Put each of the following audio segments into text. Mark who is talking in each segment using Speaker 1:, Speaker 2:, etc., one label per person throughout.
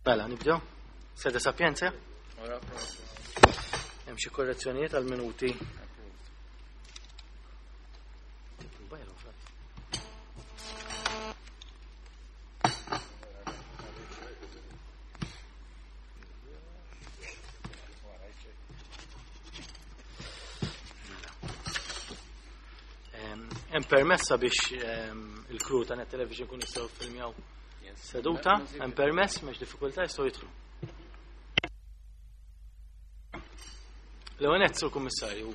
Speaker 1: Mela, nibdew. Sede Sapienza? Hemm xi korrezzjonijiet għal minuti. Hemm permessa biex il-crew ta' Net Television kun jistgħu filmjaw seduta, hemm permess m'hemmx diffikultà jistgħu jidħlu. L-ewwel sur Kummissarju,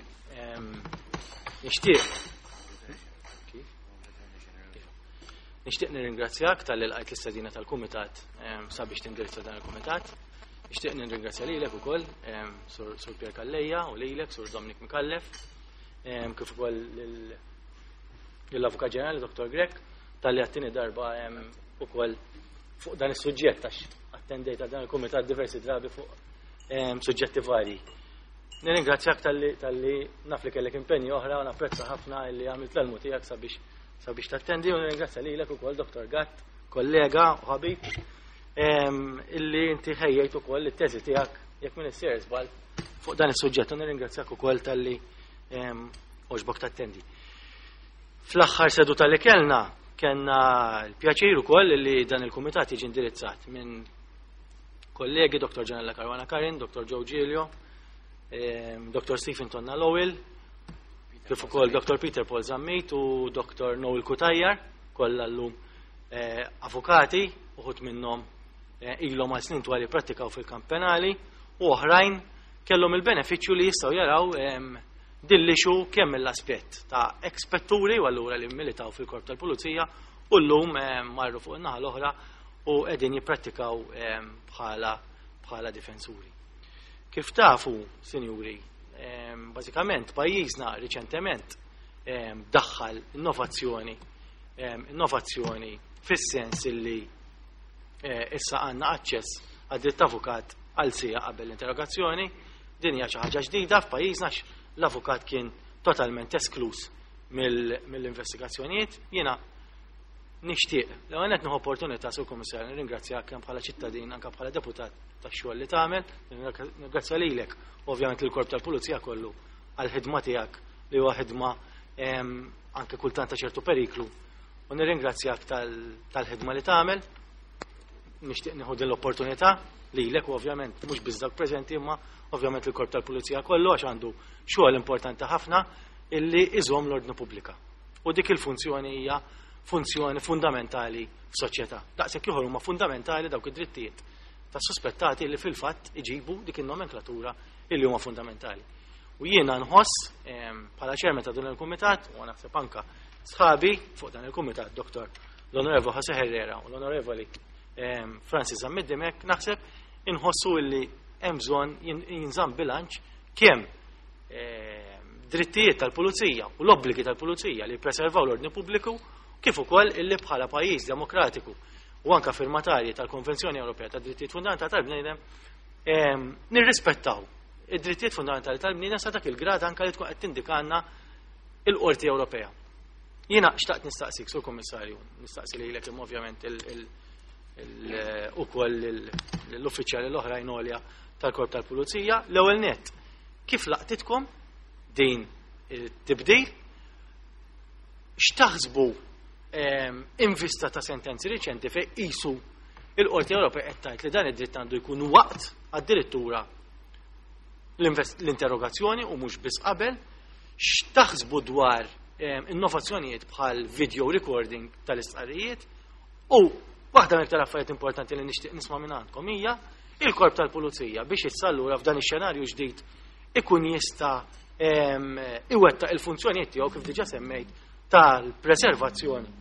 Speaker 1: nixtieq Nixtieq nirringrazzjak tal-li lqajt l-istedina tal-Kumitat sabiex tindirizza dan il-Kumitat. Nixtieq nirringrazzja lilek ukoll, Sur Pier Calleja u lilek, Sur Dominic Micallef, kif ukoll lill-Avukat Ġenerali Dr. Grech talli għat-tieni darba ukoll fuq dan is-suġġett għax attendejt għal dan il-kumitat diversi drabi fuq suġġetti varji. Nirringrazzjak talli naf li kellek impenji oħra u napprezza ħafna li għamilt l-almu tiegħek sabiex sabiex tattendi u nirringrazzja lilek ukoll Dr. Gatt, kollega u ħabib, illi inti ħejjejt ukoll it-teżi tiegħek jekk minn issir żball fuq dan is-suġġett u nirringrazzjak ukoll talli għoġbok tattendi. Fl-aħħar seduta li kellna, kellna l-pjaċir ukoll li dan il-kumitat jiġi indirizzat minn kollegi Dr. Ġanella Caruana Karin, Dr. Joe Giglio, Dr. Stephen Tonna Lowell, kif ukoll Dr. Peter Paul Zammit u Dr. Noel Cutajar, kollha llum eh, avukati, uħud minnhom eh, ilhom għal snin twal jipprattikaw fil-kamp penali u oħrajn kellhom il-benefiċċju li jistgħu jaraw din l-issue kemm mill-aspett ta' ekspetturi u allura li militaw fil-korp tal-pulizija u llum eh, marru fuq in-naħa l-oħra u qegħdin jipprattikaw eh, bħala bħala difensuri. Kif tafu, sinjuri, eh, bażikament pajjiżna riċentement daħħal innovazzjoni innovazzjoni fis-sens illi issa għandna aċċess għad-dritt avukat għal siegħa qabel l-interrogazzjoni. Din hija xi ħaġa ġdida f'pajjiżna l-avukat kien totalment esklus mill-investigazzjonijiet. Jiena nixtieq, l qed nieħu opportunità sur Kummissarju nirringrazzjak kemm bħala ċittadin anke bħala deputat tax-xogħol li tagħmel, nirringrazzja lilek ovvjament il-korp tal-pulizija kollu għall-ħidma tiegħek li huwa ħidma anke kultant ta' ċertu periklu. U nirringrazzjak tal-ħidma li tagħmel. Nixtieq nieħu din l-opportunità lilek u ovvjament mhux biss dak preżenti imma ovvjament il-korp tal-pulizija kollu għax għandu xogħol importanti ħafna illi iżomm l-ordni pubblika. U dik il-funzjoni hija funzjoni fundamentali f'soċjetà. Daqshekk ieħor huma fundamentali dawk id-drittijiet ta' suspettati li fil-fatt iġibu dik in-nomenklatura illi huma fundamentali. U jiena nħoss bħala chairman ta' dan il-kumitat u naħseb anka sħabi fuq dan il-kumitat Dr. l-Onorevoli Jose Herrera u l-Onorevoli Francis Zammit Dimech naħseb inħossu illi hemm bżonn jinżamm bilanċ kemm drittijiet tal-pulizija u l-obbligi tal-pulizija li jippreservaw l-ordni pubbliku kif ukoll illi bħala pajjiż demokratiku u anka firmatarji tal-Konvenzjoni Ewropea tad Drittijiet Fundamentali tal-Bniedem nirrispettaw id-drittijiet fundamentali tal-bniedem sa dak il-grad anka li tkun qed tindikanna il-Qorti Ewropea. Jiena xtaqt nistaqsik, sur Kommissarju, nistaqsi lilek imma ovvjament ukoll l-uffiċjali l-oħrajn għolja tal-Korp tal-Pulizija, l-ewwel nett, kif laqtitkom din it-tibdil, x'taħsbu in vista ta' sentenzi riċenti fejn qisu il-Qorti Ewropea qed tgħid li dan id-dritt għandu jkun waqt addirittura l-interrogazzjoni u mhux biss qabel, x'taħsbu dwar innovazzjonijiet bħal video recording tal-istqarrijiet u waħda mill-iktar affarijiet importanti li nixtieq nisma' minn għandkom hija il-korp tal-pulizija biex issa allura f'dan ix-xenarju ġdid ikun jista' iwettaq il-funzjonijiet tiegħu kif diġà semmejt tal-preservazzjoni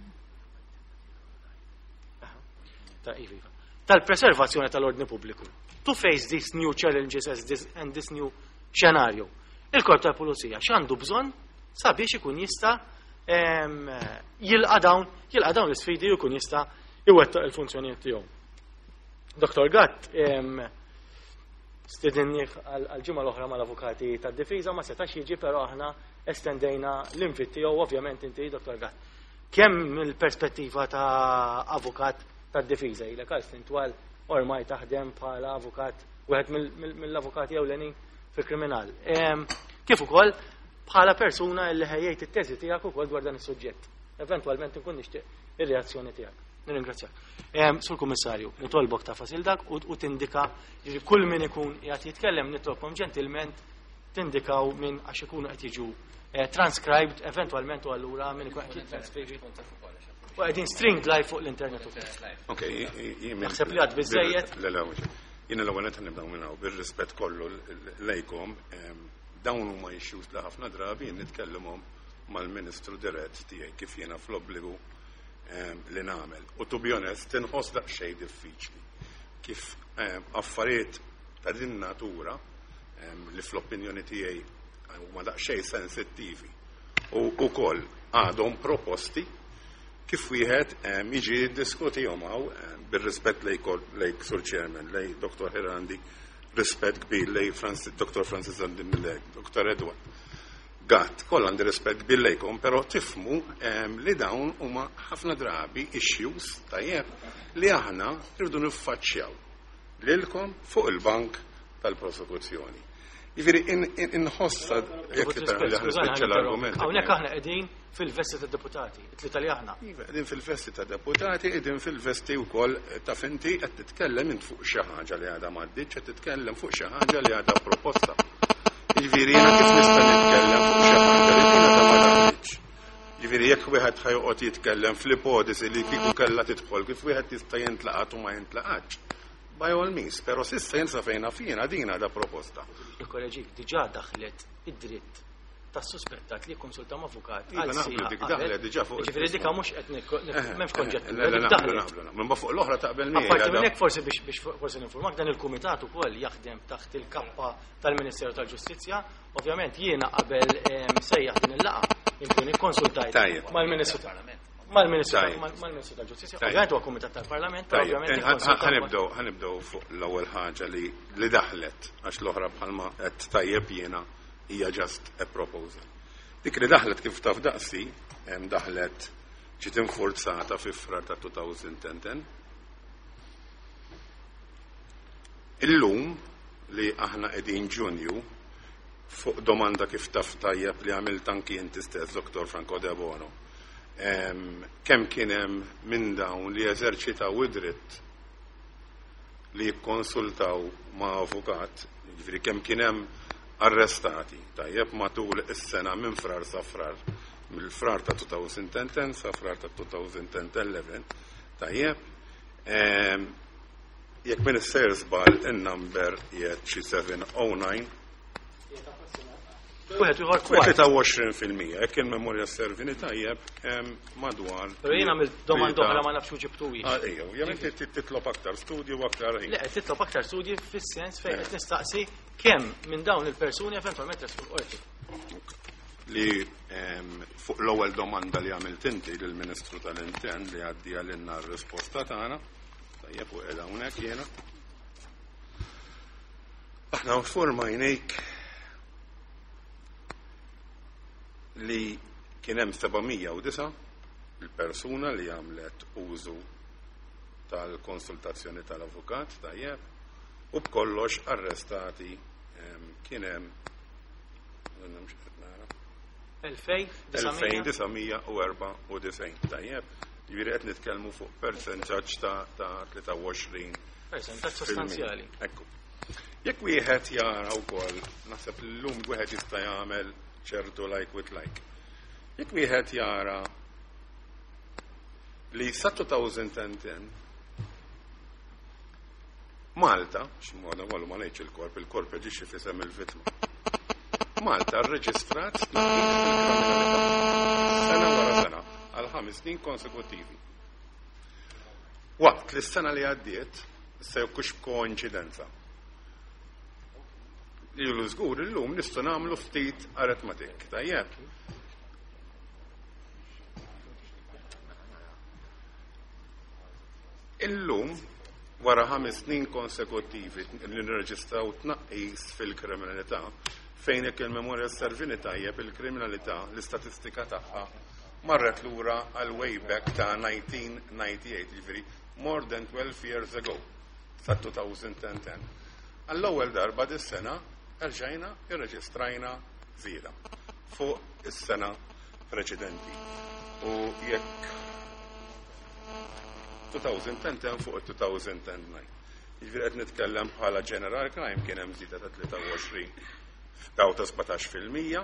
Speaker 1: tal-preservazzjoni tal-ordni pubbliku. To face these new challenges as this, and this new scenario. Il-korp tal-pulizija x'għandu bżonn sabiex ikun jista' jilqa' dawn jilqa' dawn l-isfidi u jkun jista' iwettaq il-funzjonijiet tiegħu. Dr. Gatt stidinnieh għal-ġimgħa l-oħra mal-avukati tad-difiża ma setax jiġi però aħna estendejna l-invit tiegħu ovvjament inti Dr. Gatt. Kemm mill-perspettiva ta' avukat tad-difiża ilek għal snin twal ormai taħdem bħala avukat, wieħed mill-avukati ewlenin fil-kriminal. Kif ukoll bħala persuna li ħejjejt it-teżi tiegħek ukoll dwar dan is-suġġett. Eventwalment inkun nixtieq ir-reazzjoni tiegħek. Nirringrazzjak. Sur Kummissarju, nitolbok ta' fasil dak u tindika li kull min ikun qiegħed jitkellem nitlobkom ġentilment tindikaw minn għax ikunu qed jiġu transcribed eventwalment u allura min ikun qed jitranskrivi. U qegħdin streamed live fuq l-internet ukoll.
Speaker 2: Ok,
Speaker 1: Naħseb li għad biżejjed.
Speaker 2: Le, le, mhux. Jiena l-ewwel qed nibdew minn hawn bir-rispett kollu lejkom, dawn huma issues li ħafna drabi jien nitkellimhom mal-Ministru dirett tiegħi kif jiena fl-obbligu li nagħmel. U to be honest, tinħoss daqsxejn diffiċli kif affarijiet ta' din natura li fl-opinjoni tiegħi huma daqsxejn sensittivi u wkoll għadhom proposti kif wieħed jiġi jiddiskutihom hawn bir-rispett lejk Sur Chairman, lej Dr. Herandi, rispett kbir lej Dr. Francis Andimilek, Dr. Edward Gatt, kollha għandi rispett kbir lejkom, però tifhmu li dawn huma ħafna drabi issues tajjeb li aħna rridu niffaċċjaw lilkom fuq il-bank tal-prosekuzzjoni. Jiġifieri inħossa jekk tippermetti nispiċċa l-argument.
Speaker 1: Hawnhekk aħna qegħdin fil-vesti ta' deputati, it-tlieta li aħna.
Speaker 2: Iva, qegħdin fil-vesti ta' deputati, qegħdin fil-vesti wkoll ta' finti qed titkellem int fuq xi ħaġa li għadha m'għaddietx, qed titkellem fuq xi ħaġa li għadha proposta. Jiġifieri jiena kif nista' nitkellem fuq xi ħaġa li din għadha ma daħlitx. Jiġifieri jekk wieħed ħa joqgħod jitkellem fl-ipotesi li kieku kellha tidħol kif wieħed jista' jintlaqat u ma jintlaqatx. By all means, però s'issa jien sa fejn naf jiena din għadha proposta.
Speaker 1: Nikkoreġik, diġà daħlet id-dritt tas-suspettat li jikkonsulta ma' avukat
Speaker 2: Iva,
Speaker 1: għal
Speaker 2: naqblu
Speaker 1: siegħa
Speaker 2: dik
Speaker 1: qabel.
Speaker 2: daħlet diġà fuq
Speaker 1: Jiġifieri dik mhux qed m'hemmx konġettura,
Speaker 2: Le, le,
Speaker 1: dik
Speaker 2: naqblu,
Speaker 1: daħlet.
Speaker 2: naqblu, naqblu. Imma fuq l-oħra taqbel miegħi,
Speaker 1: Apparti minn
Speaker 2: għadha
Speaker 1: hekk forsi biex forsi ninformak dan il-kumitat ukoll jaħdem taħt il-kappa tal-Ministeru tal-Ġustizzja. Ovvjament jiena qabel sejjaħ din il-laqgħa inkun ikkonsultajt
Speaker 2: Tajjeb.
Speaker 1: mal-Ministru mal-Ministru
Speaker 2: Tajjeb.
Speaker 1: mal-Ministru tal-Ġustizzja.
Speaker 2: Tajjeb.
Speaker 1: Ovvjament huwa kumitat tal-Parlament, però
Speaker 2: Tajjeb.
Speaker 1: ovvjament ikkonsultat
Speaker 2: Ħanibdew fuq l-ewwel ħaġa li daħlet għax l-oħra bħalma qed tajjeb jiena hija just a proposal. Dik li daħlet kif taf daqsi, daħlet ġiet infurzata fi Frar ta' 2010. Illum li aħna qegħdin Ġunju fuq domanda kif taf tajjeb li għamilt anki inti stess, Dr. Franco Debono. Kemm kien hemm minn dawn li eżerċitaw id-dritt li jikkonsultaw ma' avukat, jiġifieri kemm kien hemm arrestati tajjeb matul is-sena minn Frar sa Frar, mill-Frar ta' 2010 sa Frar ta' 2011, tajjeb. Jekk minn is-sejr żball in-number qiegħed xi 709.
Speaker 1: Wieħed ieħor kwart.
Speaker 2: 23%, jekk il-memorja servini tajjeb, madwar.
Speaker 1: Però jiena għamilt domanda oħra ma nafx ġibtuhiex.
Speaker 2: Ah, ejja, ovvjament titlob aktar studji u aktar ħin.
Speaker 1: Le, qed titlob aktar studji fis-sens fejn qed nistaqsi kemm minn dawn il-persuni eventwalment resqu l-qorti.
Speaker 2: Li fuq l-ewwel domanda li għamilt inti lill-Ministru tal-Intern li għaddi għalinna r-risposta tagħna, tajjeb u qiegħda hawnhekk jiena. Aħna informajnejk li kien hemm 709 il-persuna li għamlet użu tal-konsultazzjoni tal-avukat, tajjeb, u b'kollox arrestati kien hemm, mhux qed nara.
Speaker 1: Elfejn disa' mija.
Speaker 2: 2994, tajjeb. Jiġifieri qed nitkellmu fuq percentaġġ ta' tlieta u għoxrin
Speaker 1: Percentaġġ
Speaker 2: fil-mija.
Speaker 1: sostanzjali.
Speaker 2: Ekku. Jekk wieħed jara wkoll, naħseb llum wieħed jista' jagħmel ċertu like with like. Jekk wieħed jara li sa 2010 Malta, x'moda kollu ma ngħidx il-korp, il-korp jaġixxi f'isem il-vittma. Malta rreġistrat tnaqqis fil-kriminalità sena wara sena għal 5 snin konsekuttivi. Waqt li s-sena li għaddiet, issa jekk hux koinċidenza. Ilu żgur illum nistgħu nagħmlu ftit aritmetik, tajjeb. Illum, wara 5 snin konsekuttivi li nirreġistraw tnaqqis fil-kriminalità, fejn jekk il-memorja servini tajjeb il-kriminalità, l-istatistika tagħha marret lura għal way back ta' 1998, jiġifieri more than 12 years ago. sa 2010. Għall-ewwel darba dis-sena erġajna irreġistrajna żieda fuq is-sena preċedenti. U jekk 2010 fuq 2009. Jiġifieri qed nitkellem bħala general crime kien hemm żieda ta' 23 daw ta' 17%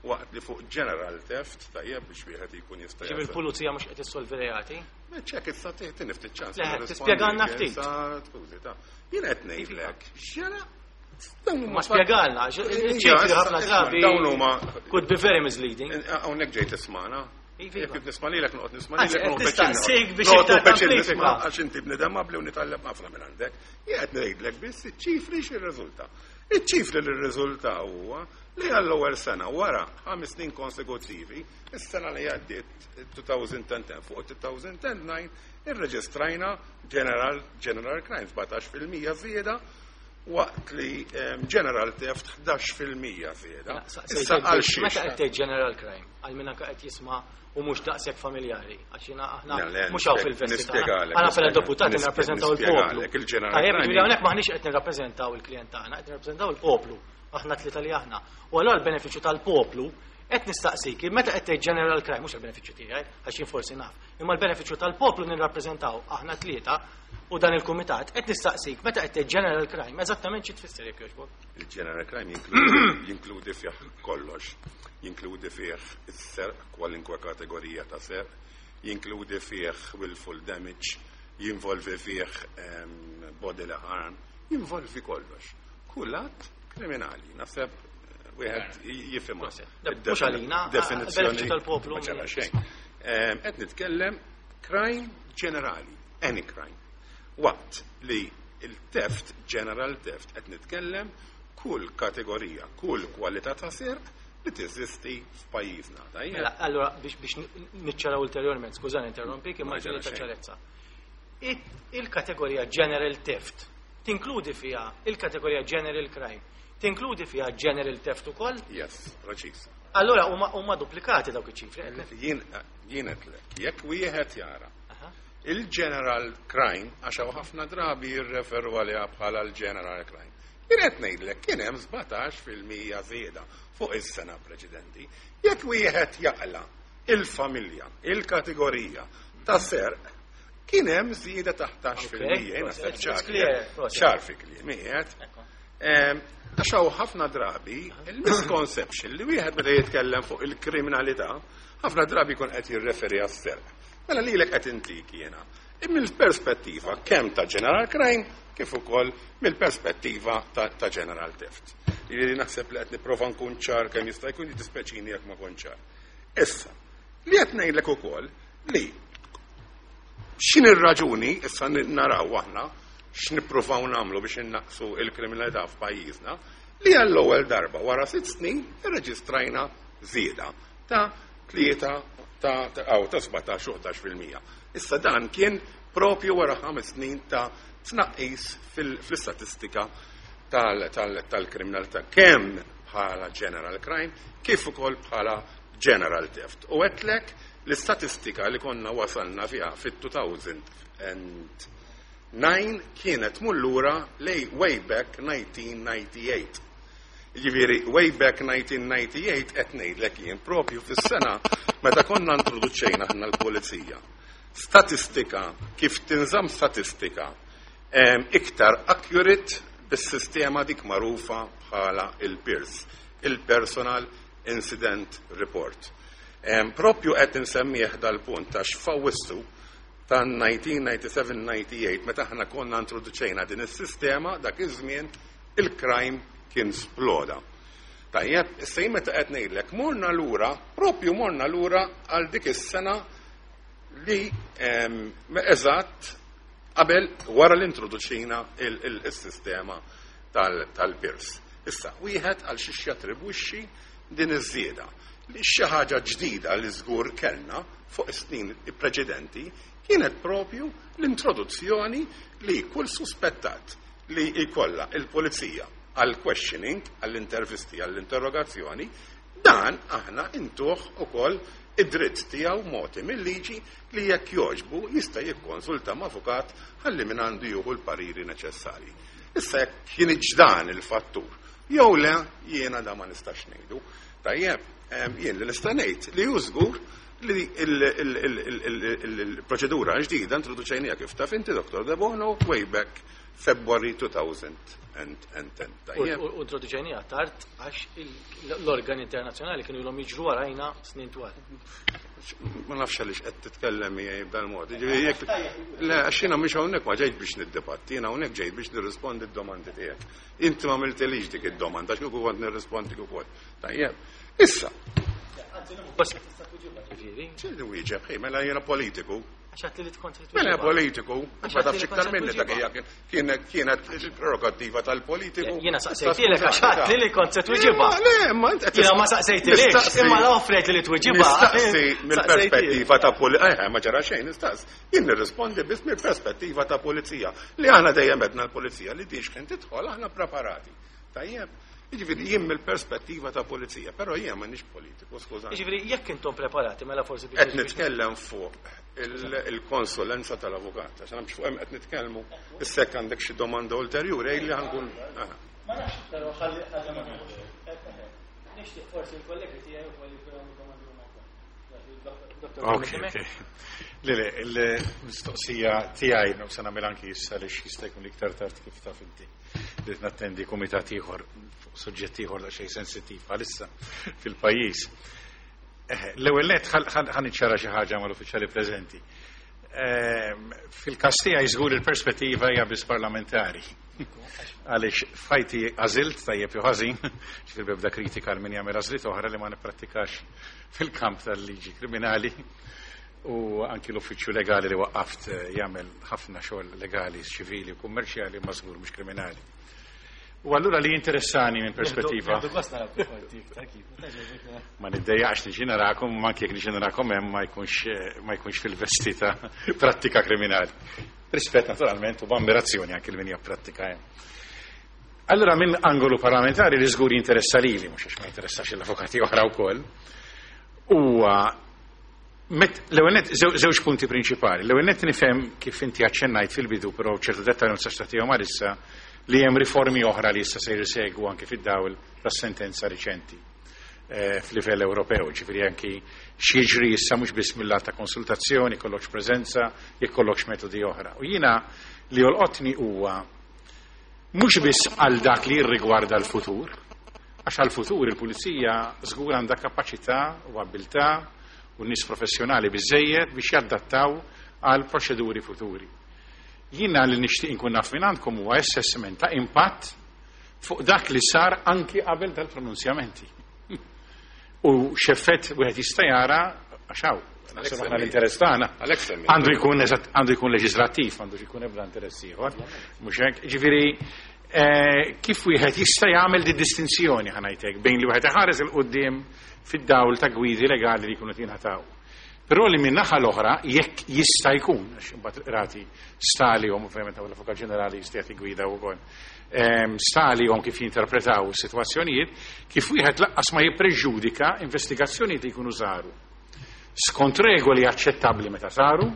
Speaker 2: waqt li fuq general theft, tajjeb, biex wieħed jkun jista'
Speaker 1: Ġifieri il-pulizija mhux qed issolvi reati?
Speaker 2: Ċek, issa tini ftit ċans.
Speaker 1: Le, tispjegalna ftit.
Speaker 2: Skużi, ta' jien qed ngħidlek, x'ġara.
Speaker 1: Ma spjegalna, ċifri ħafna drabi.
Speaker 2: Dawn huma
Speaker 1: could be very misleading.
Speaker 2: Hawnhekk ġejt tismana.
Speaker 1: Iva.
Speaker 2: Jekk nisma' lilek noqgħod nisma'
Speaker 1: Anzi,
Speaker 2: lilek
Speaker 1: qed
Speaker 2: noqgħod
Speaker 1: nistaqsik biex
Speaker 2: Noqgħod
Speaker 1: iktar
Speaker 2: peċin
Speaker 1: tamplifika.
Speaker 2: nisma' għax inti bnedem qabli u nitgħallem ħafna minn għandek. Jien qed ngħidlek biss iċ-ċifri x'irriżulta. Iċ-ċifri li rriżulta huwa li għall-ewwel sena wara 5 snin konsekutivi, is-sena li għaddiet 2010 fuq 2009 irreġistrajna general crime 17% żieda waqt li general theft 11% żieda. Issa għal xiex?
Speaker 1: Meta qed tgħid general crime, għal min anke qed jisma' u mhux daqshekk familjari, għax jiena aħna
Speaker 2: Le,
Speaker 1: mhux hawn fil-vesti tagħna.
Speaker 2: nispjegalek,
Speaker 1: Aħna bħala deputati nirrappreżentaw il-poplu.
Speaker 2: nispjegalek, il-general
Speaker 1: Tajjeb,
Speaker 2: crime
Speaker 1: ġifieri hawnhekk maħniex qed nirrappreżentaw il-klient tagħna, qed nirrappreżentaw il-poplu. Aħna tlieta li aħna. U allura l-benefiċċju tal-poplu qed nistaqsik, meta qed tgħid general crime, mhux il-benefiċċju tiegħi, għax jien forsi naf, imma l-benefiċċju tal-poplu nirrappreżentaw aħna tlieta u dan il-kumitat qed nistaqsik meta qed tgħid general crime, eżattament xi tfisser, jekk jogħġbok?
Speaker 2: Il-general crime jinkludi fih kollox. Jinkludi fih is-serq, kwalinkwe kategorija ta' serq, jinkludi fih willful damage, jinvolvi fih bodily harm, jinvolvi kollox. Kull att kriminali, naħseb wieħed jifhimha.
Speaker 1: Proset. Mhux għalina,
Speaker 2: Definizzjoni
Speaker 1: benefiċċju tal-poplu.
Speaker 2: Ma ġara xejn. Qed nitkellem crime ġenerali, any crime. Waqt li il-theft, general theft, qed nitkellem kull kategorija, kull kwalità ta' serq li teżisti f'pajjiżna. Tajjeb?
Speaker 1: Mela, allora biex niċċaraw ulterjorment, skużani interrompik, imma
Speaker 2: Ma ġara
Speaker 1: ġiri ta'
Speaker 2: xejn.
Speaker 1: ċarezza. Il-kategorija general theft tinkludi fiha il-kategorija general crime, tinkludi fiha general theft ukoll?
Speaker 2: Yes, preċis.
Speaker 1: Allora huma duplikati dawk iċ-ċifri.
Speaker 2: Jien qedlek, jekk wieħed jara il-general crime, għax hawn ħafna drabi jirreferu għaliha bħala l-general crime. Jien qed ngħidlek kien hemm 17% żieda fuq is-sena preċedenti. Jekk wieħed jaqla il-familja, il-kategorija ta' serq, kien hemm żieda ta' 11%.
Speaker 1: Okay,
Speaker 2: Jien naħseb
Speaker 1: it's
Speaker 2: ċar
Speaker 1: clear, proset.
Speaker 2: ċar fi kliem, qiegħed.
Speaker 1: Ekku.
Speaker 2: Għax hawn ħafna drabi il-misconception li wieħed meta jitkellem fuq il-kriminalità, ħafna drabi jkun qed jirreferi għas-serq. Mela lilek qed intik jiena. Mill-perspettiva kemm ta' general crime kif ukoll mill-perspettiva ta' general theft. Jiġifieri naħseb li qed nipprova nkun ċar kemm jista' jkun, jiddispjaċini jekk ma kont ċar. Issa, li qed ngħidlek ukoll li x'in ir-raġuni issa naraw aħna x'nippruvaw nagħmlu biex innaqsu il-kriminalità f'pajjiżna li għall-ewwel darba wara 6 snin irreġistrajna żieda ta' tlieta ta' aw ta' 17 u 11%. Issa dan kien propju wara 5 snin ta' tnaqqis fl-istatistika tal-kriminalità kemm bħala general crime kif ukoll bħala general theft. U għedtlek l-istatistika li konna wasalna fiha fit-2009 kienet mullura lej way back 1998. Ġifieri, way back 1998 qed ngħidlek jien propju fis-sena meta konna introduċejna aħna l-pulizija. Statistika, kif tinżamm statistika iktar accurate bis-sistema dik magħrufa bħala il-PIRS, il-Personal Incident Report. Propju qed insemmih dal-punt għax f'Awwissu ta' 1997-98 meta aħna konna introduċejna din is-sistema, dak iż-żmien il-crime kien sploda. Tajjeb, issa jien meta qed ngħidlek morna lura, propju morna lura għal dik is-sena li eżatt qabel wara l-introduċina il-sistema tal-PIRS. Issa, wieħed għal xiex jattribwixxi din iż-żieda. Li xi ħaġa ġdida li żgur kellna fuq is-snin preċedenti kienet propju l-introduzzjoni li kull suspettat li jkollha il-pulizija. għall-questioning, għall-intervisti, għall-interrogazzjoni, dan aħna intuh ukoll id-dritt tiegħu mogħti mil-liġi li jekk jogħġbu jista' jikkonsulta ma' avukat ħalli minn għandu jieħu l-pariri neċessarji. Issa jekk kienx dan il-fattur jew le, jiena da ma nistax ngħidu. Tajjeb, jien li nista' ngħid li hu żgur li il-proċedura ġdida introduċejnija, kif taf inti, Dr. Debono, way back February 2010. Tajjeb.
Speaker 1: U introduċejnija tard għax l-organi internazzjonali kienu ilhom jiġru warajna snin twal.
Speaker 2: Ma nafx għaliex qed titkellem miegħi b'dal-mod. Jiġifieri le, għax jiena mhux hawnhekk ma ġejt biex niddibatti, jiena hawnhekk ġejt biex nirrispondi d-domandi tiegħek. Inti ma għamiltilix dik id-domanda, għax kieku kont nirrispondi ukoll. Tajjeb. Issa.
Speaker 1: Bas tista' tweġibha, ġifieri.
Speaker 2: X'inhu wieġeb? Ej, mela jiena politiku.
Speaker 1: Għax għedt li tkun trid
Speaker 2: Mela
Speaker 1: tweġibha.
Speaker 2: politiku,
Speaker 1: Għax
Speaker 2: ma
Speaker 1: għedt
Speaker 2: tafx
Speaker 1: li
Speaker 2: iktar
Speaker 1: kont
Speaker 2: minni dak
Speaker 1: tweġibha.
Speaker 2: hija kienet il-prerogattiva tal-politiku.
Speaker 1: Jiena saqsejtilek għax għedt li kont se tweġibha.
Speaker 2: Le, ma int qed
Speaker 1: Jiena ma saqsejtilekx, imma la offrejt li tweġibha.
Speaker 2: Nistaqsi mill-perspettiva ta' pulizija. Ma ġara xejn, nistaqsi. Jien nirrispondi biss mill-perspettiva ta' pulizija. Li aħna dejjem għedna l-pulizija li dix kien tidħol aħna preparati. Tajjeb, jiġifieri jien mill-perspettiva ta' pulizija, però jien m'għandix politiku, skużani.
Speaker 1: Jiġifieri jekk intom preparati mela forsi biex
Speaker 2: Qed nitkellem fuq il-konsulenza tal-avukat, għax nafx fuq hemm qed nitkellmu, issa jekk għandek xi domanda ulterjuri li ħa nkun.
Speaker 1: Ma nafx, però ħalli ħalli ma nafx. Nixtieq forsi l-kollegi tiegħi wkoll jkunu għamlu domandi huma wkoll. Dottor
Speaker 3: Ok. Le, il-mistoqsija tiegħi no se nagħmel anki issa li jista' jkun iktar tard, kif taf inti, li nattendi kumitat ieħor fuq suġġett ieħor daqsxejn sensittiv bħalissa fil-pajjiż. L-ewwel nett ħa niċċara xi ħaġa mal-uffiċjali preżenti. Fil-każ tiegħi żgur il-perspettiva hija biss parlamentari. Għaliex f'ħajti għażilt, tajjeb jew ħażin, ġifieri bebda kritika għal min jagħmel għażliet oħra, li ma nipprattikax fil-kamp tal-liġi kriminali, u anki l-uffiċċju legali li waqqaft jagħmel ħafna xogħol legali, ċivili u kummerċjali, ma żgur mhux kriminali. U allura li interessani minn perspettiva
Speaker 1: Nieħdu gost naraw kif qorti iktar kif.
Speaker 3: Ma niddejjaqx niġi narakom, ma anke jekk niġi narakom hemm ma jkunx fil-vesti ta' prattika kriminali. Rispett naturalment u b'ammirazzjoni anke l min pratika hemm. Allura minn angolu parlamentari li żgur jinteressa lili, mhux għax ma jinteressax l-avukati oħra wkoll, huwa l-ewwel nett żewġ punti prinċipali. L-ewwel nett nifhem kif inti aċċennajt fil-bidu, però ċertu dettalji ma nistax tagħtihom għalissa, li hemm riformi oħra li issa se jsegwu anke fid-dawl tas-sentenza riċenti f'livell Ewropew, ġifieri anki x'jiġri issa mhux biss mill-lat ta' konsultazzjoni, kollokx preżenza, jekk kollokx metodi oħra. U jiena li jolqotni huwa mhux biss għal dak li jirrigwarda l-futur, għax għal-futur il-pulizija żgur għandha kapaċità u abilità u nies professjonali biżejjed biex jaddattaw għal proċeduri futuri. Jiena li nixtieq inkun naf minn għandkom huwa assessment ta' impatt fuq dak li sar anki qabel tal-pronunzjamenti. U x'effett wieħed jista' jara, għax hawn, naħseb aħna l-interess tagħna
Speaker 2: Għalhekk semmi.
Speaker 3: għandu jkun eżatt, għandu jkun leġislattiv, għandu jkun ebda interess ieħor. Mhux hekk, ġifieri kif wieħed jista' jagħmel di distinzjoni, ħa ngħidlek, bejn li wieħed iħares 'il quddiem fid-dawl ta' gwidi legali li jkunu jingħataw. Però li minn naħa l-oħra, jekk jista' jkun, għax imbagħad il-qrati stalihom, ovvjament l-Avukat Ġenerali jista' jagħti gwida wkoll, stalihom kif jinterpretaw is-sitwazzjonijiet, kif wieħed laqqas ma jippreġudika investigazzjonijiet li jkunu saru skont regoli aċċettabbli meta saru,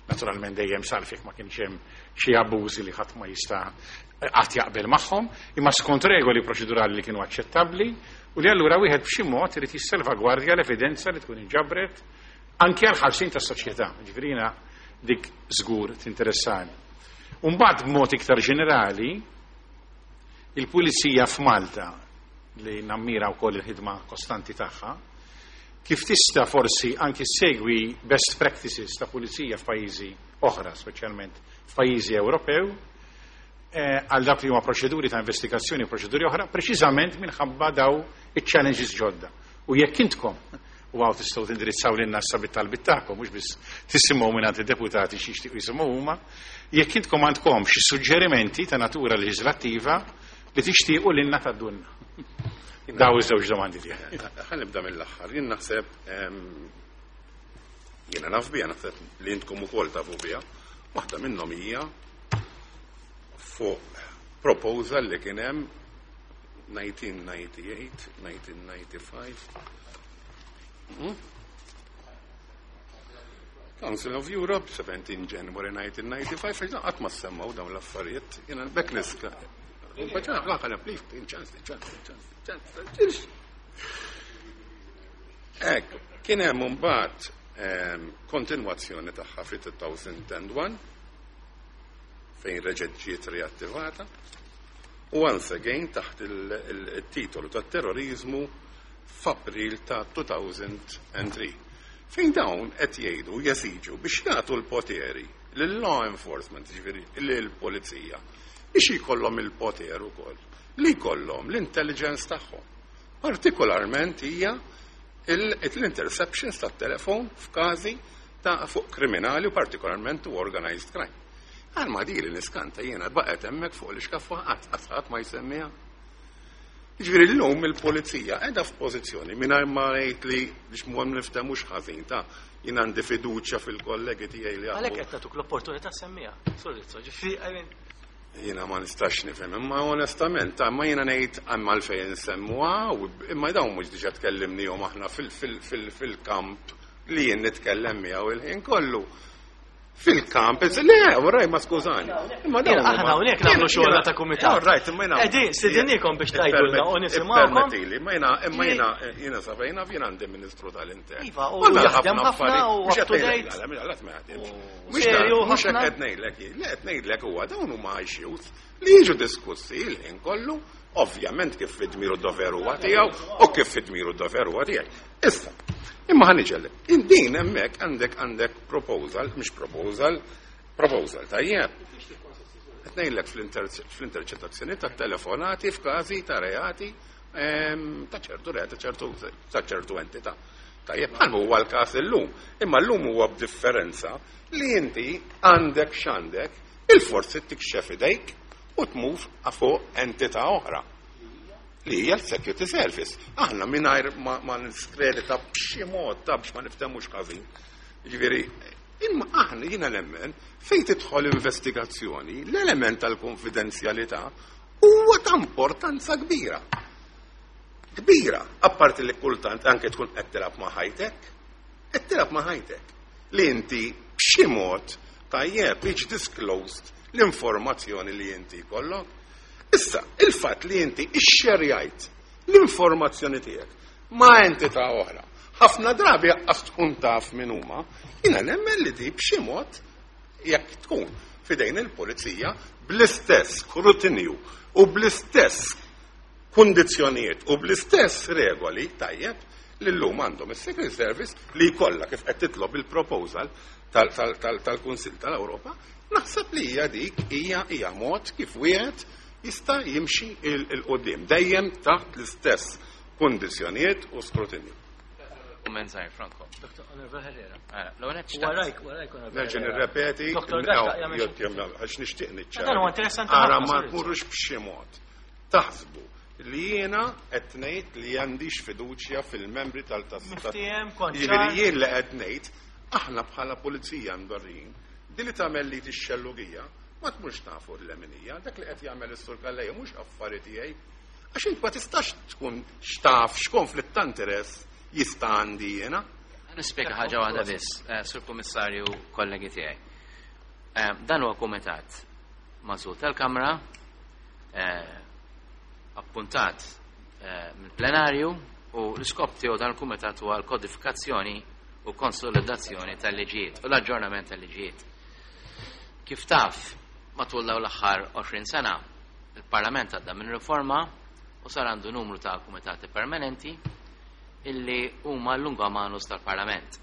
Speaker 3: naturalment dejjem salv jekk ma kienx hemm xi abbużi li ħadd ma jista' qatt jaqbel magħhom, imma skont regoli proċedurali li kienu aċċettabbli u li allura wieħed b'xi mod irid jissalvagwardja l-evidenza li tkun inġabret anke għal ħarsin tas-soċjetà. Ġifieri jiena dik żgur tinteressani. U mbagħad b'mod iktar ġenerali, il-Pulizija f'Malta, li nammira wkoll il-ħidma kostanti tagħha, kif tista' forsi anki segwi best practices ta' pulizija f'pajjiżi oħra, speċjalment f'pajjiżi Ewropew, għal dak li huma proċeduri ta' investigazzjoni u proċeduri oħra, preċiżament minħabba daw iċ-challenges ġodda. U jekk intkom u hawn tistgħu tindirizzaw lin nassa bit-talbit tagħkom, mhux biss tisimgħu minn id-deputati xi jixtiequ jisimgħu huma, jekk intkom għandkom xi suġġerimenti ta' natura leġislattiva li tixtiequ lilna tgħaddulna. Daw iż-żewġ domandi tiegħi.
Speaker 2: Ħa nibda mill-aħħar. Jien naħseb jiena naf biha, naħseb li intkom ukoll tafu biha. Waħda minnhom hija fuq proposal li kien hemm 1998, 1995. Council of Europe, 17 January 1995, għax qatt ma semmaw dawn l-affarijiet, jiena bekk niska. Ek, kien hemm imbagħad kontinwazzjoni tagħha fi 2001 fejn reġgħet ġiet riattivata u once again taħt il-titolu tat-terrorizmu f'April ta' 2003. Fejn dawn qed jgħidu jesiġu biex jagħtu l-poteri lill-law enforcement, ġifieri lill-pulizija, biex jkollhom il-poter ukoll li jkollhom l-intelligence tagħhom. Partikolarment hija l-interceptions tat-telefon f'każi ta' fuq kriminali u partikolarment u organized crime. Għal ma di li niskanta jiena baqgħet hemmhekk fuq l-ixkaffa qatt qatt ma jsemmiha. Jiġifieri llum il-pulizija qiegħda f'pożizzjoni mingħajr ma ngħid li biex ma niftehmux ħażin ta' jien għandi fiduċja fil-kollegi tiegħi li
Speaker 1: Għalhekk qed nagħtuk l-opportunità semmiha. Sorry, ġifieri, I mean,
Speaker 2: Jiena ma nistax nifhem, imma onestament, ta' ma jiena ngħid għamma għalfejn nsemmuha, imma dawn mhux diġà tkellimnihom aħna fil-kamp li jien nitkellem miegħu il-ħin kollu. Fil-kamp, le, raj, ma skużani. Imma dawn
Speaker 1: Aħna hawnhekk nagħmlu xogħolna ta' kumitat.
Speaker 2: All right, imma jiena.
Speaker 1: Qegħdin, stedinnikom biex tgħidulna u nisimgħukom.
Speaker 2: Ippermettili, imma jiena, imma jiena, jiena sa fejn naf, jiena għandi Ministru tal-Intern.
Speaker 1: Iva, u
Speaker 2: Kollha
Speaker 1: jaħdem
Speaker 2: ħafna
Speaker 1: ħafna
Speaker 2: affarijiet.
Speaker 1: u
Speaker 2: Mhux
Speaker 1: up to
Speaker 2: qed ngħidlek,
Speaker 1: date.
Speaker 2: le, le, le, ma jaħdimx.
Speaker 1: U
Speaker 2: Mhux
Speaker 1: serju
Speaker 2: mhux hekk
Speaker 1: ħafna.
Speaker 2: qed ngħidlek jien, li qed ngħidlek huwa dawn huma issues li jiġu diskussi il-ħin kollu, ovvjament kif fid-dmir u d-dover huwa tiegħu u kif fid-dmir u d-dover huwa tiegħi. Issa, imma ħa niġi. Din hemmhekk għandek proposal, mhux proposal, proposal tajjeb. Qed ngħidlek fl-interċettazzjoni tat-telefonati f'każi ta' reati ta' ċertu reati, ta' ċertu entità. Tajjeb, bħal huwa l-każ illum. Imma llum huwa b'differenza li inti għandek x'għandek, il-forsi tikxef idejk u tmur fuq entità oħra li hija l-Security Service. Aħna mingħajr ma niskredita b'xi mod ta' biex ma niftehmux ħażin. Ġifieri, imma aħna jiena nemmen fejn tidħol investigazzjoni, l-element tal-konfidenzjalità huwa ta' importanza kbira. Kbira, apparti li kultant anke tkun qed tilgħab ma' ħajtek, qed tilgħab ma' ħajtek. Li inti b'xi mod tajjeb jiġi disclosed l-informazzjoni li inti jkollok. Issa, il-fatt li inti ixxerjajt l-informazzjoni tiegħek ma' entità oħra, ħafna drabi għas tkun taf min huma, jiena nemmen li di b'xi mod jekk tkun fidejn il-pulizija bl-istess skrutinju u bl-istess kundizzjonijiet u bl-istess regoli tajjeb li llum għandhom is-Secret Service li jkollha kif qed titlob il-proposal tal-Kunsill tal-Ewropa, naħseb li hija dik hija mod kif wieħed jista' jimxi il-qudiem dejjem taħt l-istess kundizzjonijiet u skrutinju.
Speaker 4: Kumment żgħir, Franco.
Speaker 1: Dr. Honorable Herrera.
Speaker 4: L-ewwel qed xtaqt.
Speaker 1: Warajk, warajk, Honorable
Speaker 2: Nerġa'
Speaker 1: Herrera.
Speaker 2: nirrepeti,
Speaker 1: Dr. Gatt, jagħmel xi-
Speaker 2: għax nixtieq niċċara.
Speaker 1: Dan huwa interessanti
Speaker 2: Ara
Speaker 1: ħafna,
Speaker 2: ma
Speaker 1: sorry.
Speaker 2: tmurux b'xi mod. Taħsbu li jiena qed ngħid li għandix fiduċja fil-membri tal-tas.
Speaker 1: Miftiehem, kont
Speaker 2: Jiġifieri
Speaker 1: ċar.
Speaker 2: jien li qed ngħid, aħna bħala pulizija mdorrijin, din li tagħmel li tixxellugija, ma tmurx tafu l-leminija, dak li qed jagħmel is-Sur Calleja mhux affari tiegħi. Għax int ma tistax tkun xtaf x'konflitt ta' interess jista' għandi jiena.
Speaker 4: Nispjega ħaġa waħda biss, Sur Kummissarju, kollegi tiegħi. Dan huwa kumitat magħżul tal-Kamra, appuntat mill-plenarju u l-iskop tiegħu dan il-kumitat huwa l-kodifikazzjoni u konsolidazzjoni tal-liġijiet u l-aġġornament tal-liġijiet. Kif taf, matul dawn l-aħħar 20 sena, il-Parlament għadda minn riforma u sar għandu numru ta' kumitati permanenti illi huma l-lunga manus tal-Parlament.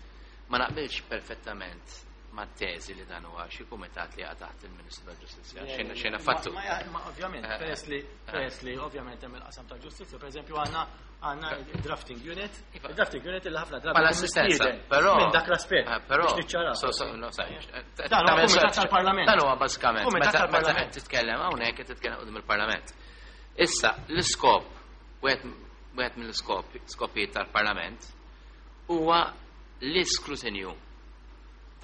Speaker 4: Ma naqbilx perfettament ma' teżi li dan huwa xi kumitat li jaqa' taħt il-Ministru tal-Ġustizzja. Xejn affattu.
Speaker 1: Ma ovvjament, peress li ovvjament hemm il-qasam tal-ġustizzja, pereżempju għandna il-drafting unit, il-drafting unit illi ħafna drabi
Speaker 4: Bħala
Speaker 1: tkun
Speaker 4: assistenza,
Speaker 1: mistieden
Speaker 4: però
Speaker 1: minn dak l-aspett
Speaker 4: però
Speaker 1: biex niċċaraw.
Speaker 4: so, so, no, sa-
Speaker 1: Dan huwa kumitat tal-Parlament.
Speaker 4: Dan huwa bażikament
Speaker 1: Kumitat
Speaker 4: meta
Speaker 1: tal-Parlament.
Speaker 4: qed titkellem hawnhekk qed titkellem quddiem il-Parlament. Issa l-iskop wieħed mill-iskop skopijiet tal-Parlament huwa l-iskrutinju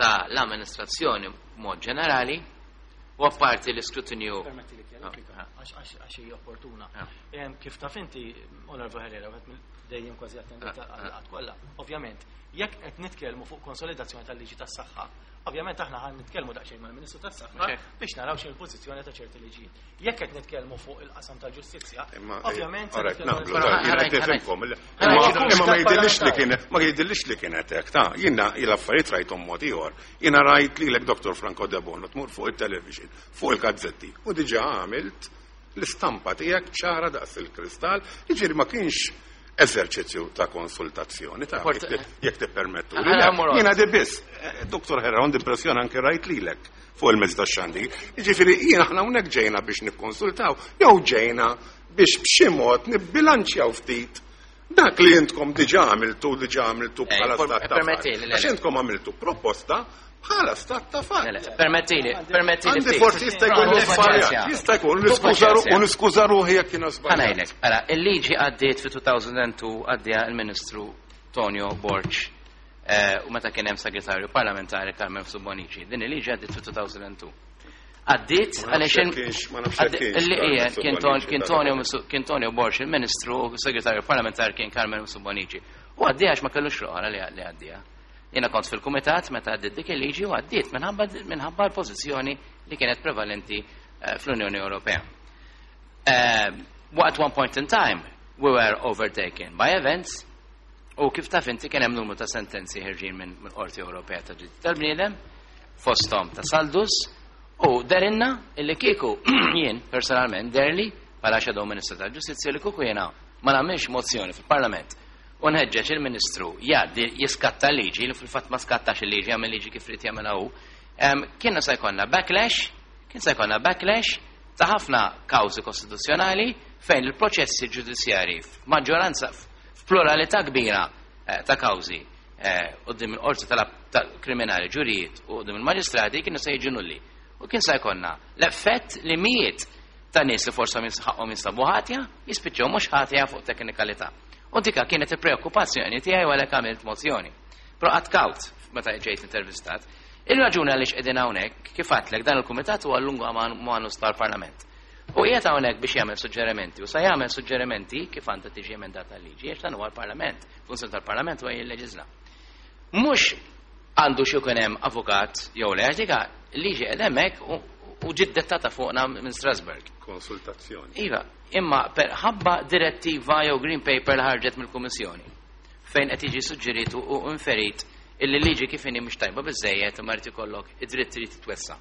Speaker 4: ta' l-amministrazzjoni b'mod ġenerali U apparti l-iskrutinju.
Speaker 1: Permetti li kjarifika, għax hija opportuna. Kif taf inti, Onorevoli Herrera, wieħed mill dejjem kważi attendita għal kollha. Ovvjament, jekk qed nitkellmu fuq konsolidazzjoni tal-liġi tas-saħħa, ovvjament aħna ħan nitkellmu daqsxejn mal-Ministru tas-Saħħa biex naraw x'inhi l-pożizzjoni ta' ċerti liġijiet. Jekk qed nitkellmu fuq il-qasam tal-ġustizzja, ovvjament.
Speaker 2: Imma ma jidhirlix li kien ma jidhirlix li kienet hekk ta' jiena l-affarijiet rajthom mod ieħor. Jiena rajt lilek Dr. Franco Debono tmur fuq it-television, fuq il-gazzetti u diġà għamilt l-istampa tiegħek ċara daqs il-kristall, jiġifieri ma kienx eżerċizzju ta' konsultazzjoni ta' jekk tippermettu. Jiena di biss, Dr. Herrera, għandi impressjoni anke rajt lilek fuq il-mezz tax-xandir. Jiġifieri jien aħna hawnhekk ġejna biex nikkonsultaw jew ġejna biex b'xi mod nibbilanċjaw ftit dak li intkom diġà għamiltu diġà għamiltu bħala stat ta' fatt. Għax intkom għamiltu proposta bħala stat ta' fatt.
Speaker 4: Permettili, permettili.
Speaker 2: Għandi forsi jista' jkun żbaljat, jista' jkun u niskuża ruħi jekk jiena żbaljat.
Speaker 4: Ħa ngħidlek, ara, il-liġi għaddiet fi 2002 għaddiha il-Ministru Tonio Borg u meta kien hemm segretarju parlamentari Carmen Mifsud Bonnici. Din il-liġi għaddiet fi 2002. Għaddiet għaliex kien Tonio Borg il-Ministru u segretarju parlamentari kien Carmen Mifsud Bonnici. U għaddiha għax ma kellux roħra li għaddiha. Jiena kont fil-kumitat meta għaddiet dik il-liġi u għaddiet minħabba l-pożizzjoni li kienet prevalenti fl-Unjoni Ewropea. At one point in time, we were overtaken by events u kif taf inti kien hemm numru ta' sentenzi ħerġin minn Qorti Ewropea ta' Drittijiet tal-Bniedem, fosthom ta' Saldus, u dehrilna illi kieku jien personalment deherli bħala Shadow Minister tal-Ġustizzja li kieku jiena ma nagħmilx mozzjoni fil-Parlament u nħeġġeġ il-Ministru jgħaddi jiskatta liġi li fil-fatt ma skattax il-liġi, għamel liġi kif irid jagħmilha hu, kienna se jkollna backlash, kien se jkollna backlash ta' ħafna kawżi kostituzzjonali fejn il-proċessi ġudizzjarji f'maġġoranza f'pluralità kbira ta' kawżi quddiem il-qorti tal-kriminali ġurijiet u quddiem il-maġistrati kienu se jiġu nulli. U kien se jkollna l-effett li mijiet ta' nies li forsi ħaqhom jinstabu ħatja jispiċċaw mhux ħatja fuq teknikalità. U dika kienet il-preokkupazzjoni tiegħi u għalhekk għamilt mozzjoni. Però qatt kawt meta ġejt intervistat. Il-raġuni għaliex qegħdin hawnhekk, kif għedtlek, dan il-kumitat huwa l-lungu manus tal-Parlament. U qiegħed hawnhekk biex jagħmel suġġerimenti u sa jagħmel suġġerimenti kif għandha tiġi emendata l-liġi, għax dan huwa l-Parlament, funzjoni tal-Parlament huwa jilleġisla. Mhux għandu xi jkun hemm avukat jew le, għax dika liġi qed hemmhekk u ġiet dettata fuqna minn Strasburg.
Speaker 2: Konsultazzjoni.
Speaker 4: Iva, imma ħabba direttiva jew green paper li ħarġet mill-Kummissjoni fejn qed jiġi suġġerit u inferit illi liġi kif inhi mhux tajba biżejjed imma jrid ikollok id-dritt trid titwessa.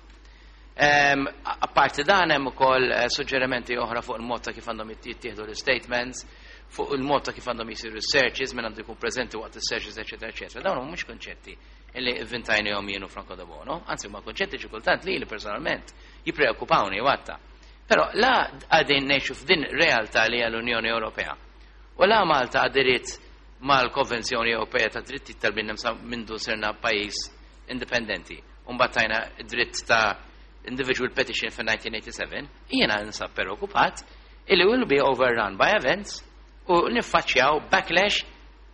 Speaker 4: Apparti dan hemm ukoll suġġerimenti oħra fuq il-mod ta' kif għandhom jittieħdu l-statements, fuq il-mod ta' kif għandhom jisiru searches, min għandu jkun preżenti waqt is-searches, eċetera, eċetera. Dawn mhux konċetti illi vvintajnihom jien u Franco Debono, anzi huma konċetti xi kultant li li personalment jippreokkupawni watta. Però la qegħdin ngħixu f'din realtà li hija l-Unjoni Ewropea. U la Malta aderiet mal-Konvenzjoni Ewropea ta' Dritti tal-Bniedem sa mindu sirna pajjiż indipendenti. U mbagħad tajna dritt ta' individual petition fin-1987, jiena nsab preokkupat illi will be overrun by events u niffaċċjaw backlash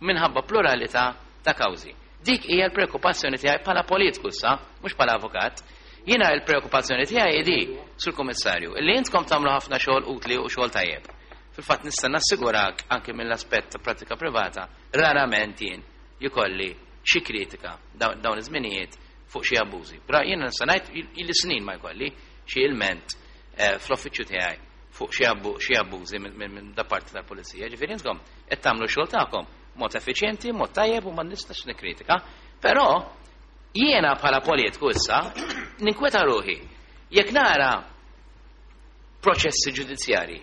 Speaker 4: minħabba pluralità ta' kawżi. Dik hija l-preokkupazzjoni tiegħi bħala politiku issa, mhux bħala avukat. Jiena l-preokkupazzjoni tiegħi di, sur Kummissarju, illi intkom tagħmlu ħafna xogħol utli u xogħol tajjeb. Fil-fatt nista' nassigurak anke mill-aspett ta' pratika privata, rarament jien jkolli xi kritika dawn iż-żminijiet fuq xi abbużi. Però jiena nista' ngħid ili snin ma jkolli xi ilment fl-uffiċċju tiegħi fuq xi abbużi minn da parti tal-pulizija. Ġifieri intkom qed tagħmlu x-xogħol tagħkom mod effiċjenti, mod tajjeb u ma nistax nikkritika. Però jiena bħala politiku issa ninkweta ruħi jekk nara proċessi ġudizzjarji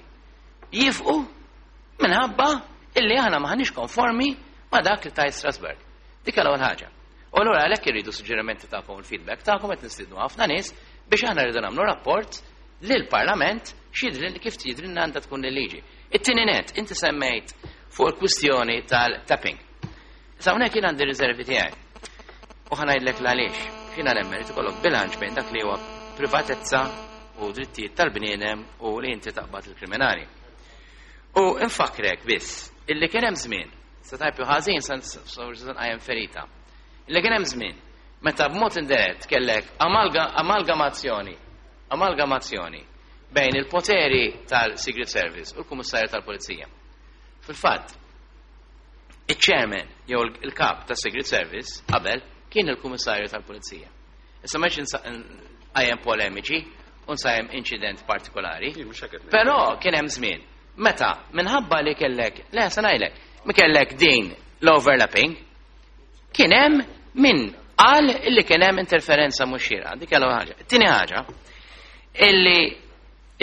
Speaker 4: jifqu minħabba illi aħna maħniex konformi ma dak li tajt Strasburg. Dik l-ewwel ħaġa. U allura għalhekk irridu suġġerimenti tagħkom, il-feedback tagħkom, qed nistiednu ħafna nies biex aħna rridu nagħmlu rapport lill-Parlament x'jidri kif jidrilna għandha tkun il-liġi. It-tieni net, inti semmejt fuq il-kwistjoni tal-tapping. Issa hawnhekk jien għandi riservi tiegħi. U ħa ngħidlek l-għaliex. Jiena nemmen li ikollok bilanċ bejn dak li huwa privatezza u drittijiet tal-bniedem u li inti taqbad il-kriminali. U infakrek biss illi kien hemm żmien, sa tajb ħażin sa nqajjem ferita. Illi kien hemm żmien meta b'mod indirett kellek amalgamazzjoni. amalgamazzjoni bejn il-poteri tal-Secret Service u l-Kummissarju tal-Pulizija. Fil-fatt, iċ-chairman jew il-kap tas Secret Service qabel kien il-Kummissarju tal-Pulizija. Issa ma nqajjem polemiċi u nsajjem inċident partikolari.
Speaker 2: Jien mhux hekk qed ngħid.
Speaker 4: Però kien hemm żmien meta minħabba li kellek, le se ngħidlek, mi kellek din l-overlapping, kien hemm min qal illi kien hemm interferenza mhux xierqa. Dik l ħaġa. Tieni ħaġa, illi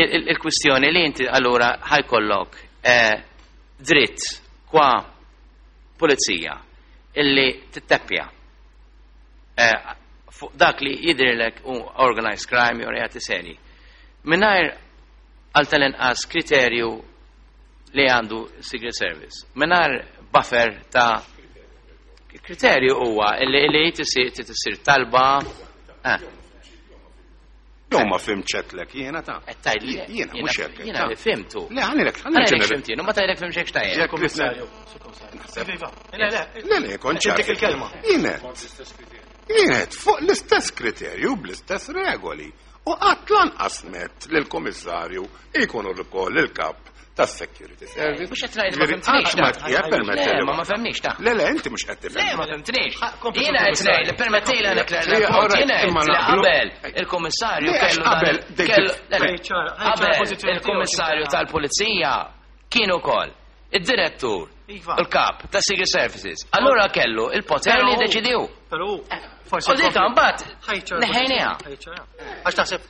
Speaker 4: il-kwistjoni li inti allura ħa jkollok dritt kwa pulizija illi titteppja fuq dak li jidhirlek u organized crime jew reati seri. Mingħajr għal tal-inqas kriterju li għandu Secret Service. Mingħajr buffer ta' kriterju huwa illi tisir talba.
Speaker 2: Jew ma fhimtx jiena ta'
Speaker 4: Qed tgħid li
Speaker 2: Jiena mhux hekk.
Speaker 4: Jiena li fhimtu.
Speaker 2: Le, ħanilek,
Speaker 4: Ħanilek x'fhimtien, u ma tgħidlek fhimx hekk x'tajjeb.
Speaker 2: Jekk
Speaker 1: Kummissarju, Sur Kummissarju. Iva, le, le,
Speaker 2: Le, le, konċar.
Speaker 1: Dik il-kelma.
Speaker 2: Jienet. Jienet, fuq l-istess kriterju, bl-istess regoli. U qatt lanqas met lill-komissarju jkunu wkoll il-kap tas-Security Service.
Speaker 4: Mhux qed ngħid ma fhimtnix,
Speaker 2: Qatt ma
Speaker 4: ta'
Speaker 2: jekk permettili.
Speaker 4: Le, ma fehmniex, ta'
Speaker 2: Le, le, inti mhux qed
Speaker 4: Le,
Speaker 2: tifhem.
Speaker 4: ma fhimtnix.
Speaker 1: Kompli,
Speaker 4: Jiena qed
Speaker 1: Kummissarju.
Speaker 4: ngħid li permettili għalek
Speaker 2: Le, all right,
Speaker 4: jiena qed
Speaker 2: imma
Speaker 4: li
Speaker 2: naqblu.
Speaker 4: qabel il-kummissarju
Speaker 2: Le, għax
Speaker 4: kellu
Speaker 2: qabel
Speaker 4: kellu le, le,
Speaker 1: Ħaj ċara, ħaj ċara
Speaker 4: qabel
Speaker 1: pożizzjoni tiegħu,
Speaker 4: il-kummissarju
Speaker 1: x'inti
Speaker 4: tal-pulizija kien ukoll id-direttur
Speaker 1: Iva.
Speaker 4: il-kap ta' Secret Services. Allura kellu il-poter li jiddeċidiw.
Speaker 1: Però forsi.
Speaker 4: U dik mbagħad
Speaker 1: Ħaj ċara
Speaker 4: neħejniha.
Speaker 1: pożizzjoni, ħaj ċara. Għax taħseb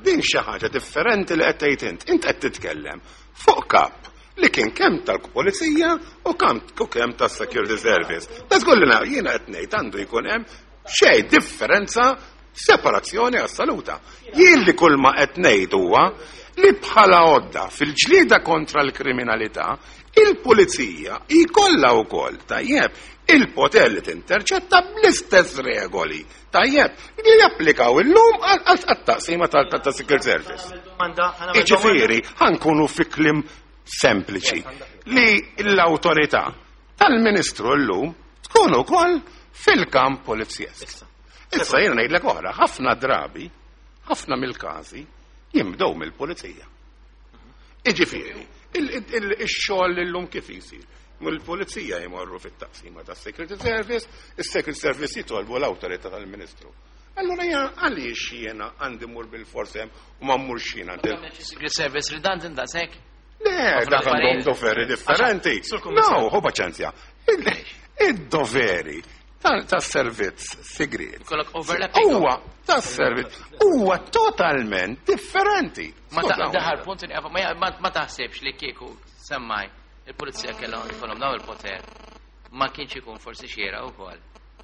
Speaker 2: Din xi ħaġa differenti li qed tgħid int. Int qed titkellem fuq kap li kien kemm tal-pulizija u kemm u kemm tas-Security Service. Da żgur li jiena qed ngħid għandu jkun hemm xejn differenza separazzjoni assoluta. Jien li kull ma qed ngħid huwa li bħala għodda fil-ġlieda kontra l-kriminalità il-pulizija jkollha wkoll tajjeb il-poter li tinterċetta bl-istess regoli tajjeb li japplikaw illum għat-taqsima tal-Secret Service.
Speaker 1: domanda, ħa nagħmel
Speaker 2: Iġifieri, ħa nkunu fi kliem sempliċi li l-autorità tal-Ministru llum tkun ukoll fil-kamp polizjesk. Issa jiena ngħidlek oħra, ħafna drabi, ħafna mill-każi jimbdew mill-pulizija. Iġifieri, il-xogħol illum kif isir? Mill-pulizija jmorru fit-taqsima tas-Security Service, is-Secret Service jitolbu l-awtorità tal-Ministru. Allora jiena għaliex jiena għandi mur bil-fors hemm u ma mmurx jiena għand
Speaker 4: Secret Service redundant daqshekk.
Speaker 2: Le, dak għandhom doveri differenti.
Speaker 1: Sur Kummissarju.
Speaker 2: No, hu paċenzja. Id-doveri tas-servizz segret.
Speaker 4: Ikollok overlapping.
Speaker 2: Huwa tas-servizz huwa totalment differenti.
Speaker 4: Ma ta'
Speaker 2: Skużawni.
Speaker 4: daħar punt ma taħsibx li kieku semmaj il-pulizija kellhom ikollhom dawn il-poter ma kienx ikun forsi xiera wkoll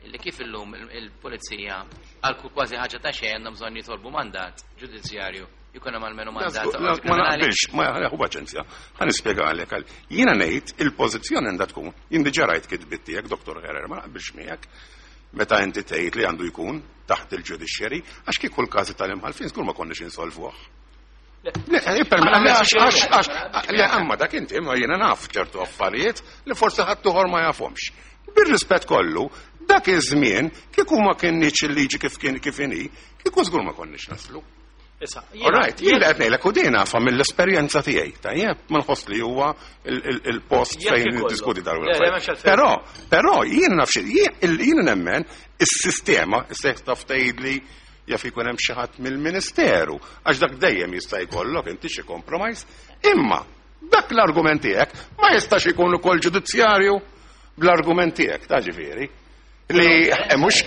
Speaker 4: illi kif illum il-pulizija għal kull kważi ħaġa ta' xejn għandhom bżonn jitolbu mandat ġudizzjarju jkun hemm almenu mandat ta'
Speaker 2: Ma
Speaker 4: kriminali.
Speaker 2: naqbilx, ma hu paċenzja. Ħa nispjegalek għal. Jiena ngħid il-pożizzjoni għandha tkun, jien diġà rajt kitbit tiegħek, Dr. Herrera, ma naqbilx miegħek. Meta inti tgħid li għandu jkun taħt il-ġudiċjeri, għax kieku l-każi tal-imħalfin żgur ma konniex insolvuh. Le, le, għax, le, amma dak inti, ma jiena naf ċertu affarijiet li forsi ħadd ieħor ma jafhomx. Bir-rispett kollu, dak iż-żmien kieku ma kinniex il-liġi kif kien kif inhi, kieku żgur ma konniex naslu.
Speaker 1: Issa,
Speaker 2: All right, jien li qed ngħidlek u din nafa mill-esperjenza tiegħi, tajjeb, ma nħoss li huwa il-post
Speaker 1: Jekk
Speaker 2: fejn
Speaker 1: ikollu.
Speaker 2: niddiskuti dawn
Speaker 1: Le, le, m'hemmx
Speaker 2: l-affarijiet.
Speaker 1: għalfejn.
Speaker 2: Però, jien naf xi, jien nemmen is-sistema, issa jekk taf tgħidli jaf ikun hemm xi ħadd mill-Ministeru, għax dak dejjem jista' jkollok inti xi compromise, imma dak l-argument tiegħek ma jistax ikun ukoll ġudizzjarju bl-argument tiegħek, ta' ġifieri. Li mhux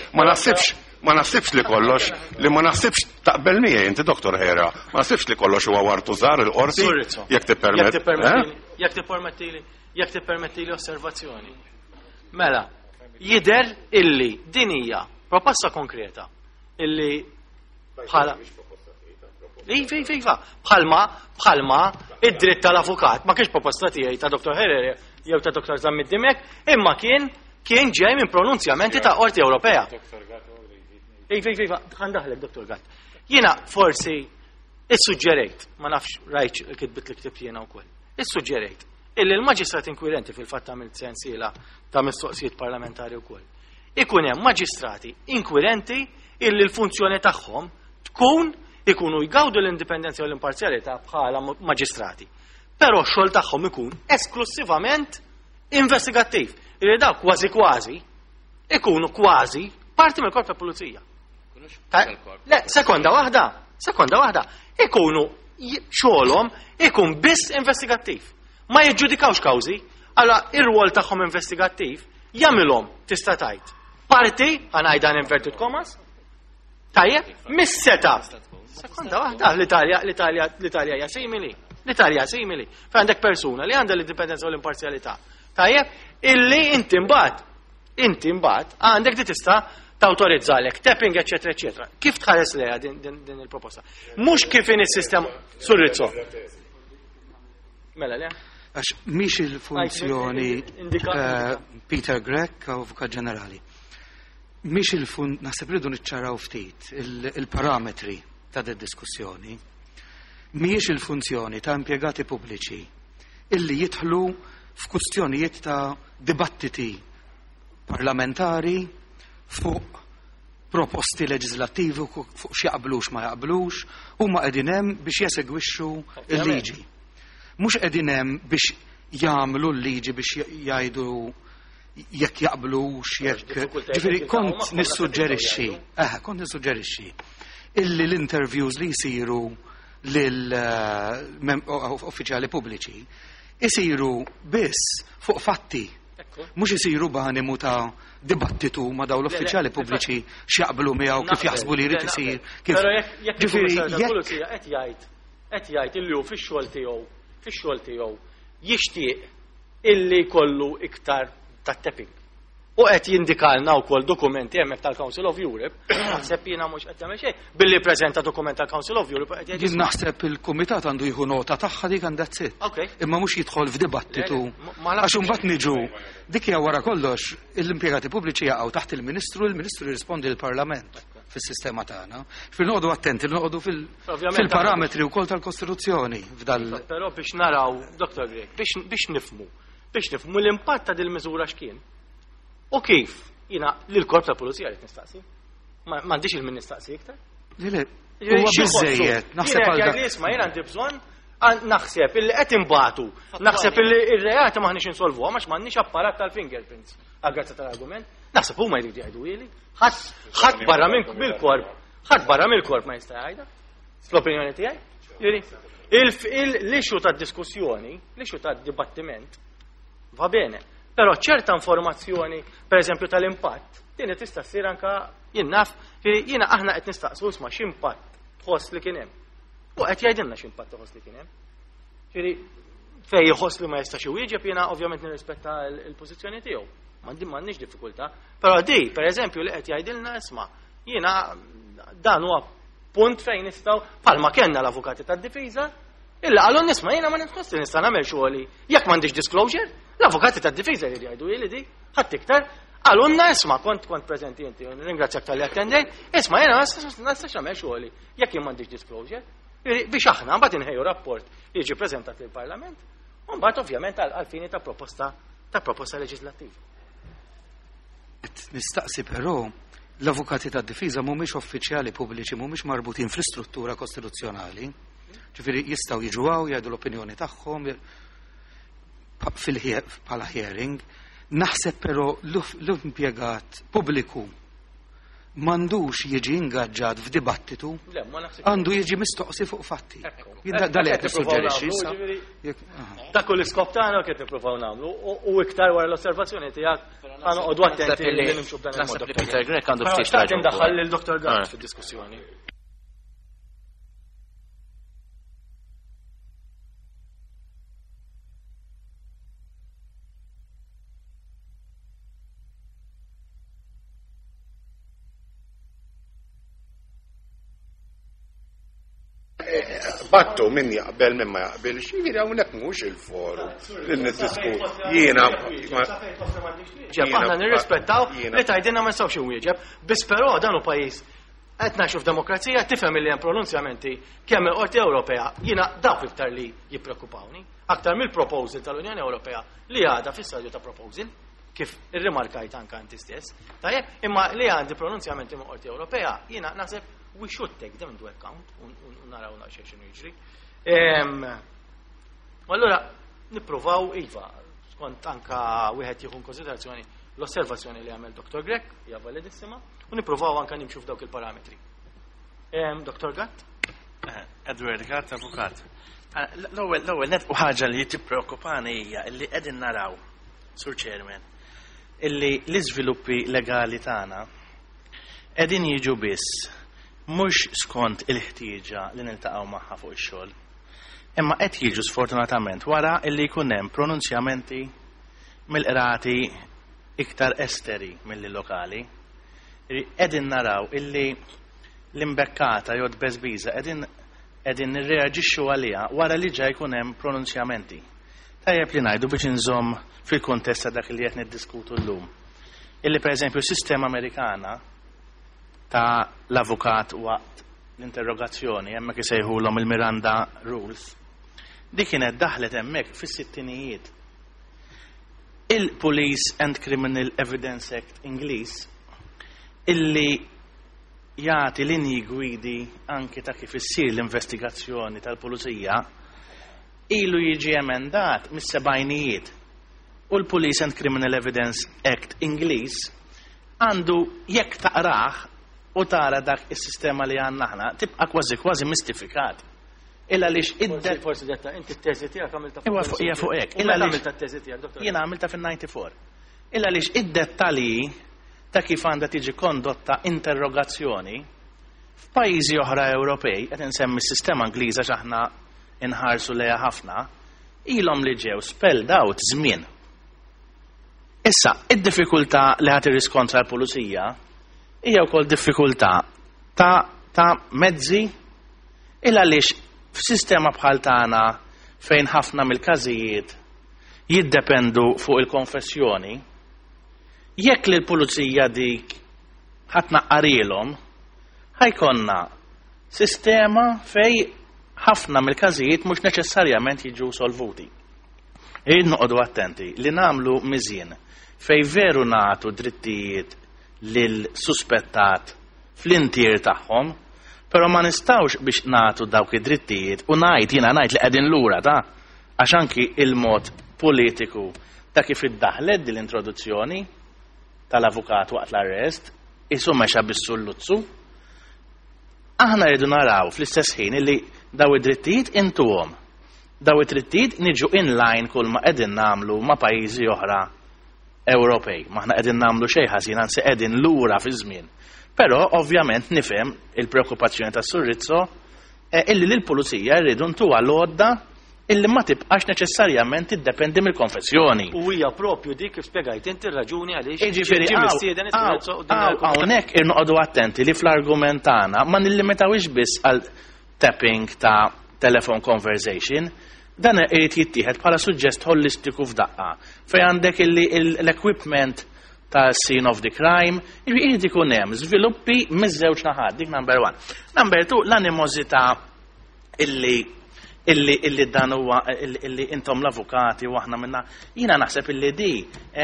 Speaker 2: ma naħsibx li kollox, li ma naħsibx taqbel miegħi inti Dr. Hera, ma naħsibx li kollox huwa wartu żgħar il-qorti
Speaker 1: Sur Rizzo.
Speaker 2: jekk tippermett.
Speaker 1: Jekk tippermettili, jekk tippermettili, jekk tippermettili osservazzjoni. Mela, jider illi din hija proposta konkreta illi bħala Iva, iva, iva. Bħalma, id-dritt tal-avukat, ma kienx proposta tiegħi ta' Dr. Herrera jew ta' Dr. Zammit Dimek, imma kien ġej minn pronunzjamenti ta' Qorti Ewropea. Iva, iva, iva, għandaħlek, Dr. Gatt. Jiena forsi issuġġerejt, ma nafx rajt il-kitbit li ktibt jiena wkoll. Issuġġerejt illi l-maġistrat inkwirenti fil-fatt għamilt sensiela ta' mistoqsijiet parlamentari wkoll. Ikun hemm maġistrati inkwirenti illi l-funzjoni tagħhom tkun Ikunu jgawdu l-indipendenza u l-imparzjalità bħala maġistrati. Però x-xogħol tagħhom ikun esklusivament investigattiv. Li dawk kważi kważi ikunu kważi parti mill-korp ta' pulizija. Le, sekonda waħda, sekonda waħda. Ikunu xogħolhom ikun biss investigattiv. Ma jiġġudikawx kawżi, allora ir-rwol tagħhom investigattiv jagħmilhom tista' tgħid. Parti, ħa ngħidha inverted commas, tajjeb, mis-seta. Sekonda waħda, l-Italja, l-Italja, l-Italja hija simili. L-Italja simili. Fejn għandek persuna li għandha l-indipendenza u l-imparzjalità. Tajjeb, illi inti mbagħad, inti mbagħad għandek di tista' tawtorizzalek tapping, eċetera, eċetera. Kif tħares lejha din, din, din il-proposta? Mhux kif in is-sistema Sur Rizzo. Mela le?
Speaker 5: Għax mhix il-funzjoni
Speaker 1: Indika-
Speaker 5: Peter Grech, Avukat Ġenerali. Mhix il-fun naħseb rridu niċċaraw ftit il-parametri ta' din diskussjoni. Mhijiex il-funzjoni ta' impjegati pubbliċi illi jidħlu f'kwistjonijiet ta' dibattiti parlamentari fuq proposti leġislattivi fuq x'jaqblux ma jaqblux, huma qegħdin hemm biex jesegwixxu il-liġi. Mhux qegħdin hemm biex jagħmlu l-liġi biex jgħidu jekk jaqblux, jekk
Speaker 1: Diffikultajiet
Speaker 5: Ġifieri
Speaker 1: jiltaqgħu
Speaker 5: kont
Speaker 1: magħhom,
Speaker 5: nissuġġerixxi,
Speaker 1: naħseb
Speaker 5: kont nissuġġerixxi illi l-interviews li jsiru lil uffiċjali pubbliċi isiru biss fuq fatti. Mhux isiru b'animu ta' dibattitu ma' dawn l-uffiċjali pubbliċi x'jaqblu miegħu, kif jaħsbu li jrid isir, kif
Speaker 1: Però jekk
Speaker 5: Ġifieri,
Speaker 1: il-Kummissarju
Speaker 5: jekk
Speaker 1: tal-Pulizija qed jgħid illi hu fix-xogħol tiegħu jixtieq illi jkollu iktar ta' tapping. U qed jindikalna wkoll dokumenti hemmhekk tal-Council of Europe, naħseb jiena mhux qed jagħmel xejn, billi preżenta dokument tal-Council of Europe qed jgħid
Speaker 5: Jien naħseb il-kumitat għandu jieħu nota tagħha dik għandha tsib. Imma mhux jidħol f'dibattitu.
Speaker 1: Le, le, ma nafx.
Speaker 5: Għax imbagħad niġu dik hija wara kollox l-impjegati pubbliċi jaqgħu taħt il-Ministru, il-Ministru jirrispondi l-Parlament fis-sistema tagħna. Fil noqogħdu attenti, noqogħdu fil-parametri wkoll tal-Kostituzzjoni f'dal
Speaker 1: Però biex naraw, Dr. Grech, biex nifhmu l-impatt ta' dil-miżura x'kien. U kif? Jiena lill-korp tal-pulizija rrid nistaqsi. M'għandix il-min nistaqsi iktar.
Speaker 5: Le, le,
Speaker 1: Jiġifieri
Speaker 5: huwa
Speaker 1: xi ħossu?
Speaker 5: biżejjed, naħseb
Speaker 1: Jiena
Speaker 5: għal
Speaker 1: jgħid
Speaker 5: dak.
Speaker 1: li isma' jiena għandi bżonn, naħseb illi qed inbatu, naħseb illi ir-reati m'aħniex insolvuha għax m'għandniex apparat tal-fingerprints. Għal-grazza tal-argument, naħseb huma jridu jgħidu ili. Ħadd barra mill-korp, ħadd barra mill-korp ma jista' jgħidha. Fl-opinjoni tiegħi. Jiġifieri, l-issue tad-diskussjoni, l-issue tad-dibattiment, va bene. Però ċerta informazzjoni, per eżempju tal-impatt, din tista' ssir anka jien naf, jiġifieri jiena aħna qed nistaqsu isma' x'impatt tħoss li kien hemm. U qed jgħidilna x'impatt tħoss li kien hemm. Jiġifieri fej jħoss li ma jistax iwieġeb jiena ovvjament nirrispetta l-pożizzjoni tiegħu. M'għandix diffikultà. Però di, per eżempju, li qed jgħidilna isma' jiena dan huwa punt fejn nistgħu bħalma kellna l-avukati tad-difiża, illa qalu nisma' jiena ma nitħoss li nista' nagħmel xogħli jekk m'għandix disclosure, l-avukati tad-difiża jridu jgħidu li di, ħadd iktar, qalulna isma' kont preżenti inti, ringrazzjak tal-li attendejt, isma' jiena ma nistax nagħmel xogħli jekk jien m'għandix disclosure. Jiġifieri, biex aħna mbagħad inħejju rapport li jiġi preżentat lill-Parlament, u mbagħad ovvjament għal fini ta' proposta ta' proposta leġislattiva.
Speaker 5: Nistaqsi però l-avukati tad-difiża mhumiex uffiċjali pubbliċi, mhumiex marbutin fl-istruttura kostituzzjonali. Ġifieri jistgħu jiġu hawn jgħidu l-opinjoni tagħhom bħala hearing. Naħseb però l-impjegat pubbliku m'għandux jiġi ingaġġat f'dibattitu,
Speaker 1: Le, ma naħsibx.
Speaker 5: għandu jiġi mistoqsi fuq fatti.
Speaker 1: Ekku.
Speaker 5: Jien da li qed
Speaker 1: Qed nippruvaw
Speaker 5: nissuġġerixxi
Speaker 1: nagħmlu,
Speaker 5: issa.
Speaker 1: ġifieri,
Speaker 5: Jekk, aha.
Speaker 1: Dak hu l-iskop tagħna qed nippruvaw nagħmlu u iktar wara l-osservazzjoni tiegħek ħa noqogħdu attenti li nimxu b'dan il-mod.
Speaker 4: Naħseb li Peter Grech għandu
Speaker 1: Però
Speaker 4: ftit
Speaker 1: xtaqt
Speaker 4: raġun
Speaker 1: indaħħal
Speaker 4: ukoll.
Speaker 1: lil Dr. Gatt fid-diskussjoni.
Speaker 2: Battu min jaqbel min ma jaqbilx, jiġifieri hawnhekk mhux il-forum li niddiskutu. Jiena
Speaker 1: Ġeb, aħna nirrispettaw li tgħidilna ma nistgħux inwieġeb, biss però dan hu pajjiż qed ngħixu f'demokrazija, tifhem li hemm pronunzjamenti kemm il-Qorti Ewropea, jiena dawk iktar li jippreokkupawni, aktar mill-proposal tal-Unjoni Ewropea li għadha fis-stadju ta' proposal, kif irrimarkajt anka inti stess. Tajjeb, imma li għandi pronunzjamenti mill-Qorti Ewropea, jiena naħseb We should take them into account u naraw naqxie x'inhu jiġri. U allura nippruvaw iva, skont anka wieħed jieħu konsiderazzjoni l-osservazzjoni li għamel Dr. Grech, hija validissima, u nippruvaw anka nimxu f'dawk il-parametri. Dr. Gatt?
Speaker 6: Edward Gatt, avukat. L-ewwel nett u ħaġa li tippreokkupani hija li qegħdin naraw, Sur Chairman, illi l-iżviluppi legali tagħna qegħdin jiġu biss mhux skont il-ħtieġa li niltaqgħu magħha fuq ix-xogħol. Imma qed jiġu sfortunatament wara illi jkun hemm pronunzjamenti mill-qrati iktar esteri milli lokali. Qegħdin naraw illi l-imbekkata jew tbeżbiża qegħdin nirreaġixxu għaliha wara li ġa jkun hemm pronunzjamenti. Tajjeb li ngħidu biex inżomm fil-kuntest ta' dak li qed niddiskutu llum. Illi pereżempju s-sistema Amerikana ta' l-avukat waqt l-interrogazzjoni, hemmhekk isejħulhom il-Miranda Rules, dik kienet daħlet hemmhekk fis-sittinijiet. Il-Police and Criminal Evidence Act Ingliż illi jagħti linji gwidi anki ta' kif issir l-investigazzjoni tal-pulizija ilu jiġi emendat mis-sebgħinijiet u l-Police and Criminal Evidence Act Ingliż għandu, jekk taqrah u tara dak is-sistema li għandna aħna, tibqa' kważi kważi mistifikat. Illa għaliex
Speaker 1: id Forsi detta, inti t-teżi tiegħek għamilta
Speaker 6: fuq. Hija fuq hekk.
Speaker 1: Illa għaliex għamilta t-teżi tiegħek,
Speaker 6: doktor? Jiena għamilta fin-94. Illa għaliex id-dettalji ta' kif għandha tiġi kondotta interrogazzjoni f'pajjiżi oħra Ewropej, qed insemmi s-sistema Ingliża x'aħna inħarsu lejha ħafna, ilhom li ġew spelled out żmien. Issa, id-diffikultà li ħadd irriskontra l-pulizija hija wkoll diffikultà ta' mezzi, il għaliex f'sistema bħal tagħna fejn ħafna mill-każijiet jiddependu fuq il-konfessjoni, jekk li l-pulizija dik ħa tnaqqarilhom, ħa jkollna sistema fej ħafna mill-każijiet mhux neċessarjament jiġu solvuti. Irrid noqogħdu attenti li nagħmlu miżien fej veru nagħtu drittijiet lil suspettat fl-intier tagħhom, però ma nistgħux biex nagħtu dawk id-drittijiet u ngħid, jiena ngħid li qegħdin lura ta' għax anki il-mod politiku ta' kif iddaħlet din l-introduzzjoni tal-avukat waqt l-arrest isu mexa bis-sulluzzu. Aħna rridu naraw fl-istess ħin li daw id-drittijiet intuhom. Daw id-drittijiet niġu in line kull ma qegħdin nagħmlu ma' pajjiżi oħra Ewropej. M'aħna qegħdin nagħmlu xejn ħażin, anzi qegħdin lura fi żmien. Però ovvjament nifhem il-preokkupazzjoni ta' Sur Rizzo illi lill-pulizija rridu ntuha l-għodda illi ma tibqax neċessarjament tiddependi mill-konfessjoni.
Speaker 1: U hija propju dik kif spjegajt inti r-raġuni għaliex
Speaker 6: Jiġifieri ġie mistieden is-Sur Rizzo quddiem il-Kumitat. Hawnhekk irnoqogħdu attenti li fl-argument tagħna ma nillimitawhiex biss għal tapping ta' telephone conversation, dan irid jittieħed bħala suġġest holistiku f'daqqa fejn għandek illi l-equipment ta' scene of the crime, irid ikun hemm żviluppi miż-żewġ naħat, dik number 1. Number 2, l-animożità illi dan huwa illi intom l-avukati u aħna minna, jiena naħseb illi di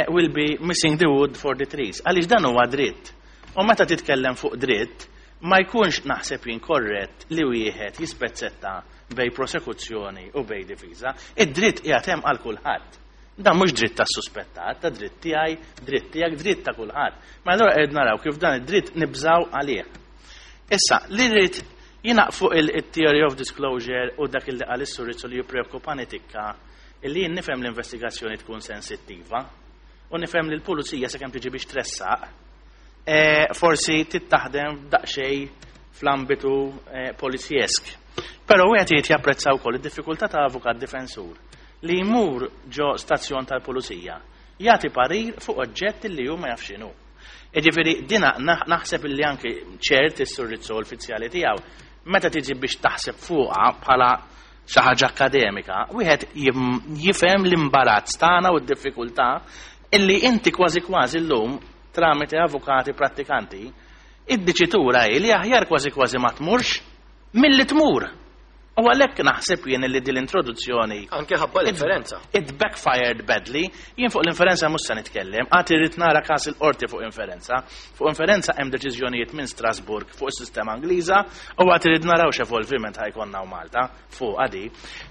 Speaker 6: will be missing the wood for the trees, għaliex dan huwa dritt. U meta titkellem fuq dritt, ma jkunx naħseb jien korrett li wieħed jispezzetta bej prosekuzzjoni u bej difiża. Id-dritt qiegħed hemm għal kulħadd. Dan mhux dritt tas-suspettat, ta' dritt tiegħi, dritt tiegħek, dritt ta' kulħadd. Ma allura qed naraw kif dan id-dritt nibżaw għalih. Issa, li rrid jiena fuq il-theory of disclosure u dak il-li qal is-Sur Rizzo li jippreokkupani tikka, illi jien nifhem l-investigazzjoni tkun sensittiva u nifhem li l-pulizija sakemm tiġi biex tressaq, forsi tittaħdem daqsxejn fl-ambitu polizjesk. Però wieħed irid japprezza wkoll id-diffikultà ta' avukat difensur li jmur ġo stazzjon tal-pulizija jagħti parir fuq oġġett li hu ma jafx x'inhu. Jiġifieri dina naħseb li anke ċert is-Sur Rizzo u l-fizzjali tiegħu meta tiġi biex taħseb fuqha bħala xi ħaġa akademika, wieħed jifhem l-imbarazz tagħna u d-diffikultà illi inti kważi kważi llum tramite avukati prattikanti, id-diċitura hi li aħjar kważi kważi ma tmurx milli tmur. U għalhekk naħseb jien li din l-introduzzjoni
Speaker 1: Anke ħabba l-inferenza.
Speaker 6: It backfired badly. Jien fuq l-inferenza mhux se nitkellem, għad irrid nara każ il-qorti fuq inferenza. Fuq inferenza hemm deċiżjonijiet minn Strasburg fuq is-sistema Ingliża u għad irrid naraw x'evolviment ħa jkollna u Malta fuq għadi.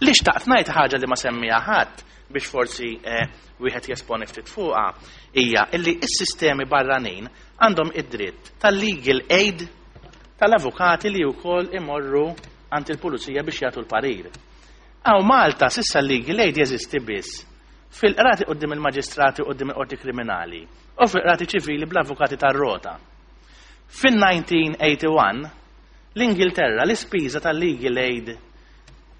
Speaker 6: Li xtaqt ngħid ħaġa li ma semmija ħadd biex forsi wieħed jesponi ftit fuqha hija illi s-sistemi barranin għandhom id-dritt tal-legal aid tal-avukati li wkoll imorru għand il-pulizija biex jagħtu l-parir. Hawn Malta s'issa l-legal aid jeżisti biss fil-qrati quddiem il-maġistrati quddiem il-qorti kriminali u fil-qrati ċivili bl-avukati tar-rota. Fin-1981 l-Ingilterra l-ispiża tal-legal aid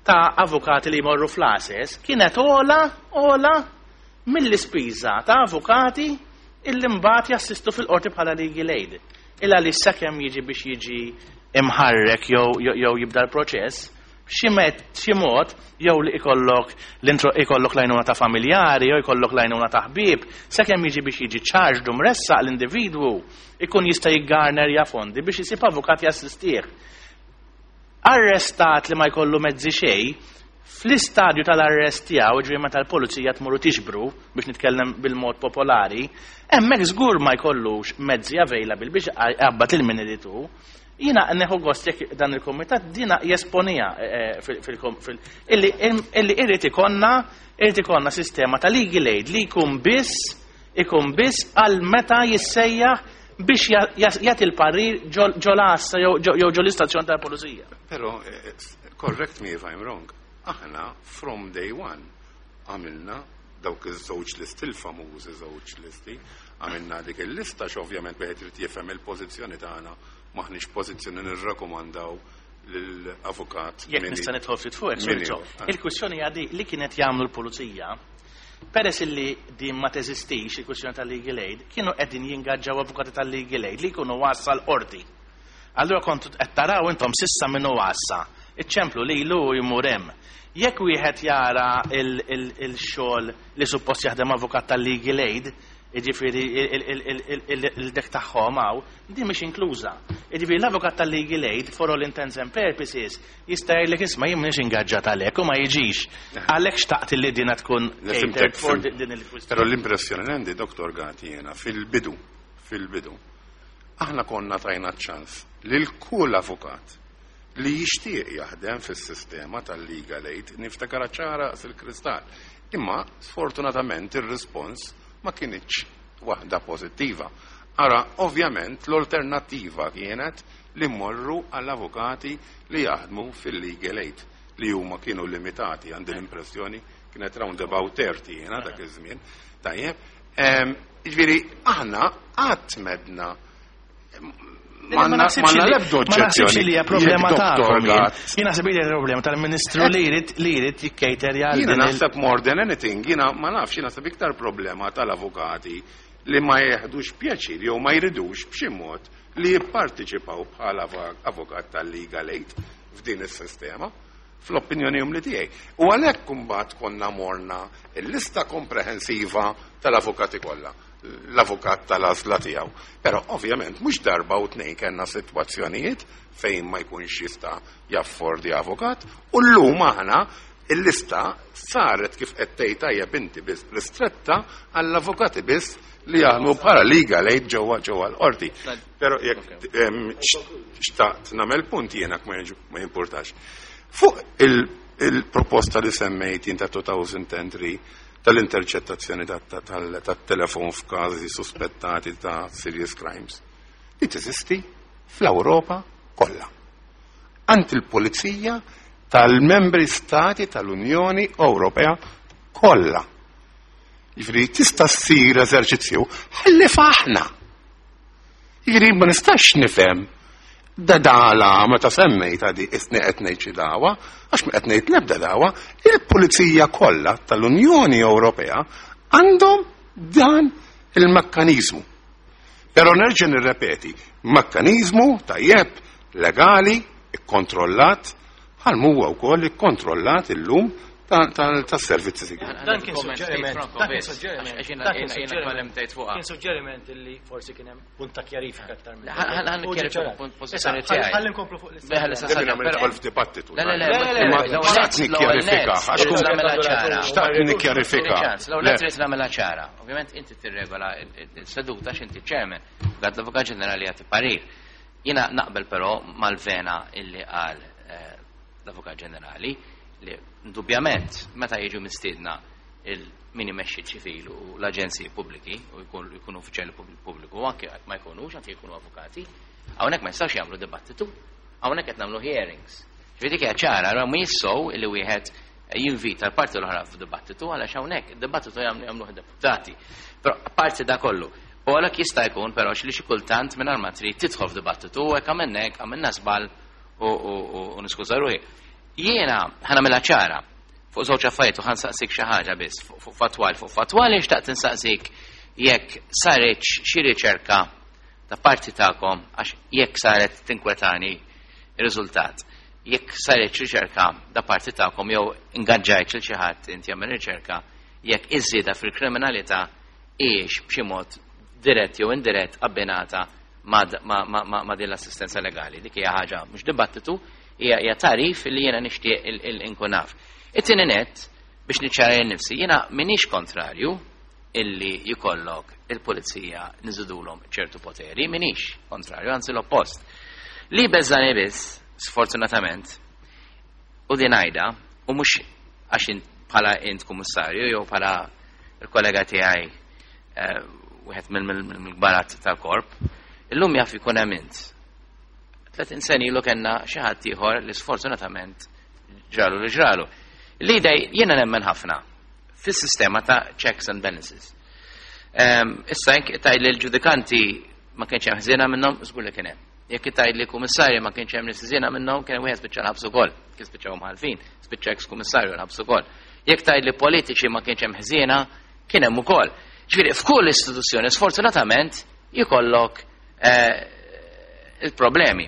Speaker 6: ta' avukati li jmorru fl-għases kienet ogħla mill-ispiża ta' avukati illi mbagħad jassistu fil-qorti bħala legal aid. Illa li sakemm jiġi biex jiġi imħarrek jew jibda l-proċess, xi mod jew li ikollok l-intro ikollok l-għajnuna ta' familjari jew ikollok l-għajnuna ta' ħbieb, sakemm jiġi biex jiġi charged u mressaq l-individwu ikun jista' jiggarnerja fondi biex isib avukat jassistih. Arrestat li ma jkollu mezzi xejn, fl-istadju tal-arrest tiegħu, ġifieri meta l-pulizija tmur u tixbru biex nitkellem bil-mod popolari, hemmhekk żgur ma jkollux mezzi available biex jaqbad lil min irid hu. Jiena neħu gost jekk dan il-kumitat dina jesponija illi irid ikollna sistema ta' legal aid li jkun biss għal meta jissejjaħ biex jagħti l-parir ġol-għassa jew ġol istazzjon tal-pulizija.
Speaker 2: Però, correct me if I'm wrong, aħna from day one għamilna dawk iż-żewġ listi, il-famużi żewġ listi, għamilna dik il-lista x'ovvjament wieħed irid jifhem il-pożizzjoni tagħna, m'aħniex pożizzjoni nirrakkomandaw lill-avukat.
Speaker 6: Jekk nista' nidħol ftit fuq, il-kwistjoni hija li kienet jagħmlu l-pulizija, peress illi din ma teżistix il-kwistjoni tal-legal aid, kienu qegħdin jingaġġaw avukati tal-legal aid li jkunu għassa l-qorti. Allura kontu qed taraw intom s'issa minnu għassa. Iċċemplu lilu jmur hemm. Jekk wieħed jara il-xogħol li suppost jaħdem avukat tal-legal aid, jiġifieri il-dek tagħhom hawn, din mhix inkluża. Jiġifieri l-avukat tal-legal aid, for all intents and purposes, jista' jgħidlek, "Isma', jien m'iniex ingaġġat għalhekk" u ma jiġix. Għalhekk xtaqt li din tkun catered for din il-kwistjoni.
Speaker 2: Però l-impressjoni li għandi, Dr. Gati, jiena fil-bidu, aħna konna tajna ċans lil kull avukat li jixtieq jaħdem fis-sistema tal-legal aid, niftakar ċara fil-kristall. Imma sfortunatament ir-rispons ma kinitx waħda pożittiva. Ara, ovvjament, l-alternattiva kienet li mmorru għall-avukati li jaħdmu fil-legal aid li huma kienu limitati, għandi l-impressjoni kienet round about 30 jiena dak iż-żmien. Tajjeb, jiġifieri aħna qatt m'għedna
Speaker 6: Ma
Speaker 2: m'għandna l-ebda
Speaker 6: Ma naħsibx li hija problema
Speaker 2: Jekk Dr.
Speaker 6: tagħkom.
Speaker 2: Gatt-
Speaker 6: Jien naħseb li hija problema tal-Ministru li jrid jikkejterja għal
Speaker 2: Jiena
Speaker 6: din
Speaker 2: naħseb more than anything, jiena ma nafx, jiena naħseb iktar problema tal-avukati li ma jeħdux pjaċir jew ma jridux b'xi mod li jipparteċipaw bħala avukat tal-legal aid f'din is-sistema fl-opinjoni umli tiegħi. U għalhekk kumbat konna morna il-lista komprehensiva tal-avukati kollha, l-avukat tal-għażla tiegħu. Però ovvjament mhux darba u tnejn kellna sitwazzjonijiet fejn ma jkunx jista' jaffordi avukat u llum aħna il-lista saret kif qed tgħid tajjeb inti biss ristretta għall-avukati biss li jaħdmu bħala legal aid ġewwa l-qorti. Però jekk xtaqt nagħmel punt jiena ma jimpurtax. Fuq il-proposta li semmejt jien ta' 2003 tal-interċettazzjoni tat-telefon f'każi suspettati ta' serious crimes, li teżisti fl-Ewropa kollha. Għand il-Pulizija tal-membri stati tal-Unjoni Ewropea kollha. Jiġifieri tista' ssir eżerċizzju ħalli faħna. Jiġifieri ma nistax nifhem da dala meta semmejt għadi isni qed ngħid xi dawa, għax ma qed ngħid l-ebda dawa, il-pulizija kollha tal-Unjoni Ewropea għandhom dan il-mekkaniżmu. Però nerġa' nirrepeti, mekkaniżmu tajjeb, legali, ikkontrollat, bħal huwa wkoll ikkontrollat illum tas-servizzi sigrieti.
Speaker 1: Dan kien suġġeriment, dan kien suġġeriment, dan kien suġġeriment, kien suġġeriment illi forsi kien hemm punt ta' kjarifika aktar minn.
Speaker 4: Ħa nikkjarifika punt pożizzjoni tiegħi.
Speaker 1: Ħalli nkomplu fuq l-istess.
Speaker 2: Ħalli nidħol f'dibattitu.
Speaker 4: Le, le, le,
Speaker 2: Xtaqt nikkjarifika, għax kun xtaqt nikkjarifika.
Speaker 4: L-ewwel nett trid nagħmilha ċara. Ovvjament inti tirregola s-seduta x'inti chairman, għad l-Avukat Ġenerali jagħti parir. Jiena naqbel però mal-vena illi qal l-Avukat Ġenerali li indubjament meta jiġu mistiedna il-min imexxi ċivil u l-aġenziji pubbliki u jkunu uffiċjali pubbliku u anke ma jkunux, anke jkunu avukati, hawnhekk ma jistgħux jagħmlu dibattitu, hawnhekk qed nagħmlu hearings. Ġifieri dik hija ċara, allura mhijiex sew illi wieħed jinvita l-parti l-oħra f'dibattitu għaliex hawnhekk id-dibattitu jagħmlu jagħmluh deputati. Però apparti da kollu, u għalhekk jista' jkun però li xi kultant mingħajr ma trid tidħol f'dibattitu u hekk għamilna hekk għamilna żball u niskuża ruħi. Jiena ħa nagħmilha ċara fuq żewġ affarijiet u ħa nsaqsik xi ħaġa biss fuq fatwali. Fuq fatwali xtaqt insaqsik jekk saret xi riċerka ta' parti tagħkom, għax jekk saret tinkwetani ir-riżultat. Jekk saret riċerka da parti tagħkom jew ingaġġajt lil xi ħadd inti jagħmel riċerka jekk iż-żieda fil-kriminalità hijiex b'xi mod dirett jew indirett abbinata ma' din l-assistenza legali. Dik hija ħaġa mhux dibattitu, hija tarif li jiena nixtieq inkun naf. It-tieni nett biex niċċara lil nifsi, jiena m'iniex kontrarju illi jkollok il-pulizija niżidulhom ċertu poteri, m'iniex kontrarju, anzi l-oppost. Li beżani biss, sfortunatament, u din għajda, u mhux għax bħala int kummissarju jew bħala il-kollega tiegħi wieħed mill-kbarat tal-korp, illum jaf ikun hemm int. 30 sena ilu kellna xi ħadd ieħor li sfortunatament ġralu li ġralu. Li dej jiena nemmen ħafna fis-sistema ta' checks and balances. Issa jekk tgħid li l-ġudikanti ma kienx hemm ħżiena minnhom, żgur li kien hemm. Jekk tgħid li kummissarji ma kienx hemm nies ħżiena minnhom, kien hemm wieħed spiċċa l-ħabs ukoll, kien spiċċaw mħalfin, spiċċa ex kummissarju l-ħabs ukoll. Jekk tgħid li politiċi ma kienx hemm ħżiena, kien hemm ukoll. Ġifieri f'kull istituzzjoni sfortunatament jkollok il-problemi.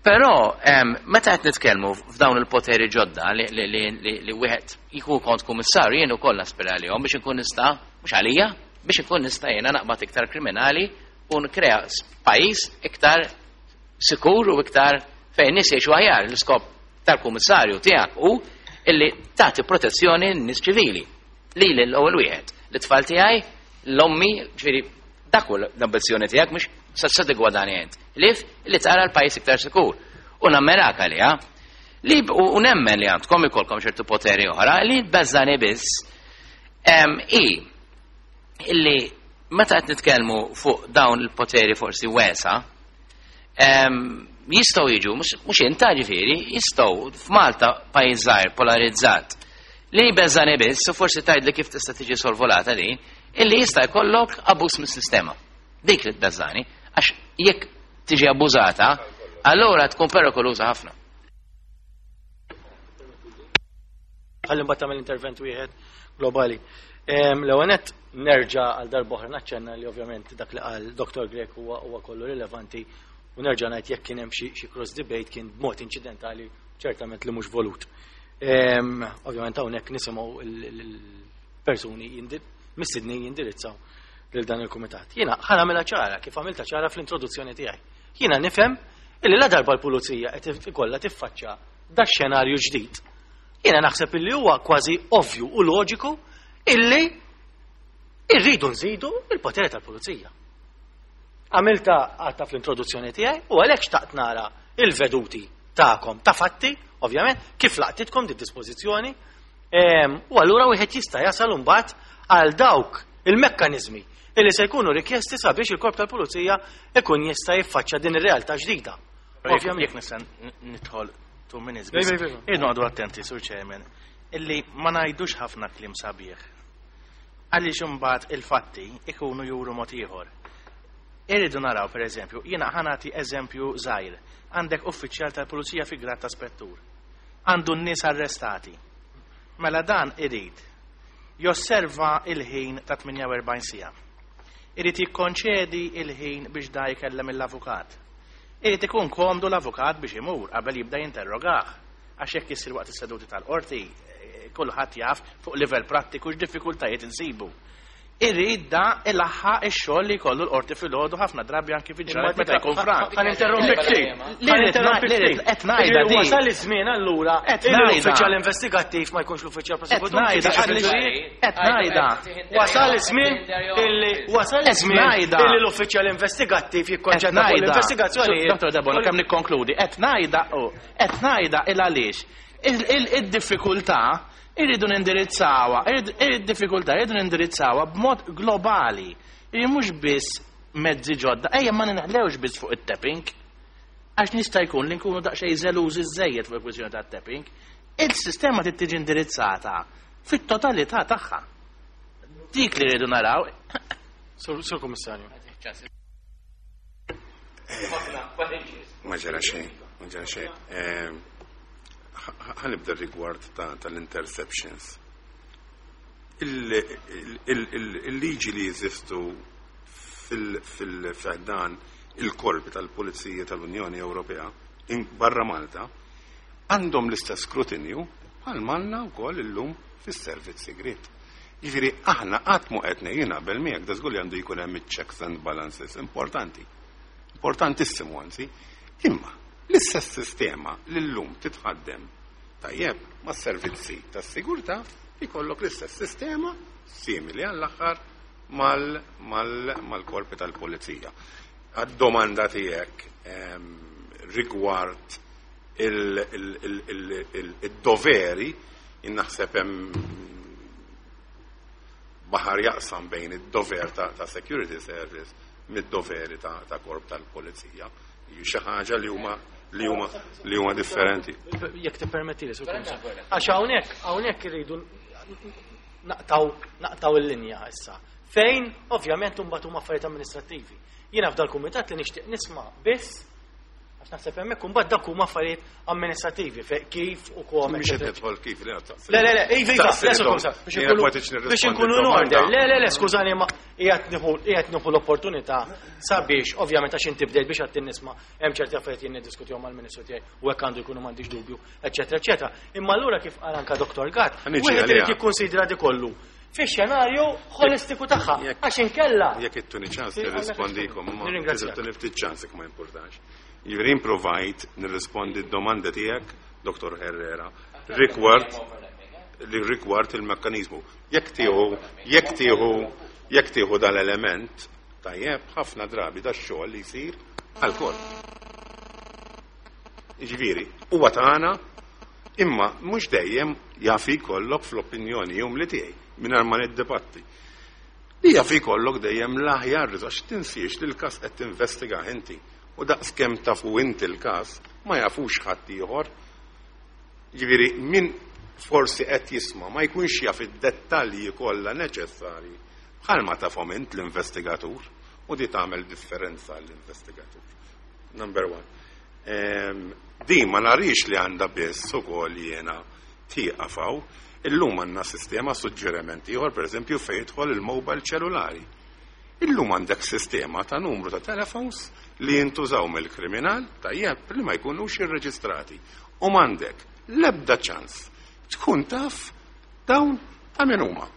Speaker 4: Però meta qed nitkellmu f'dawn il-poteri ġodda li wieħed jkun kont kummissarju, jien ukoll naspira għalihom biex inkun nista', mhux għalija, biex inkun nista' jiena naqbad iktar kriminali u nkrea pajjiż iktar sikur u iktar fejn nies jgħixu aħjar. L-iskop tal-kummissarju tiegħek hu illi tagħti protezzjoni lin-nies ċivili. Lili l-ewwel wieħed, l-tfal tiegħi, l-ommi, ġifieri dak hu l-ambizzjoni tiegħek, mhux se tigwadani int. Lif li tara l-pajjiż iktar sikur. U nammerak għaliha. Li u nemmen li għandkom ikolkom ċertu poteri oħra li tbeżżani biss i illi meta qed nitkellmu fuq dawn il-poteri forsi wesa, jistgħu jiġu, mhux inta ġifieri, jistgħu f'Malta pajjiż żgħir polarizzat. Li beżani biss, u forsi tgħidli kif tista' tiġi sorvolata din, illi jista' jkollok abbuż mis-sistema. Dik li tbeżani, għax jekk tiġi abbużata, allura tkun perikoluża ħafna.
Speaker 1: Ħalli mbagħad tagħmel intervent wieħed globali. L-ewwel nett nerġa' għal darb'oħra naċċenna li ovvjament dak li qal Dr. Grech huwa kollu rilevanti u nerġa' ngħid jekk kien hemm xi cross debate kien b'mod inċidentali ċertament li mhux volut. Ovvjament hawnhekk nisimgħu il-persuni mistednin jindirizzaw lil dan il-kumitat. Jiena ħa nagħmilha ċara kif għamilta ċara fl-introduzzjoni tiegħi. Jiena nifhem illi la darba l-pulizija qed ikollha tiffaċċja da xenarju ġdid. Jiena naħseb illi huwa kważi ovvju u loġiku illi irridu nżidu il-potere tal-pulizija. Għamilta għatta fl-introduzzjoni tiegħi u għalhekk xtaqt nara il-veduti tagħkom ta' fatti, ovvjament, kif laqtitkom di dispożizzjoni, u allura wieħed jista' jasal imbagħad għal dawk il-mekkaniżmi illi se jkunu rikjesti sabiex il-korp tal-pulizija ikun jista' jiffaċċja din ir-realtà ġdida.
Speaker 6: Ovvjament jekk nista' nidħol 2 minutes biss. Irridu noqogħdu attenti, Sur Chairman, illi ma ngħidux ħafna kliem sabiħ. Għaliex imbagħad il-fatti ikunu juru mod ieħor. Irridu naraw, per eżempju, jiena ħa nagħti eżempju żgħir. Għandek uffiċjal tal-pulizija fi grad ta' spettur. Għandu n-nies arrestati. Mela dan irid josserva il-ħin ta' 48 siegħa. Irid jikkonċedi il-ħin biex da jkellem l-avukat. Irid ikun komdu l-avukat biex imur qabel jibda jinterrogah. Għax jekk issir waqt is-seduti tal-qorti, Kulħadd jaf fuq livell prattiku x'diffikultajiet insibu. Irrid da ilaħħaq ix-xogħol li jkollu l-qorti filgħodu, ħafna drabi anki fi ġranet meta jkun frank.
Speaker 1: Ħa ninterrompi ftit.
Speaker 6: Li rrid qed ngħidha di.
Speaker 1: Wasal iż-żmien allura
Speaker 6: Qed ngħidha.
Speaker 1: l-uffiċjal investigattiv ma jkunx l-uffiċjal
Speaker 6: Qed
Speaker 1: prosekutur.
Speaker 6: ngħidha għaliex qed ngħidha.
Speaker 1: Wasal iż-żmien illi wasal
Speaker 6: Qed
Speaker 1: iż-żmien
Speaker 6: ngħidha.
Speaker 1: illi l-uffiċjal investigattiv jikkonċentra fuq l-investigazzjoni.
Speaker 6: Dr. Debono, kemm nikkonkludi, qed ngħidha u qed ngħidha il għaliex id-diffikultà irridu nindirizzawha, id-diffikultà irridu nindirizzawha b'mod globali. Iri mhux biss mezzi ġodda, ejja ma ninħlewx biss fuq it-tapping. Għax nista' jkun li nkunu daqsxejn żelużi żejjed fuq il-kwistjoni tat-tapping. Il-sistema trid tiġi indirizzata fit-totalità tagħha. Dik li rridu naraw.
Speaker 1: Sur Kummissarju.
Speaker 2: Ma ġara xejn, ma ġara xejn. Ħa nibda rigward tal-interceptions. Il-liġi li jeżistu fil-ħdan il-korpi tal-Pulizija tal-Unjoni Ewropea barra Malta għandhom l-istess skrutinju bħal manna wkoll illum fis-servizz segret. Jiġifieri aħna qatt mu qed ngħid naqbel miegħek, da żgur li għandu jkun hemm checks and balances importanti. Importantissimu anzi. Imma l-istess sistema li llum titħaddem tajjeb ma' servizzi tas-sigurtà, ikollok l-istess sistema simili għall-aħħar mal-korpi tal-pulizija. Għad-domanda tiegħek rigward il-doveri, naħseb hemm baħar jaqsam bejn id-dover ta' security service mid-doveri ta' korp tal-pulizija. Xi ħaġa li huma differenti.
Speaker 1: Jekk tippermetti li, Sur Kummissarju. Għax hawnhekk irridu naqtaw il-linja issa. Fejn ovvjament imbagħad huma affarijiet amministrattivi. Jiena f'dal kumitat li nixtieq nisma' biss, għax naħseb hemmhekk imbagħad dak huma affarijiet amministrativi kif u kom.
Speaker 2: Mhux qed nidħol kif li
Speaker 1: Le, le, le, iva, iva, le, Sur Kummissarju, biex inkunu in order. Le, le, le, skużani, ma qiegħed nieħu l-opportunità sabiex, ovvjament, għax inti bdejt biex għattin nisma' hemm ċerti affarijiet jien niddiskutihom mal-Ministru tiegħi u hekk għandu jkunu, m'għandix dubju, eċetera, eċetera. Imma allura, kif qal anka Dr. Gatt,
Speaker 2: Ħa niġi
Speaker 1: wieħed irid
Speaker 2: għaliha.
Speaker 1: jikkunsidra di kollu fix-xenarju holistiku tagħha. Għax inkella.
Speaker 2: Jekk ittuni ċans
Speaker 1: Sì,
Speaker 2: nirrispondikom, ma
Speaker 1: Nirringrazzjak.
Speaker 2: ittuni ftit ċans jekk ma importax. Jiġifieri improvajt nirrispondi d-domanda tiegħek, Dr. Herrera, rigward il-mekkanizmu. Jekk tieħu dal-element, tajjeb, ħafna drabi da xogħol li jsir għal-korp. Jiġifieri, huwa tagħna, imma mhux dejjem jafi jkollok, fl-opinjoni jum li tiegħi, mingħajr ma niddebatti. Li jafi jkollok dejjem l-aħjar, għax tinsiex li l-każ qed tinvestiga inti. U daqs kemm tafu inti l-każ, ma jafux ħadd ieħor. Jiġifieri min forsi qed jisma' ma jkunx jaf id-dettalji kollha neċessarji bħalma tafhom int l-investigatur, u di tagħmel differenza l-investigatur. Number one. Di ma narix li għandha biss ukoll jiena tieqaf hawn. Illum għandna sistema, suġġeriment ieħor, pereżempju, fejn jidħol il-mobile ċellulari. Illum għandek sistema ta' numru ta' telefons li jintużaw mill-kriminal, tajjeb, li ma jkunux irreġistrati. U m'għandek l-ebda ċans tkun taf dawn ta' min huma.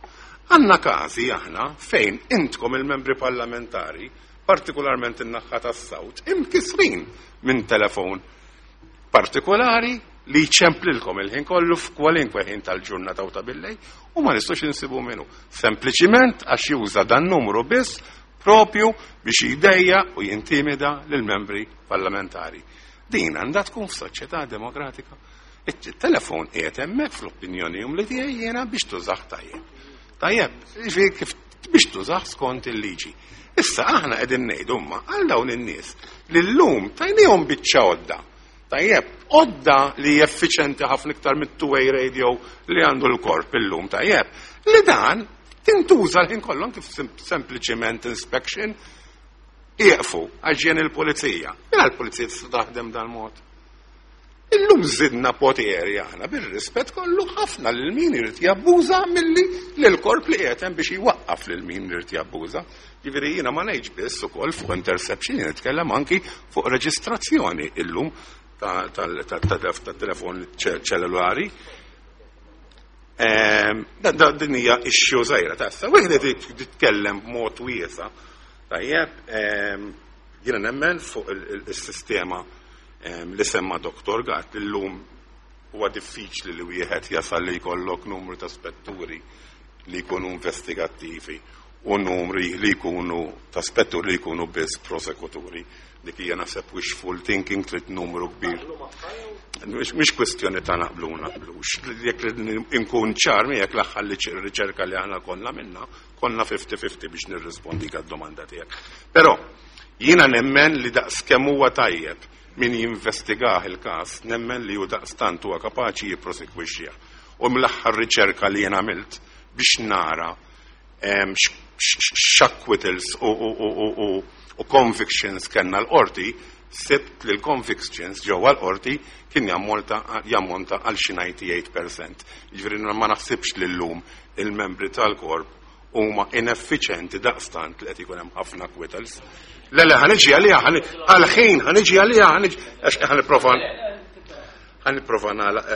Speaker 2: Għandna każi aħna fejn intkom il-membri parlamentari, partikolarment in-naħħa tas-South, imkisrin minn telefon partikolari li jċemplilkom il-ħin kollu f'kwalinkwe ħin tal-ġurnata u ta' billejl u ma nistgħux insibu minnu. Sempliċiment għax juża dan numru biss propju biex jdejjaq u jintimida lill-membri parlamentari. Din għandha tkun f'soċjetà demokratika. Il-telefon qiegħed hemmhekk, fl-opinjoni jum li tiegħi jiena, biex tużah tajjeb. Tajjeb, jiġifieri kif biex tużah skont il-liġi. Issa aħna qegħdin ngħidu imma għal dawn in-nies li llum tajnihom biċċa għodda. Tajjeb, għodda li effiċenti ħafna iktar mit-two-way radio li għandu l-korp illum, tajjeb. Li dan tintuża l-ħin kollu kif sempliċiment inspection ieqfu għax ġejjin il-pulizija. Mela l-pulizija tista' taħdem dal-mod. Illum zidna poteri aħna, bir-rispett kollu ħafna, lil min irid jabbuża milli lil korp li qiegħed hemm biex jwaqqaf lil min irid jabbuża. Jiġifieri jiena ma ngħidx biss ukoll fuq interception, jien nitkellem anki fuq reġistrazzjoni illum tat-telefon ċellulari. Din hija issue żgħira ta' issa. Wieħed titkellem b'mod wiesa'. Tajjeb, jiena nemmen fuq il-sistema li semma Dr. Gatt li llum huwa diffiċli li wieħed jasal li jkollok numru ta' spetturi li jkunu investigattivi u numri li jkunu ta' spetturi li jkunu biss prosekuturi. Dik hija naħseb wishful thinking, trid numru kbir. Mhix kwestjoni ta' naqblu u naqblux. Jekk inkun ċar miegħek, l-aħħar li riċerka li aħna konna minna, konna 50-50 biex nirrispondi għad-domanda tiegħek. Però jiena nemmen li daqs kemm huwa tajjeb min jinvestigah il-każ, nemmen li hu daqstant huwa kapaċi jipprosekwixxih. U mill-aħħar riċerka li jien għamilt biex nara x'acquittals u convictions kellna l-qorti, sibt li l-convictions ġewwa l-qorti kien jammonta għal xi 98%. Jiġifieri ma naħsibx li llum il-membri tal-korp huma ineffiċenti daqstant li qed ikun hemm ħafna acquittals. Le, le, ħa niġi għaliha, għal-ħin, ħa niġi għaliha, għax ħa nipprova nagħlaq.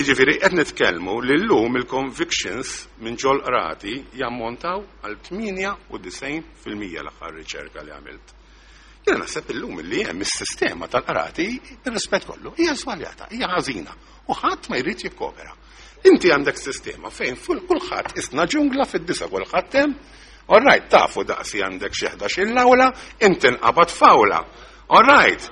Speaker 2: Iġifieri, qed nitkellmu li llum il-convictions minn ġol qrati jammontaw għal 98% l-aħħar riċerka li għamilt. Jiena naħseb illum li hemm is-sistema tal-qrati, bir-rispett kollu, hija żbaljata, hija ħażina u ħadd ma jrid jikkopera. Inti għandek sistema fejn kulħadd isna ġungla, fid-9 kulħadd hemm. All right, tafu daqsi għandek xi 11 l-awla, inti nqabad f'awla. All right,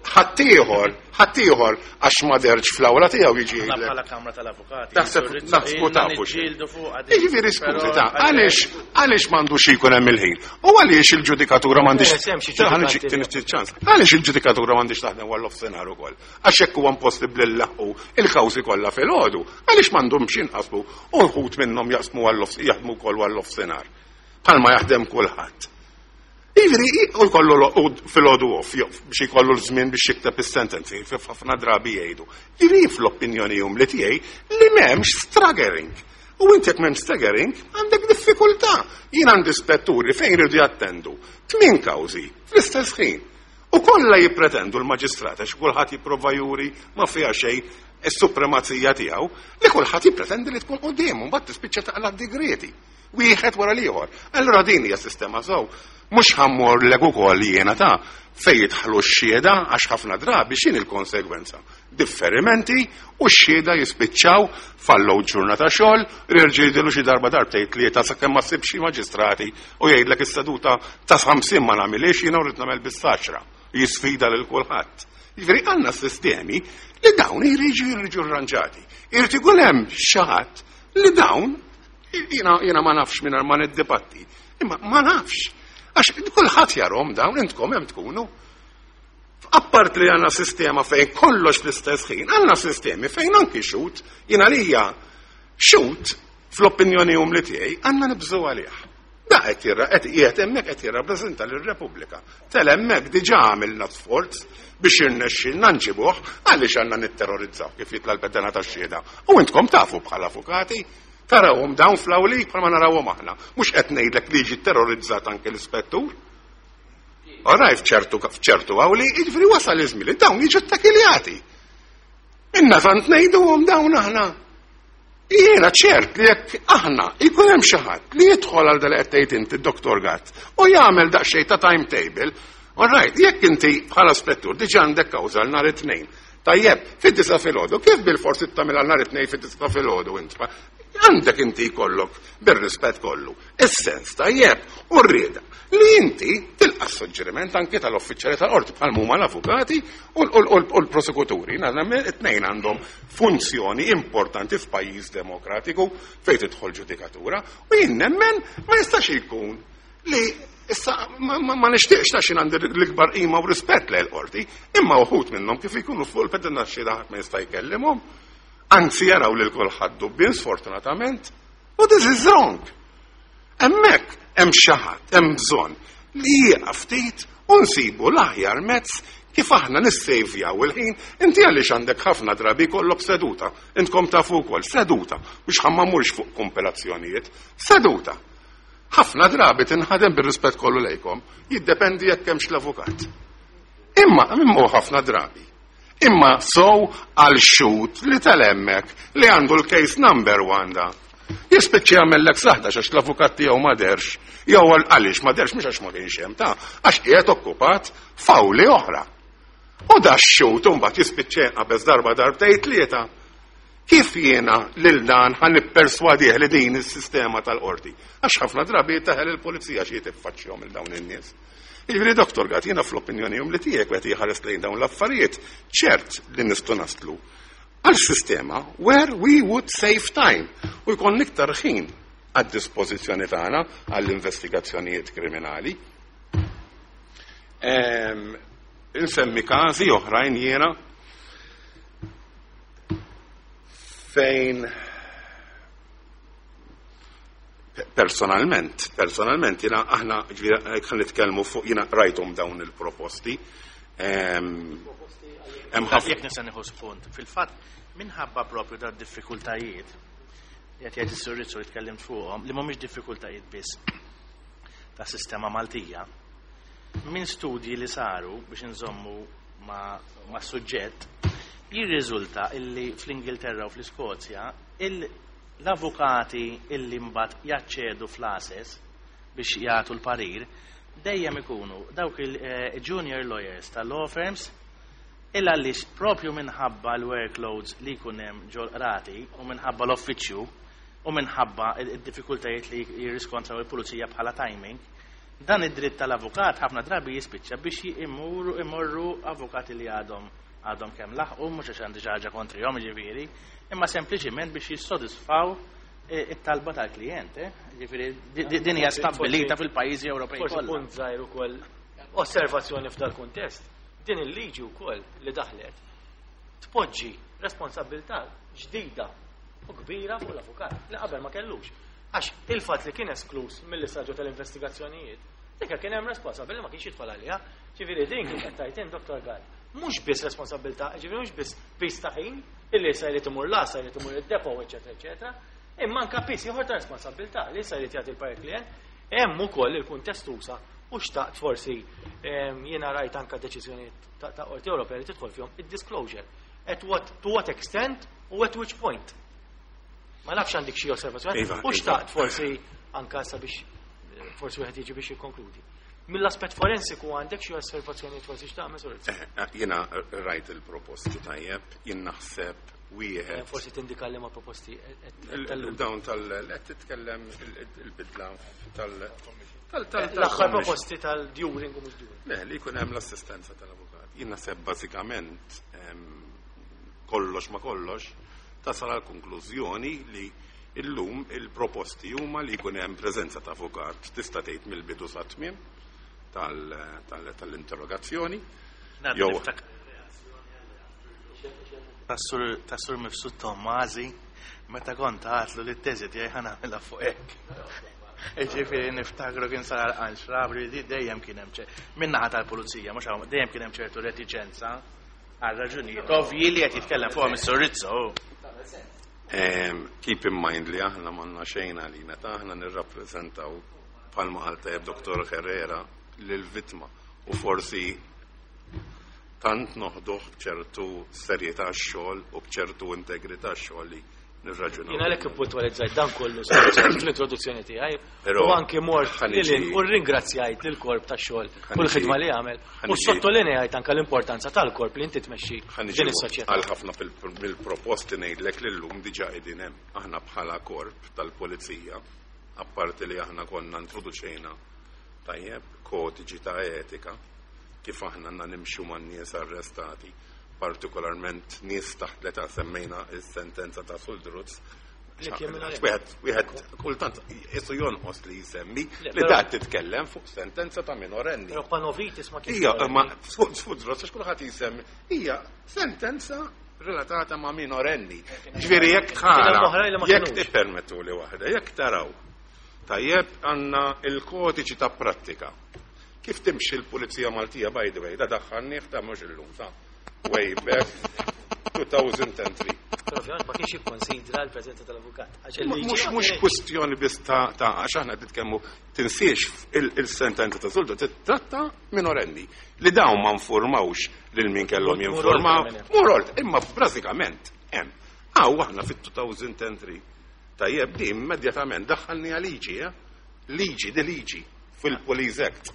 Speaker 2: ħaddieħor, ħaddieħor għax ma deherx fl-awla tiegħu jiġi
Speaker 6: Aħna
Speaker 2: jgħidlek.
Speaker 6: bħala Kamra tal-Avukati.
Speaker 2: Taħseb naħsbu tafu xi.
Speaker 6: Niġġieldu fuq għadi.
Speaker 2: Jiġifieri skużi ta' għaliex m'għandux ikun hemm il-ħin? U għaliex il-ġudikatura m'għandix
Speaker 1: Eh, hemm xi
Speaker 2: Ħa niġi
Speaker 1: ġudikanti
Speaker 2: tieni ċans. Għaliex il-ġudikatura m'għandix taħdem għal nofsinhar ukoll? Għax hekk huwa impossibbli nlaħħqu il-kawżi kollha filgħodu. Għaliex m'għandhomx jinqasmu u wħud minnhom jaqsmu għal jaħdmu wkoll għal nofsinhar. Bħalma jaħdem kulħadd. Ivri, u jkollu u filgħodu off, biex jkollu l-żmien biex jikteb is-sentenzi, ħafna drabi jgħidu. Ivri fl-opinjoni umli tiegħi li m'hemmx staggering. U inti jekk m'hemmx staggering, għandek diffikultà. Jien għandi spetturi fejn jridu jattendu tmien kawżi fl-istess ħin. U kollha jippretendu l-maġistrat, għax kulħadd jipprova juri ma fiha xejn is-supremazija tiegħu, li kulħadd jippretendi li tkun qudiemu, mbagħad tispiċċa taqla' digreti. Wieħed wara l-ieħor. Allura din hija sistema sew. Mhux ħa mmur lek ukoll jiena ta' fejn jidħlu x-xhieda, għax ħafna drabi x'in il-konsegwenza. Differimenti u x-xhieda jispiċċaw fallow ġurnata xogħol, jerġa' jidhru xi darba darbtejn tlieta sakemm ma ssibx xi maġistrati u jgħidlek is-seduta ta' 50 ma nagħmilix jiena, rrid nagħmel bis-saċra. Jisfida lil kulħadd. Jiġifieri għandna sistemi li dawn jriġu rranġati. Irid ikun hemm xi ħadd li dawn jiena ma nafx minn ma niddibatti. Imma ma nafx. Għax kulħadd jarahom dawn, intkom hemm tkunu. Appart li għandna sistema fejn kollox fl-istess ħin, għandna sistemi fejn anki xhud, jiena lija xhud fl-opinjoni umli tiegħi għandna nibżgħu għalih. Da qed jirra qed qiegħed hemmhekk qed jirrappreżenta lir-Repubblika. Tel hemmhekk diġà għamilna sforz biex irnexxilna nġibuh, għaliex għandna nitterrorizzaw kif jitla' l-pedana tax-xhieda. U intkom tafu bħala avukati, tarawhom dawn fl-awli bħalma narawhom aħna. Mhux qed ngħidlek li jiġi terrorizzat anke l-ispettur. Oraj, f'ċertu awli, jiġifieri wasal iż-żmien li dawn jiġu ttakiljati. Inna tant ngħiduhom dawn aħna. Jiena ċert li jekk aħna jkun hemm xi ħadd li jidħol għal dal qed tgħid inti, Dr. Gatt, u jagħmel daqsxejn ta' timetable, all right, jekk inti bħala spettur diġà għandek kawża għal nhar it-Tnejn. Tajjeb, fid-9 filgħodu, kif bil-forsi tagħmel għal nhar it-Tnejn fid-9 filgħodu int? Għandek inti jkollok bir-rispett kollu is-sens tajjeb u rrieda li inti tilqa' suġġeriment anke tal-uffiċjali tal-qorti bħal huma l-avukati u l-prosekuturi. It-tnejn għandhom funzjoni importanti f'pajjiż demokratiku fejn tidħol ġudikatura u jien nemmen ma jistax ikun li issa ma nixtieqx ta' xin għandi l-ikbar qima u rispett lejn l-qorti, imma uħud minnhom kif ikunu fuq il-pedina xhieda ħadd ma jista' jkellimhom. Anzi jaraw lil kulħadd dubbien, sfortunatament, u this is wrong. Hemmhekk hemm xi ħadd, hemm bżonn li jieqaf ftit u nsibu l-aħjar mezz kif aħna nissejvjaw il-ħin. Inti għaliex għandek ħafna drabi kollok seduta, intkom tafu wkoll seduta, biex ħa ma mmurx fuq kompilazzjonijiet, seduta. Ħafna drabi tinħadem, bir-rispett kollu lejkom, jiddependi jekk hemmx l-avukat. Imma imma ħafna drabi. Imma so għal xhud li tal-hemmhekk li għandu l-case number one da. Jispiċċa jagħmellek saħda għax l-avukat tiegħu ma derx, jew għaliex ma derx mhux għax ma kienx hemm ta' għax qiegħed okkupat f'awli oħra. U da x-xhud imbagħad jispiċċa jinqabeż darba darbtejn tlieta. Kif jiena lil dan ħa nipperswadih li din is-sistema tal-qorti? Għax ħafna drabi taħel il-pulizija xi tiffaċċjahom il dawn in-nies. Jiġifieri Dr. Gatt, jiena fl-opinjoni li tiegħek qed jħares lejn dawn l-affarijiet, ċert li nistgħu naslu għal sistema where we would save time u jkun iktar ħin għad dispożizzjoni tagħna għall-investigazzjonijiet kriminali. Insemmi każi oħrajn jiena fejn personalment jiena aħna ġifieri nitkellmu fuq jiena rajthom dawn il-proposti.
Speaker 6: Hemm ħafna Jekk nista' nieħu spunt, fil-fatt minħabba propju da diffikultajiet li qed jgħid is-Sur Rizzo li tkellimt fuqhom, li mhumiex diffikultajiet biss ta' sistema Maltija, minn studji li saru biex nżommu ma' suġġett, jirriżulta illi fl-Ingilterra u fl-Iskozja l-avukati illi mbagħad jaċċedu fl-għases biex jagħtu l-parir dejjem ikunu dawk il-junior lawyers ta' law firms illa għaliex propju minħabba l-workloads li jkun hemm ġol-qrati u minħabba l-offiċju u minħabba id-diffikultajiet li jirriskontraw il-pulizija bħala timing, dan id-dritt tal-avukat ħafna drabi jispiċċa biex imorru avukati li għadhom kemm laħqu, mhux għax għandi xi ħaġa kontrihom ġifieri, imma sempliċiment biex jissodisfaw it-talba tal-klijent, eh? Ġifieri din hija stabbilita fil-pajjiżi Ewropej
Speaker 1: Forsi
Speaker 6: kollha.
Speaker 1: punt żgħir ukoll osservazzjoni f'dal kuntest. Din il-liġi wkoll li daħlet tpoġġi responsabilità ġdida u kbira fuq l-avukat li qabel ma kellux. Għax il-fatt li kien esklus mill-istadju tal-investigazzjonijiet, dik kien hemm responsabbli ma kienx jidħol għaliha. Ġifieri din kif qed tgħid Dr. Gatt, mhux biss responsabilità, ġifieri mhux biss piż ta' ħin illi sa jrid imur l-għassa, jrid imur id-depot, eċetera, eċetera, imma anke piż ieħor ta' responsabilità li sa jrid jagħti l-parir klient, hemm ukoll il-kuntest usa u xtaqt forsi jiena rajt anke deċiżjonijiet ta' Qorti Ewropea li tidħol fihom id-disclosure. At what, to what extent u at which point. Ma nafx għandek xi osservazzjoni.
Speaker 2: Iva,
Speaker 1: U
Speaker 2: iva.
Speaker 1: xtaqt forsi anka sabiex forsi wieħed jiġi biex jikkonkludi. Mill-aspett forensiku għandek xi osservazzjoni forsi x'tagħmel Sur Rizzo?
Speaker 2: Jiena rajt il-proposti tajjeb, jien naħseb wieħed.
Speaker 1: Forsi tindika li ma proposti qed talludi.
Speaker 2: Dawn tal qed titkellem il-bidla tal tal tal
Speaker 1: L-aħħar proposti tal-during u mhux during.
Speaker 2: Le, li jkun hemm l-assistenza tal-avukat. Jien naħseb bażikament kollox ma kollox tasal għal konklużjoni li illum il-proposti huma li jkun hemm preżenza ta' avukat tista' tgħid mill-bidu sa tmiem tal-interrogazzjoni. Jew
Speaker 6: Tas-sur Mifsud Tommazi, meta kont għatlu li t-teżi tiegħi ħa nagħmilha fuq hekk. Ġifieri niftakru kien sar għal xrabri li dejjem kien hemm min-naħa tal-pulizija, mhux hawn, dejjem kien hemm ċertu reticenza għal raġunijiet ovvji li qed jitkellem fuqhom is-Sur Rizzo.
Speaker 2: Keep in mind li aħna m'għandna xejn għalina, ta' aħna nirrappreżentaw bħalma qal tajjeb Dr. Herrera lill-vittma u forsi tant noħduh b'ċertu serjetà x-xogħol u b'ċertu integrità x-xogħol li nirraġunaw.
Speaker 1: Jien għalhekk ippuntualizzajt dan kollu fl-introduzzjoni tiegħi
Speaker 2: Però
Speaker 1: u anki mort
Speaker 2: ħaniġi-
Speaker 1: lil u rringrazzjajt lill-korp tax-xogħol u
Speaker 2: Ħaniġi-
Speaker 1: l-ħidma li għamel u
Speaker 2: ħaniġi-
Speaker 1: sottolinejajt anke l-importanza tal-korp li inti tmexxi
Speaker 2: Ħaniġi
Speaker 1: din is-soċjetà.
Speaker 2: għal ħafna mill-proposti ngħidlek li llum diġà qegħdin hemm. Aħna bħala korp tal-pulizija, apparti li aħna konna introduċejna tajjeb kodiċi ta' etika kif aħna għandna nimxu man nies arrestati, partikolarment nies taħt l-età semmejna is-sentenza ta' Suldruz.
Speaker 1: Li kien minn
Speaker 2: Għax Wieħed kultant isu jonqos li jsemmi
Speaker 1: Le,
Speaker 2: li
Speaker 1: però-
Speaker 2: da titkellem fuq sentenza ta' minorenni.
Speaker 1: Però Panovitis ma kienx
Speaker 2: Hija, ma
Speaker 1: minorenni.
Speaker 2: Suldruz, għax kulħadd jisemmi, hija sentenza relatata ma' minorenni. Ġifieri jekk
Speaker 1: Kien hemm
Speaker 2: tara,
Speaker 1: oħrajn li ma
Speaker 2: jekk
Speaker 1: kinux.
Speaker 2: tippermettu li waħda, jekk taraw, tajjeb għandna il-kodiċi ta' prattika. Kif timxi l-Pulizija Maltija, by the way, da daħħalnieh ta' mhux illum, ta' way back. 2003.
Speaker 1: Però ovvjament ma kienx jikkonsidra l-preżenza tal-avukat. Għax il-liġi
Speaker 2: Mhux
Speaker 1: ma
Speaker 2: mhux
Speaker 1: kienet-
Speaker 2: kwestjoni biss ta' għax aħna qed nitkellmu tinsiex il-sentenza ta' Zulda titratta minorenni li dawn ma nformawx lil min kellhom
Speaker 1: Mur
Speaker 2: jinformaw.
Speaker 1: oltre minn hemm.
Speaker 2: Mur oltre, imma bażikament hemm. Hawn aħna fit-2003 tajjeb di immedjatament daħħalni liġi, eh? Liġi, di liġi fil-Police Act.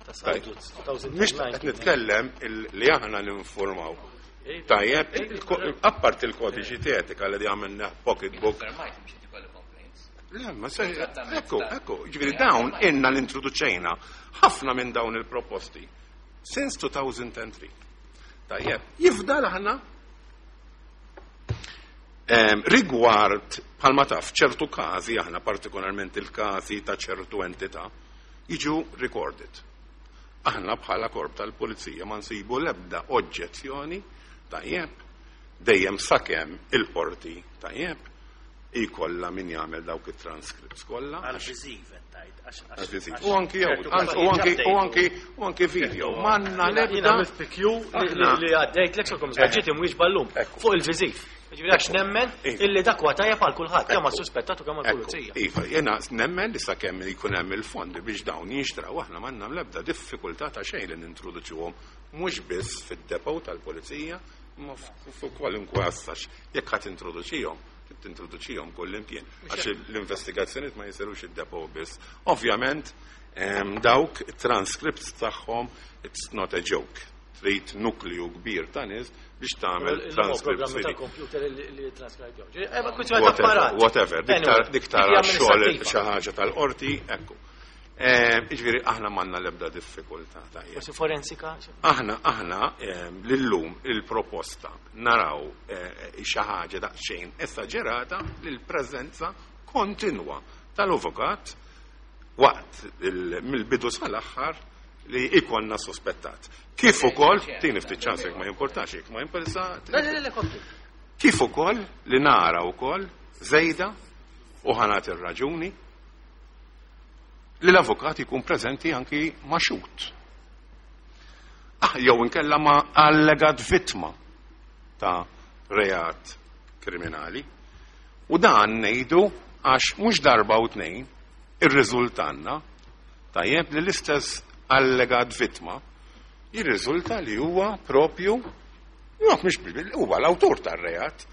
Speaker 1: Ta' Salduz, 2009.
Speaker 2: Mhix qed nitkellem li aħna ninformaw. Tajjeb, apart il-kodiċi etika li għamilna pocketbook.
Speaker 4: Fermajt mhux qed ikollu complaints.
Speaker 2: Le, ma se, ekku, ekku, ġifieri dawn inna l-introduċejna ħafna minn dawn il-proposti. Since 2003. Tajjeb, jifdal aħna rigward bħalma taf ċertu każi aħna partikolarment il-każi ta' ċertu entità jiġu recorded. Aħna bħala korp tal-pulizija ma nsibu l-ebda oġġezzjoni tajjeb dejjem sakemm il-qorti tajjeb ikolla min jagħmel dawk it-transcripts kollha.
Speaker 6: Għal-viżiv qed tgħid,
Speaker 2: Għal-viżiv.
Speaker 6: għax
Speaker 2: U anki
Speaker 6: ċertu
Speaker 2: u anki u anki u anki video. Manna
Speaker 1: Jiena
Speaker 2: l-ebda
Speaker 1: għamilt PQ li għaddejt l kom ġiet imwieġba llum
Speaker 2: Ekku.
Speaker 1: fuq il-viżiv. Ġifieri għax nemmen
Speaker 2: Iva.
Speaker 1: illi dak huwa tajjeb għal kulħadd kemm
Speaker 2: Ekku.
Speaker 1: għas-suspettat u kemm għall-pulizija.
Speaker 2: Iva, jena nemmen li sakemm jkun hemm il-fondi biex dawn jinxtraw aħna m'għandna l-ebda diffikultà ta' xejn li nintroduċuhom mhux biss fid-depot tal-pulizija, ma fuq kwalunkwe assax. Jekk ħadd introduċihom, tintroduċihom kullimkien għax l-investigazzjonijiet ma jsirux id-depot biss. Ovvjament, dawk transcripts tagħhom it's not a joke. Trid nukleu kbir ta' nies biex tagħmel
Speaker 1: Il-programmi
Speaker 2: transcripts.
Speaker 1: tal-computer li transcribe. Kwistjoni ta'
Speaker 2: Whatever,
Speaker 1: apparat.
Speaker 2: whatever.
Speaker 1: Anyway,
Speaker 2: Dik tara
Speaker 1: dik hija
Speaker 2: xogħol
Speaker 1: amministrattiva.
Speaker 2: xi ħaġa tal-qorti, ekku. Jiġifieri aħna m'għandna l-ebda diffikultà tajjeb.
Speaker 1: Forsi forensika.
Speaker 2: Aħna lillum il-proposta naraw xi ħaġa daqsxejn esaġerata lil preżenza kontinwa tal-avukat waqt mill-bidu sal-aħħar li ikonna sospettat. Kif ukoll, tini ftit ċans jekk ma jimportax, jekk ma jimporta.
Speaker 1: Le, le, le, kompli.
Speaker 2: Kif ukoll li nara wkoll żejda u ħanat ir-raġuni li l-avukat jkun preżenti anki ma' xhud. Jew inkella ma' allegat vittma ta' reat kriminali. U dan ngħidu għax mhux darba u tnejn irriżultanna tajjeb li l-istess allegat vittma jirriżulta li huwa propju Jo, mhux huwa l-awtur tar-reat.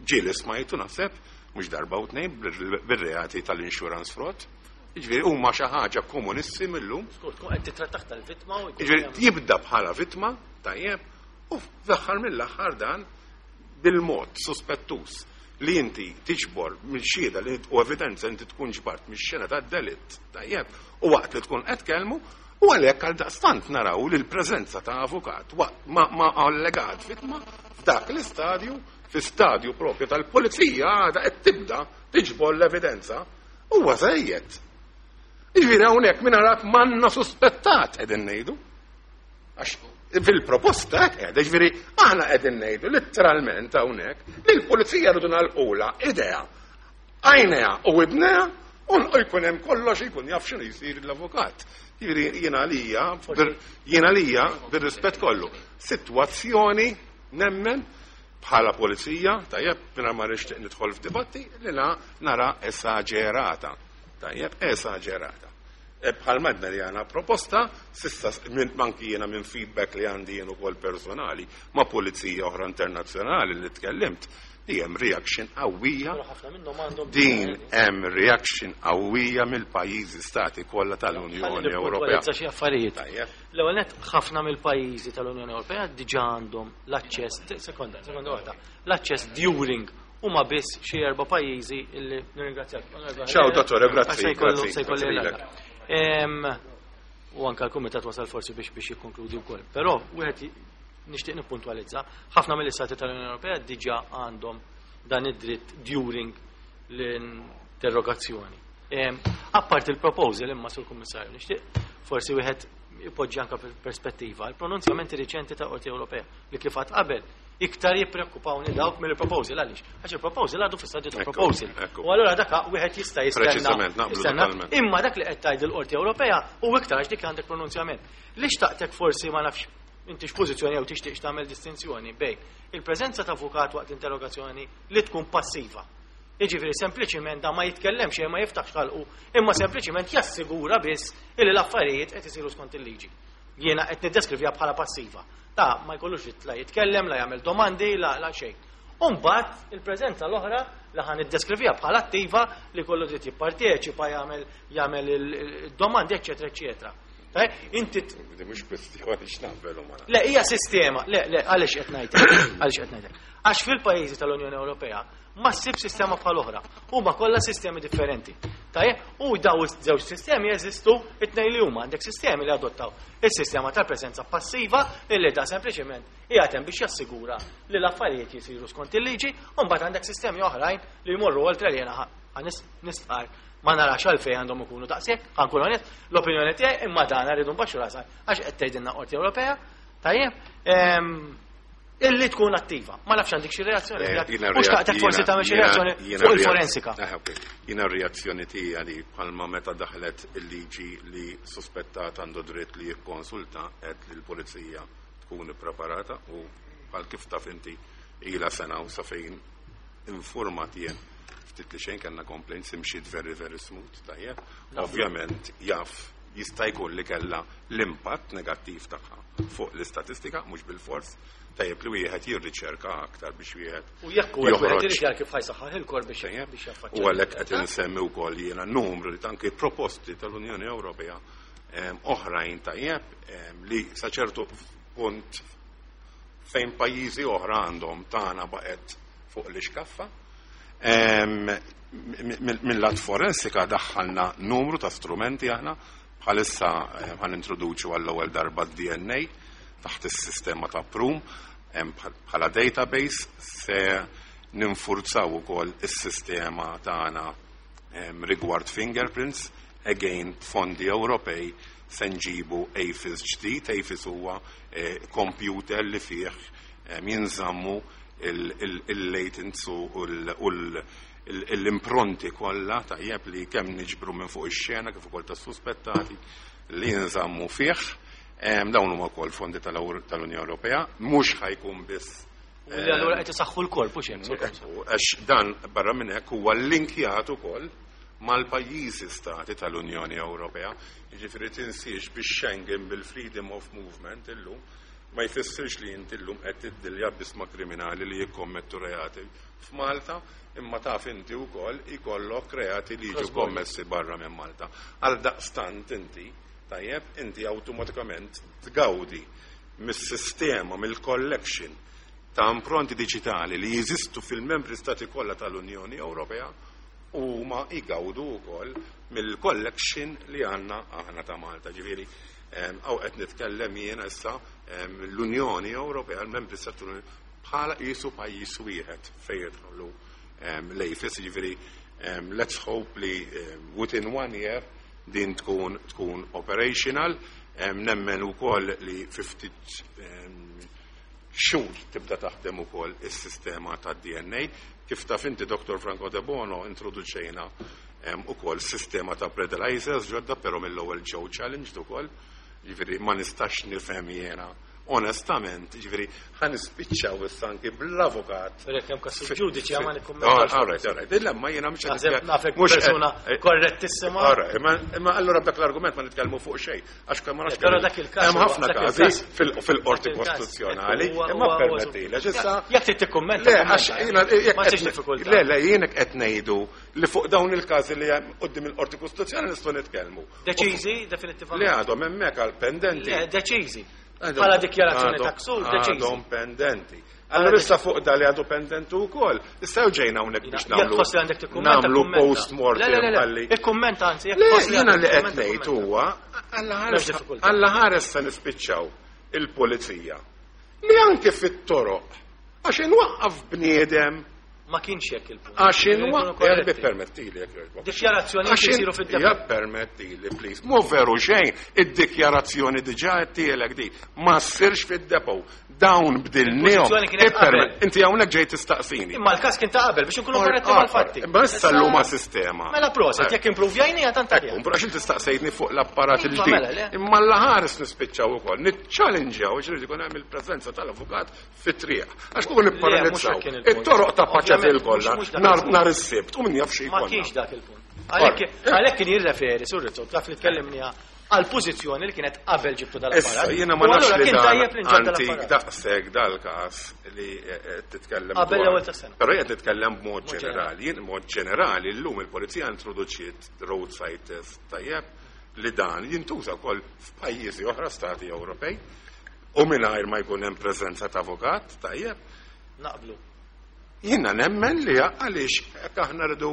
Speaker 2: Ġieli smajtu naħseb mhux darba u tnejn bir-reati tal-insurance fraud. Jiġifieri huma xi ħaġa komunissimi illum.
Speaker 1: Skur, tkun qed titrattaħ tal-vittma u jkun
Speaker 2: Jiġifieri
Speaker 1: hemm-
Speaker 2: jibda bħala vittma, tajjeb, u fl-aħħar mill-aħħar dan bil-mod suspettus li inti tiġbor mill-xhieda li u evidenza inti tkun ġbart mix-xena tad-delitt, tajjeb, u waqt li tkun qed tkellmu, u għalhekk għal daqstant naraw li l-preżenza ta' avukat waqt ma allegat vittma f'dak l-istadju, fi stadju propju tal-pulizija għadha qed tibda tiġbor l-evidenza, huwa żejjed. Jiġifieri hawnhekk min arak m'għandna suspettat qegħdin ngħidu. Għax fil-proposta hekk qiegħda, jiġifieri aħna qegħdin ngħidu letteralment hawnhekk li l-pulizija rridu nagħlqulha idea, għajnejha u widnejha u jkun hemm kollox jkun jaf x'inhu jsir l-avukat. Jiġifieri jiena għalija bir-rispett kollu. Sitwazzjoni nemmen bħala pulizija, tajjeb, mingħajr ma nixtieq nidħol f'dibatti, li nara esaġerata. Tajjeb, esaġerata. Bħal madna li għana proposta, sissa manki jena minn feedback li għandi jien ukoll personali ma' pulizija oħra internazzjonali li tkellimt, li hemm reaction qawwija.
Speaker 1: Però ħafna minnhom għandhom
Speaker 2: Din hemm reaction qawwija mill-pajjiżi stati kollha tal-Unjoni
Speaker 1: Ħalli
Speaker 2: Ewropea.
Speaker 1: nippuntualizza xi affarijiet.
Speaker 2: Tajjeb.
Speaker 1: L-ewwel nett ħafna mill-pajjiżi tal-Unjoni Ewropea diġà għandhom l-aċċess, sekonda, sekonda waħda, l-aċċess during huma biss xi erba' pajjiżi illi nirringrazzjak.
Speaker 2: Ciao, dottore, grazzi,
Speaker 1: Se jkollu-
Speaker 2: grazzi,
Speaker 1: se jkolli
Speaker 2: grazzi
Speaker 1: l-għala.
Speaker 2: lilek.
Speaker 1: U anka l-kumitat wasal forsi biex jikkonkludi wkoll. Però wieħed nixtieq nippuntwalizza, ħafna mill-istati tal-Unjoni Ewropea diġà għandhom dan id-dritt during l-interrogazzjoni. Apart il-proposal imma sur kummissarju, nixtieq forsi wieħed ipoġġi anka perspettiva il-pronunzjamenti riċenti ta' Qorti Ewropea li kif għad qabel iktar jippreokkupawni dawk mill-proposal għaliex? Għax il-proposal għadu fi stadju ta'
Speaker 2: Ekku,
Speaker 1: proposal.
Speaker 2: ekku.
Speaker 1: U allura dak wieħed jista' jistenna.
Speaker 2: Preċiżament, naqblu
Speaker 1: jistenna.
Speaker 2: totalment.
Speaker 1: Imma dak li qed tgħid il-Qorti Ewropea u iktar għax dik għandek pronunzjament. Li xtaqtek forsi ma nafx Inti x'pożizzjoni jew tixtieq tagħmel distinzjoni bejn il-preżenza ta' avukat waqt interrogazzjoni li tkun passiva. Jiġifieri sempliċiment da ma jitkellemx xejn, ma jiftaħx ħalqu, imma sempliċiment jassigura biss illi l-affarijiet qed isiru skont il-liġi. Jiena qed niddeskrivija bħala passiva. Ta' ma jkollux dritt la jitkellem, la jagħmel domandi, la xejn. U mbagħad il-preżenza l-oħra li ħa niddeskrivija bħala attiva li kollu dritt jipparteċipa, jagħmel il-domandi, eċċetera, eċċetera. Inti
Speaker 2: Mhux kwestjoni x'naqbel u ma
Speaker 1: Le, hija sistema, le, għaliex qed ngħidlek, għaliex qed ngħidlek. Għax fil-pajjiżi tal-Unjoni Ewropea ma ssib sistema bħal oħra. Huma kollha sistemi differenti. Tajjeb, u daw iż-żewġ sistemi jeżistu it-tnejn li huma. Għandek sistemi li adottaw is-sistema tal-preżenza passiva illi da sempliċement qiegħed hemm biex jassigura li l-affarijiet jisiru skont il-liġi, u mbagħad għandek sistemi oħrajn li jmorru oltre li jiena nistqar ma narax għalfejn għandhom ikunu daqshekk, ħa nkun onest, l-opinjoni tiegħi, imma dan rridu nbaxxu rasha għax qed tgħidilna Qorti Ewropea, tajjeb, illi tkun attiva. Ma nafx għandek xi reazzjoni. U xtaqtek forsi tagħmel xi reazzjoni fuq il-forensika.
Speaker 2: Jiena r-reazzjoni tiegħi li bħalma meta daħlet il-liġi li suspettat għandu dritt li jikkonsulta qed li l-pulizija tkun ippreparata u bħal kif taf inti ila sena u sa fejn informat jien ftit li xejn kellna complaints imxiet very very smooth, tajjeb. Ovvjament jaf jista' jkun li kellha l-impatt negattiv tagħha fuq l-istatistika, mhux bil-fors, tajjeb li wieħed jirriċerka aktar biex wieħed
Speaker 1: U jekk huwa wieħed irid jara kif ħa jsaħħaħ il-korp biex jaffaċċja.
Speaker 2: U għalhekk qed insemmi wkoll jiena numru li anke proposti tal-Unjoni Ewropea oħrajn, tajjeb, li sa ċertu punt fejn pajjiżi oħra għandhom, tagħna baqgħet fuq l-iskaffa. Mill-lat forensika daħħalna numru ta' strumenti aħna, bħalissa ħa nintroduċu għall-ewwel darba d-DNA taħt is-sistema ta' Prüm bħala database, se ninfurzaw ukoll is-sistema tagħna rigward fingerprints, again fondi Ewropej se nġibu AFIS ġdid. AFIS huwa computer li fih jinżammu il-latents u l-impronti kollha, tajjeb, li kemm niġbru minn fuq ix-xena kif ukoll tas-suspettati li jinżammu fih. Dawn huma wkoll fondi tal-Unjoni Ewropea, mhux ħa jkun biss
Speaker 1: U li allura qed isaħħu l-korp u xejn.
Speaker 2: Għax dan barra minn hekk huwa linkjat ukoll mal-pajjiżi stati tal-Unjoni Ewropea. Jiġifieri tinsiex biex Schengen bil-freedom of movement illum ma jfissirx li inti llum qed tiddilja biss ma' kriminali li jikkommettu reati f'Malta, imma taf inti wkoll ikollok reati li jiġu kommessi barra minn Malta. Għal daqstant inti, tajjeb, inti awtomatikament tgawdi mis-sistema, mill-collection ta' impronti diġitali li jeżistu fil-membri stati kollha tal-Unjoni Ewropea u ma jgawdu wkoll mill-collection li għandna aħna ta' Malta. Ġifieri, hawn qed nitkellem jiena issa l-Unjoni Ewropea, l-membri stati bħala qisu pajjiż wieħed fejn jidħlu l-AFIS, ġifieri let's hope li within one year din tkun operational. Nemmen ukoll li fi ftit xhur tibda taħdem ukoll is-sistema tad-DNA. Kif taf inti, Dr. Franco Debono, introduċejna ukoll sistema ta' breathalyzers ġodda, però mill-ewwel ġew challenged ukoll. Ġifieri ma nistax nifhem jiena onestament, ġifieri ħa nispiċċaw issa anki bl-avukat.
Speaker 1: Perek hemm każ ġudiċi ma nikkummentax.
Speaker 2: All right. Illa ma jiena mhux
Speaker 1: Naħseb nafek persuna korrettissima.
Speaker 2: All right, imma allura b'dak l-argument ma nitkellmu fuq xejn, għax kemm ma nafx
Speaker 1: Però dak il-każ
Speaker 2: hemm ħafna
Speaker 1: dak
Speaker 2: każi
Speaker 1: il-każ
Speaker 2: fil-qorti
Speaker 1: dak il-każ
Speaker 2: kostituzzjonali,
Speaker 1: huwa
Speaker 2: imma
Speaker 1: huwa
Speaker 2: permetti, għax issa
Speaker 1: Jekk trid tikkummenta,
Speaker 2: Le, għax
Speaker 1: kummenta.
Speaker 2: jiena jekk
Speaker 1: Ma tiġ
Speaker 2: qed
Speaker 1: diffikultà.
Speaker 2: Le, jiena qed ngħidu li fuq dawn il-każi li hemm quddiem il-qorti kostituzzjonali nistgħu nitkellmu.
Speaker 1: Deċiżi, definitivament.
Speaker 2: Le, għadhom hemmhekk għal pendenti.
Speaker 1: Le, deċiżi. Bħala dikjarazzjoni ta' ksur, deċiżi.
Speaker 2: Għadhom pendenti. Allora issa fuq da li għadu pendenti wkoll. Issa ġejna hawnhekk biex
Speaker 1: Jekk
Speaker 2: nagħmlu
Speaker 1: tħoss li għandek tikkummenta,
Speaker 2: nagħmlu
Speaker 1: kummenta.
Speaker 2: post-mortem
Speaker 1: Le, le, le, le.
Speaker 2: għalli.
Speaker 1: Ikkummenta anzi, jekk
Speaker 2: Le,
Speaker 1: tħoss li
Speaker 2: jiena
Speaker 1: għandek
Speaker 2: li qed
Speaker 1: tikkummenta,
Speaker 2: ngħid
Speaker 1: kummenta.
Speaker 2: huwa
Speaker 1: M'hemmx diffikultà.
Speaker 2: Alla ħares se nispiċċaw il-pulizija li anke fit-toroq għax inwaqqaf bniedem
Speaker 1: Ma kienx hekk il-punt.
Speaker 2: Għax inwa, erbi permettili jekk jogħġbok.
Speaker 1: Dikjarazzjoni jsiru fid-depot.
Speaker 2: Ja permettili, please. Mhu veru xejn, id-dikjarazzjoni diġà qed tielek di. Ma ssirx fid-depot. Dawn bdilnihom. Inti hawnhekk ġej tistaqsini.
Speaker 1: Imma l-każ kien ta' qabel biex inkunu korretti mal-fatti.
Speaker 2: Imma issa llum sistema.
Speaker 1: Mela proset, jekk impruvjajnija tant
Speaker 2: aħjar. Għax inti staqsejtni fuq l-apparat iva, il-ġdid. Mela, Imma l-ħares nispiċċaw ukoll, niċċallenġjaw għax irid ikun hemm il-preżenza tal-avukat fit-triq. Għax kieku nipparalizzaw. It-toroq ta' Paċeville kollha nhar is-Sibt u min jaf xi
Speaker 1: Ma kienx dak il-punt. Għalhekk kien jirreferi, Sur Rizzo, taf li tkellimniha għal pożizzjoni li kienet qabel ġibtu dal-apparat.
Speaker 2: Issa jiena ma nafx li dan antik daqshekk dal-każ li eh, eh, titkellem.
Speaker 1: Qabel l-ewwel tas-sena.
Speaker 2: Però qed nitkellem b'mod ġenerali. Jien b'mod ġenerali llum il-pulizija introduċiet roadside test tajjeb li dan jintuża wkoll f'pajjiżi oħra stati Ewropej u mingħajr ma jkun hemm preżenza ta' avukat, tajjeb.
Speaker 1: Naqblu.
Speaker 2: Jiena nemmen li għaliex hekk aħna rridu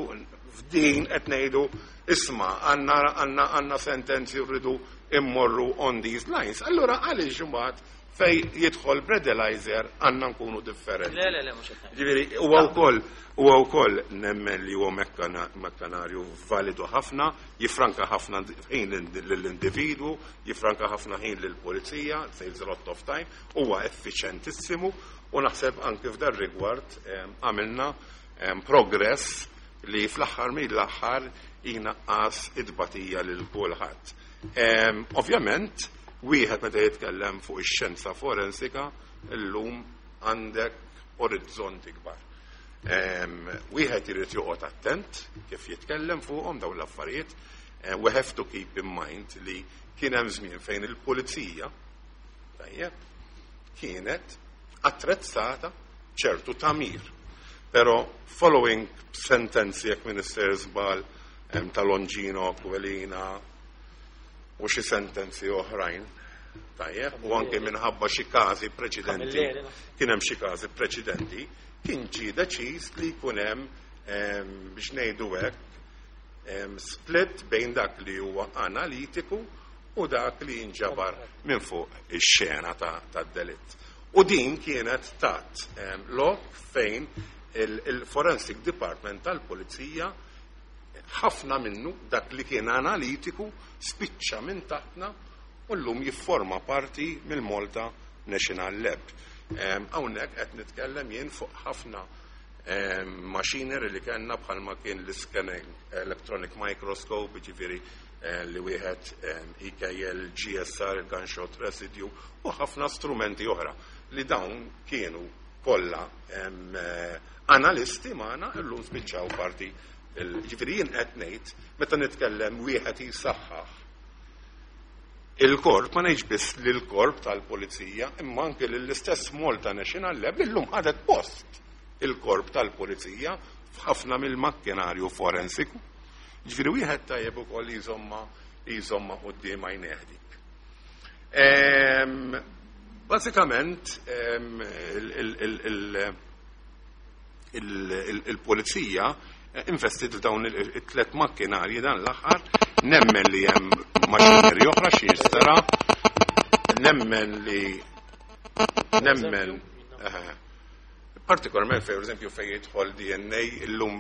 Speaker 2: f'din qed ngħidu isma' għandna għandna għandna sentenzi u rridu immorru on these lines. Allura għaliex imbagħad fej jidħol breathalyzer għandna nkunu differenti.
Speaker 1: Le, le, le, mhux qed
Speaker 2: Ġifieri huwa wkoll huwa wkoll nemmen li huwa mekkanarju validu ħafna, jifranka ħafna ħin lill-individwu, jifranka ħafna ħin lill-pulizija, saves a lot of time, huwa effiċjentissimu u naħseb anki f'dar rigward għamilna progress li fl-aħħar mill-aħħar jnaqqas it-tbatija lil kulħadd. Ovvjament, wieħed meta jitkellem fuq ix-xjenza forensika, illum għandek orizzonti kbar. Wieħed irid joqgħod attent kif jitkellem fuqhom dawn l-affarijiet. We have to keep in mind li kien hemm żmien fejn il-pulizija tajjeb kienet attrezzata ċertu tagħmir. Però following sentenzi jekk Minister żball ta' Longino, Aquilina u xi sentenzi oħrajn, tajjeb, u anke minħabba xi każi preċedenti, kien hemm xi każi preċedenti, kien ġie deċiż li jkun hemm biex ngħidu hekk split bejn dak li huwa analitiku u dak li jinġabar minn fuq ix-xena tad-delitt. U din kienet tat lok fejn il-Forensic Department tal-Pulizija ħafna minnu dak li kien analitiku spiċċa minn taħtna u llum jifforma parti mill-Malta National Lab. Hawnhekk qed nitkellem jien fuq ħafna machinery li kellna bħalma kien l-scanning electronic microscope, ġifieri li wieħed IKL, GSR, gunshot residue u ħafna strumenti oħra li dawn kienu kollha analisti magħna illum spiċċaw parti. Ġifieri jien qed ngħid meta nitkellem wieħed jisaħħaħ il-korp, ma ngħidx biss lill-korp tal-pulizija, imma anke lill-istess Malta National Lab li llum ħadet post il-korp tal-pulizija f'ħafna mill-makkinarju forensiku. Ġifieri wieħed tajjeb ukoll jżomma jżomma quddiem għajnejh dik. Bażikament il-pulizija investit f'dawn it-tlet makkinarji dan l-aħħar, nemmen li hemm machinery oħra xi jinxtara, nemmen li nemmen partikolarment per eżempju fejn jidħol DNA illum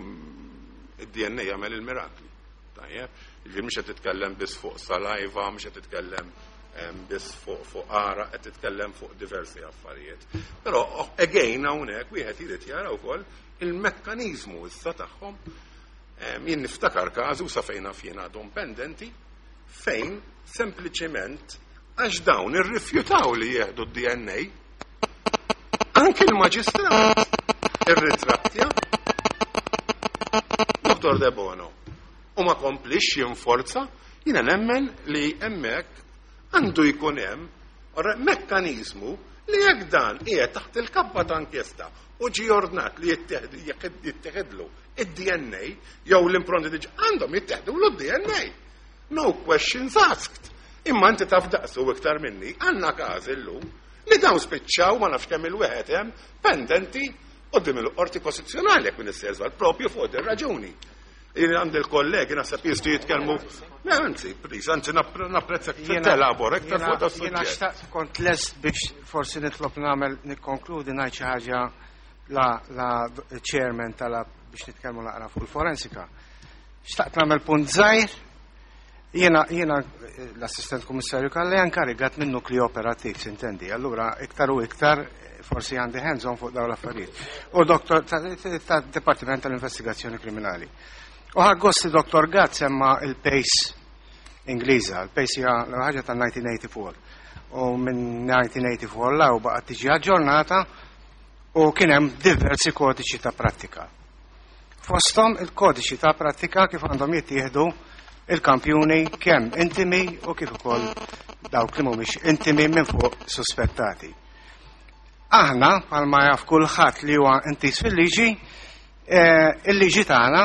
Speaker 2: id-DNA jagħmel il-mirakli. Tajjeb, ġifieri mhux qed titkellem biss fuq saliva, mhux qed titkellem biss fuq għaraq, qed titkellem fuq diversi affarijiet. Però again hawnhekk wieħed irid jara wkoll il-mekkaniżmu issa tagħhom. Jien niftakar każu sa fejn naf jien għadhom pendenti fejn sempliċement għax dawn irrifjutaw li jieħdu d-DNA anke l-maġistrat irritrattja Dr. De Bono u ma komplix jinforza. Jiena nemmen li hemmhekk għandu jkun hemm mekkaniżmu li jekk dan qiegħed taħt il-kappa ta' inkjesta u ġi ordnat li jitteħidlu id-DNA jew l-impronti diġ għandhom jittieħdu l-DNA. No questions asked. Imma inti taf daqsu iktar minni, għandna każ illum li dawn spiċċaw ma nafx kemm il-wieħed hemm pendenti quddiem il-qorti kostituzzjonali jekk minn żball propju fuq din raġuni. Jien għandi l-kollegi naħseb jistgħu jitkellmu. Anzi, please, anzi napprezza telabora iktar fuq da
Speaker 7: Jiena
Speaker 2: suġġett.
Speaker 7: xtaqt kont lest biex forsi nitlob nagħmel nikkonkludi ngħid xi ħaġa. La chairman talab biex nitkellmu naqra fuq il-forensika. Xtaqt nagħmel punt żgħir. Jiena l-assistent kummissarju Calleja inkarigat minn nukleu operattiv, sintendi. Allura iktar u iktar forsi għandi hands on fuq dawn l-affarijiet. U doktor ta' Dipartiment tal-Investigazzjoni Kriminali. U ħadt gost li Dr. Gatt semma il-PACE Ingliża. Il-PACE hija ħaġa ta' 1984. U minn 1984 'l hawn baqgħet tiġi aġġornata u kien hemm diversi kodiċi ta' prattika. Fosthom il-kodiċi ta' prattika kif għandhom jittieħdu il-kampjuni kemm intimi u kif ukoll dawk li mhumiex intimi minn fuq suspettati. Aħna, bħalma jaf kulħadd li huwa intiż fil-liġi, il-liġi tagħna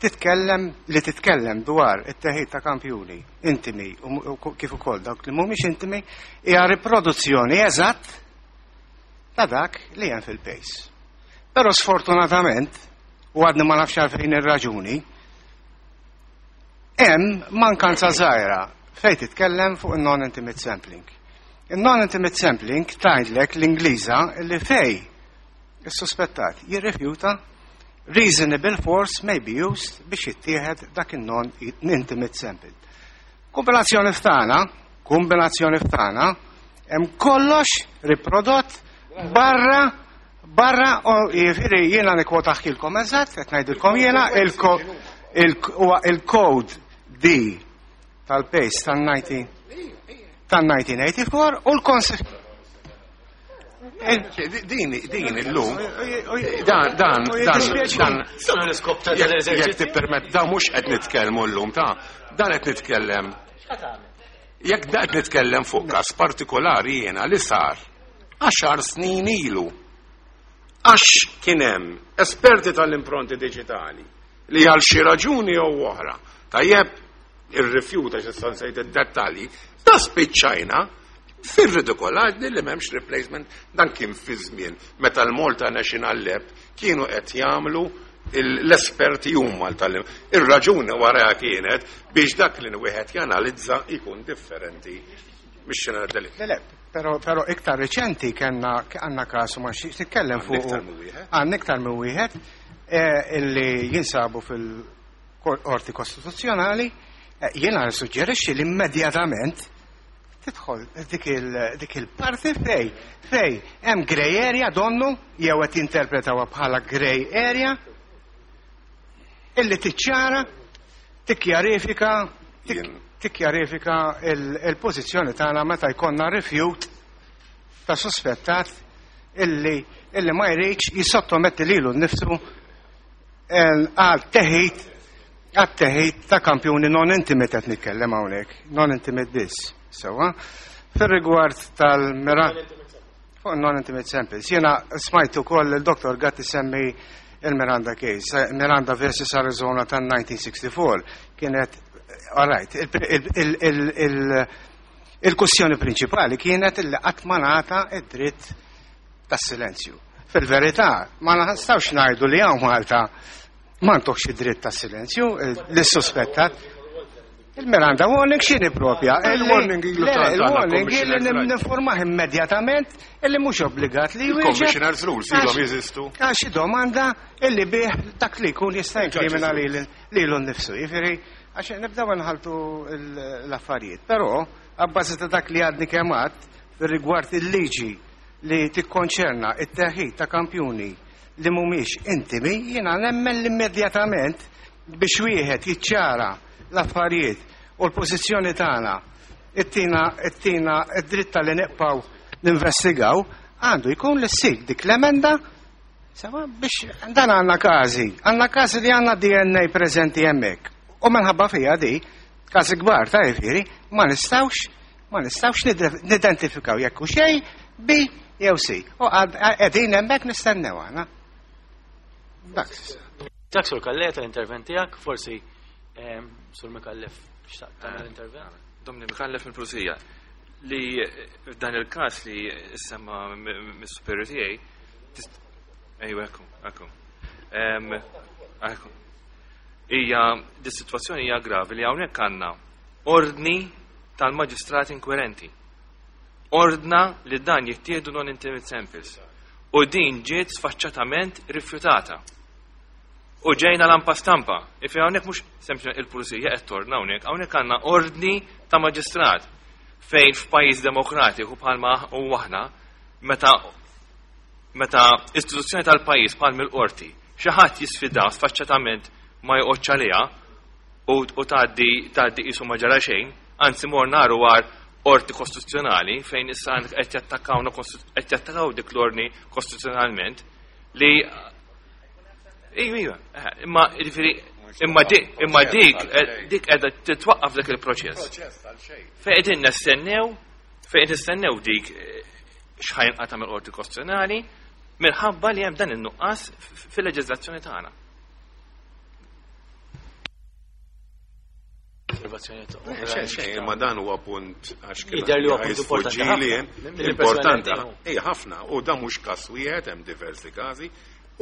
Speaker 7: titkellem li titkellem dwar it-teħid ta' kampjuni intimi u kif ukoll dawk li mhumiex intimi hija riproduzzjoni eżatt ta' dak li hemm fil-PACE. Però sfortunatament, u għadni ma nafx għalfejn ir-raġuni, hemm mankanza żgħira fejn titkellem fuq il-non-intimate sampling. Il-non-intimate sampling tgħidlek l-Ingliża li fej is-suspettat jirrifjuta, reasonable force may be used biex jittieħed dak il-non-intimate sample. Kombinazzjoni ftana, hemm kollox riprodott barra u jiġifieri jiena nikkwotahielkom eżatt, qed ngħidilkom jiena huwa il-code D tal-PACE tal-1984 u l-konsi
Speaker 2: Din illum, dan, dan, dan, dan,
Speaker 1: Sanu l-iskop ta'
Speaker 2: jekk
Speaker 1: l-eżerċizzju.
Speaker 2: tippermett, da mhux qed nitkellmu llum, ta' dan qed nitkellem. Jekk da qed nitkellem fuq każ partikolari jiena li sar 10 snin ilu. Għax kien hemm esperti tal-impronti diġitali li għal xi raġuni jew oħra, tajjeb, irrifjuta xi nsejt id-dettalji, da spiċċajna fir-ridikolaġni li m'hemmx replacement. Dan kien fi żmien meta l-Malta National Lab kienu qed jagħmlu l-esperti huma tal Ir-raġuni wara kienet biex dak li wieħed janalizza jkun differenti mix-xena deli.
Speaker 7: Le, pero iktar reċenti kellna għandna kasu ma xiex titkellem fuq.
Speaker 2: Iktar minn wieħed?
Speaker 7: Għandna iktar minn wieħed illi jinsabu fil-Qorti Kostituzzjonali. Jiena nissuġġerixxi li immedjatament tidħol dik il-parti fej hemm grey area donnu jew qed jinterpretawha bħala grey area illi tiċċara, tikkjarifika tikkjarifika il-pożizzjoni tagħna meta jkollna rifjut ta' suspettat illi ma jridx jissottometti lilu nnifsu għal teħid ta' kampjuni non intimate qed nitkellem hawnhekk, non intimate biss. Sewwa. Fir-rigward tal-mira fuq non-intimate samples, jiena smajtu ukoll il-Dr. Gatti semmi il-Miranda case, Miranda versus Arizona tan-1964, kienet, all right, il-kwestjoni prinċipali kienet illi qatt ma ngħata id-dritt tas-silenzju. Fil-verità, ma nistgħux ngħidu li hawn Malta ma ntuhx id-dritt tas-silenzju lis-suspettat. Il-Miranda warning x'inhi propja?
Speaker 2: Il-warning ilu
Speaker 7: Le, il-warning
Speaker 2: Commissioner's
Speaker 7: illi
Speaker 2: right.
Speaker 7: ninformah immedjatament illi mhux obbligat li jwieġeb.
Speaker 2: Il-Commissioner's rules ilhom jeżistu.
Speaker 7: Għax xi domanda illi bih dak li jkun jista' jinkrimina lilu nnifsu. Jiġifieri, għax nibdew nħaltu l-affarijiet. Però, abbażi ta' dak li għadni kemm għedt fir-rigward il-liġi li tikkonċerna it-teħid ta' kampjuni li mhumiex intimi, jiena nemmen l-immedjatament biex wieħed jiċċara l-affarijiet u l-pożizzjoni tagħna ittina id-dritta li nibqgħu ninvestigaw għandu jkun li ssir dik l-emenda. Sewwa, biex dan għandna każi li għandna DNA preżenti hemmhekk. U minħabba fija di, każi kbar ta' jiġifieri, ma nistgħux nidentifikaw jekk hux A, B jew C. U qegħdin hemmhekk nistennew aħna. Dak.
Speaker 1: Dak Sur Calleja tal-intervent tiegħek, forsi Sur Mikallef xtaqt tagħmel intervent.
Speaker 8: Domni Mikallef mill-Pulizija. Li f'dan il-każ li semma mis-superior tiegħi, ejwa, ekku, ekku. Ekku. Hija dis-sitwazzjoni hija gravi li hawnhekk għandna ordni tal-maġistrat inkwirenti. Ordna li dan jittieħdu non-intimate samples. U din ġiet sfaċċatament rifjutata. U ġejna lampa stampa. Ifi hawnhekk mhux sempliċement il-pulizija qed torna hawnhekk, hawnhekk għandna ordni ta' maġistrat fejn f'pajjiż demokratiku bħalma u aħna meta istituzzjoni tal-pajjiż bħal mill-qorti xi ħadd jisfida sfaċċatament ma joqgħodx għaliha u tgħaddi qisu ma ġara xejn, anzi mor naru għar qorti kostituzzjonali fejn issa qed jattakkawna qed jattakaw dik l-ordni kostituzzjonalment li Iva, imma jiġifieri imma dik imma dik dik qiegħda titwaqqaf dak il-proċess. Fejn qegħdin nistennew fejn nistennew dik x'ħajn qata' mill-qorti kostituzzjonali minħabba li hemm dan in-nuqqas fil-leġiżlazzjoni tagħna.
Speaker 2: Xejn, imma dan huwa punt għax
Speaker 1: kien Jidher li huwa punt importanti ħafna.
Speaker 2: Importanti, ej ħafna, u dan mhux każ wieħed hemm diversi każi,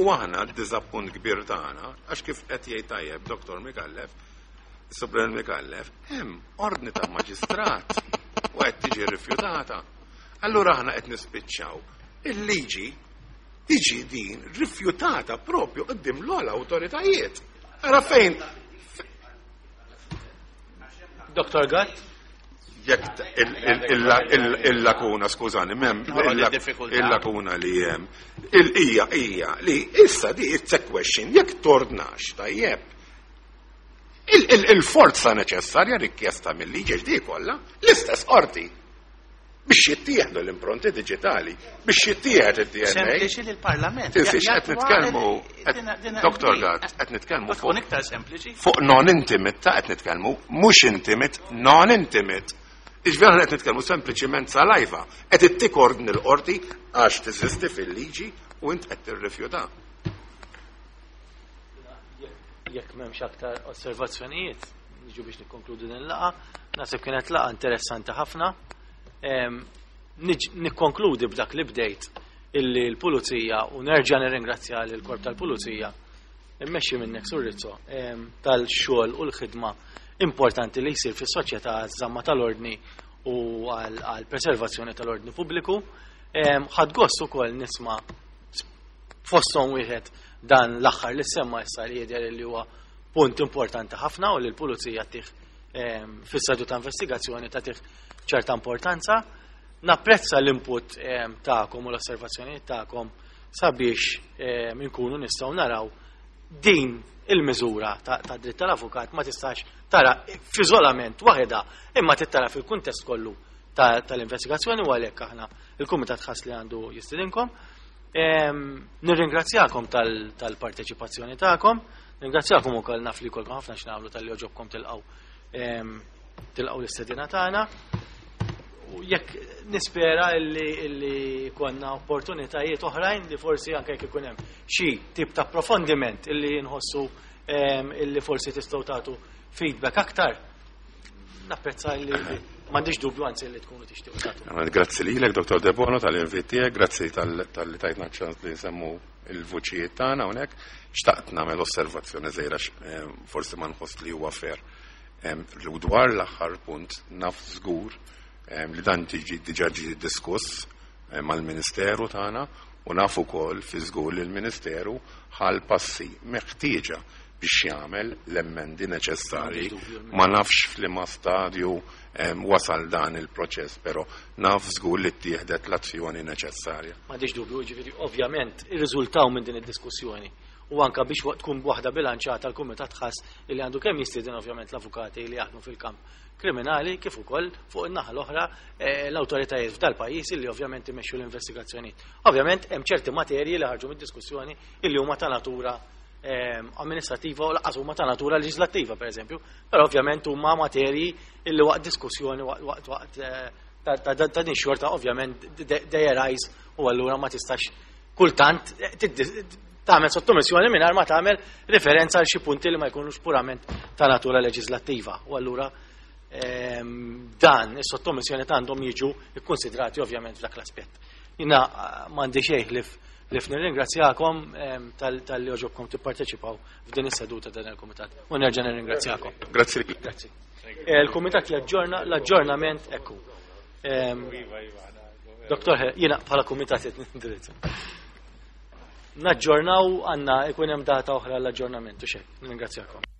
Speaker 2: u aħna d-diżappunt kbir tagħna għax kif qed jgħid tajjeb Dr. Micallef, Supren Micallef, hemm ordni ta' maġistrat u qed tiġi rifjutata. Allura aħna qed nispiċċaw. Il-liġi tiġi din rifjutata propju qudiem l-ogħla awtoritajiet. Ara fejn
Speaker 1: Dr. Gatt?
Speaker 2: Jekk il-lakuna, skużani, mem, il-lakuna li jem, il-ija, ija, li issa di it's a question, jekk tordnax, tajjeb, il-forza neċessarja rikjesta mill-liġi di kollha, l-istess qorti biex jittieħdu l-impronti digitali, biex jittieħed id-DNA.
Speaker 6: Sempliċi li l-Parlament.
Speaker 2: Tinsiex qed nitkellmu, Dr. Gatt, qed nitkellmu
Speaker 6: fuq. iktar sempliċi.
Speaker 2: Fuq non-intimate ta' qed nitkellmu, mhux intimate, non-intimate. Iġveri qed nitkellmu sempliċiment saliva, qed ittik ordni l-qorti għax teżisti fil-liġi u int qed tirrifjuta.
Speaker 1: Jekk m'hemmx aktar osservazzjonijiet, niġu biex nikkonkludu din il-laqgħa, naħseb kienet laqgħa interessanti ħafna. Nikkonkludi b'dak li bdejt illi l-pulizija u nerġa' nirringrazzja lill-korp tal-pulizija immexxi minnek Sur Rizzo tal-xogħol u l-ħidma importanti li jsir fis-soċjetà għaż-żamma tal-ordni u għall-preservazzjoni tal-ordni pubbliku. Ħadd gost ukoll nisma' fosthom wieħed dan l-aħħar li semma issa li jidher li huwa punt importanti ħafna u li l-pulizija tih fis-sadu ta' investigazzjoni tagħtih ċerta importanza. Napprezza l-input tagħkom u l-osservazzjonijiet tagħkom sabiex inkunu nistgħu naraw din il-miżura ta' dritt tal-avukat ma tistax tara f'iżolament waħedha imma tittara fil-kuntest kollu tal-investigazzjoni u għalhekk aħna il-kumitat ħass li għandu jistidinkom. Nirringrazzjakom tal-parteċipazzjoni tagħkom, nirringrazzjakom ukoll naf li jkollkom ħafna x'nagħmlu tal-li oġobkom tilqgħu l-istedina tagħna. U jekk nispera illi konna opportunitajiet oħrajn li forsi anke jekk ikun hemm xi tip ta' approfondiment illi nħossu illi forsi tistgħu tagħtu feedback aktar. Napprezza illi m'għandix dubju anzi li tkunu tixtiequ tagħtu.
Speaker 2: Grazzi lilek, Dr. Debono, tal-invit tiegħek, grazzi tal-li tajtna ċans li nsemmu il-vuċijiet tagħna hawnhekk. Xtaqt nagħmel osservazzjoni żgħira forsi ma nħoss li huwa fair. Dwar l-aħħar punt naf żgur li dan tiġi diġà ġie diskuss mal-Ministeru tagħna u naf ukoll fi żgur li l-Ministeru ħal passi meħtieġa biex jagħmel l-emendi neċessarji. Ma nafx f'liema stadju wasal dan il-proċess, però naf żgur li ttieħdet l-azzjoni neċessarja.
Speaker 1: M'għandix dubju, jiġifieri ovvjament irriżultaw minn din id-diskussjoni u anka biex tkun waħda bilanċata l-kumitat ħass li għandu kemm jistieden ovvjament l-avukati li jaħdmu fil-kamp kriminali kif ukoll fuq in-naħa l-oħra l-awtoritajiet f'dal-pajjiż li ovvjament imexxu l-investigazzjonijiet. Ovvjament hemm ċerti materji li ħarġu mid-diskussjoni illi huma ta' natura amministrativa u lanqas huma ta' natura leġislattiva pereżempju, però ovvjament huma materji illi waqt diskussjoni waqt ta' din xorta ovvjament they arise u allura ma tistax kultant tagħmel sottomissjoni mingħajr ma tagħmel referenza għal xi punti li ma jkunux purament ta' natura leġislattiva u allura dan is-sottomissjoni għandhom jiġu ikkonsidrati ovvjament f'dak l-aspett. Jiena m'għandi xejn ħlief nirringrazzjakom tal-li oġobkom tipparteċipaw f'din is-seduta dan il-kumitat. U nerġa' nirringrazzjakom.
Speaker 2: Grazzi.
Speaker 1: Grazzi. Il-kumitat jaġġorna l-aġġornament ekku. Doktor, jiena bħala kumitat qed nindirizza. Naġġornaw għandna ikun hemm data oħra l-aġġornament u xejn. Ningrazzjakom.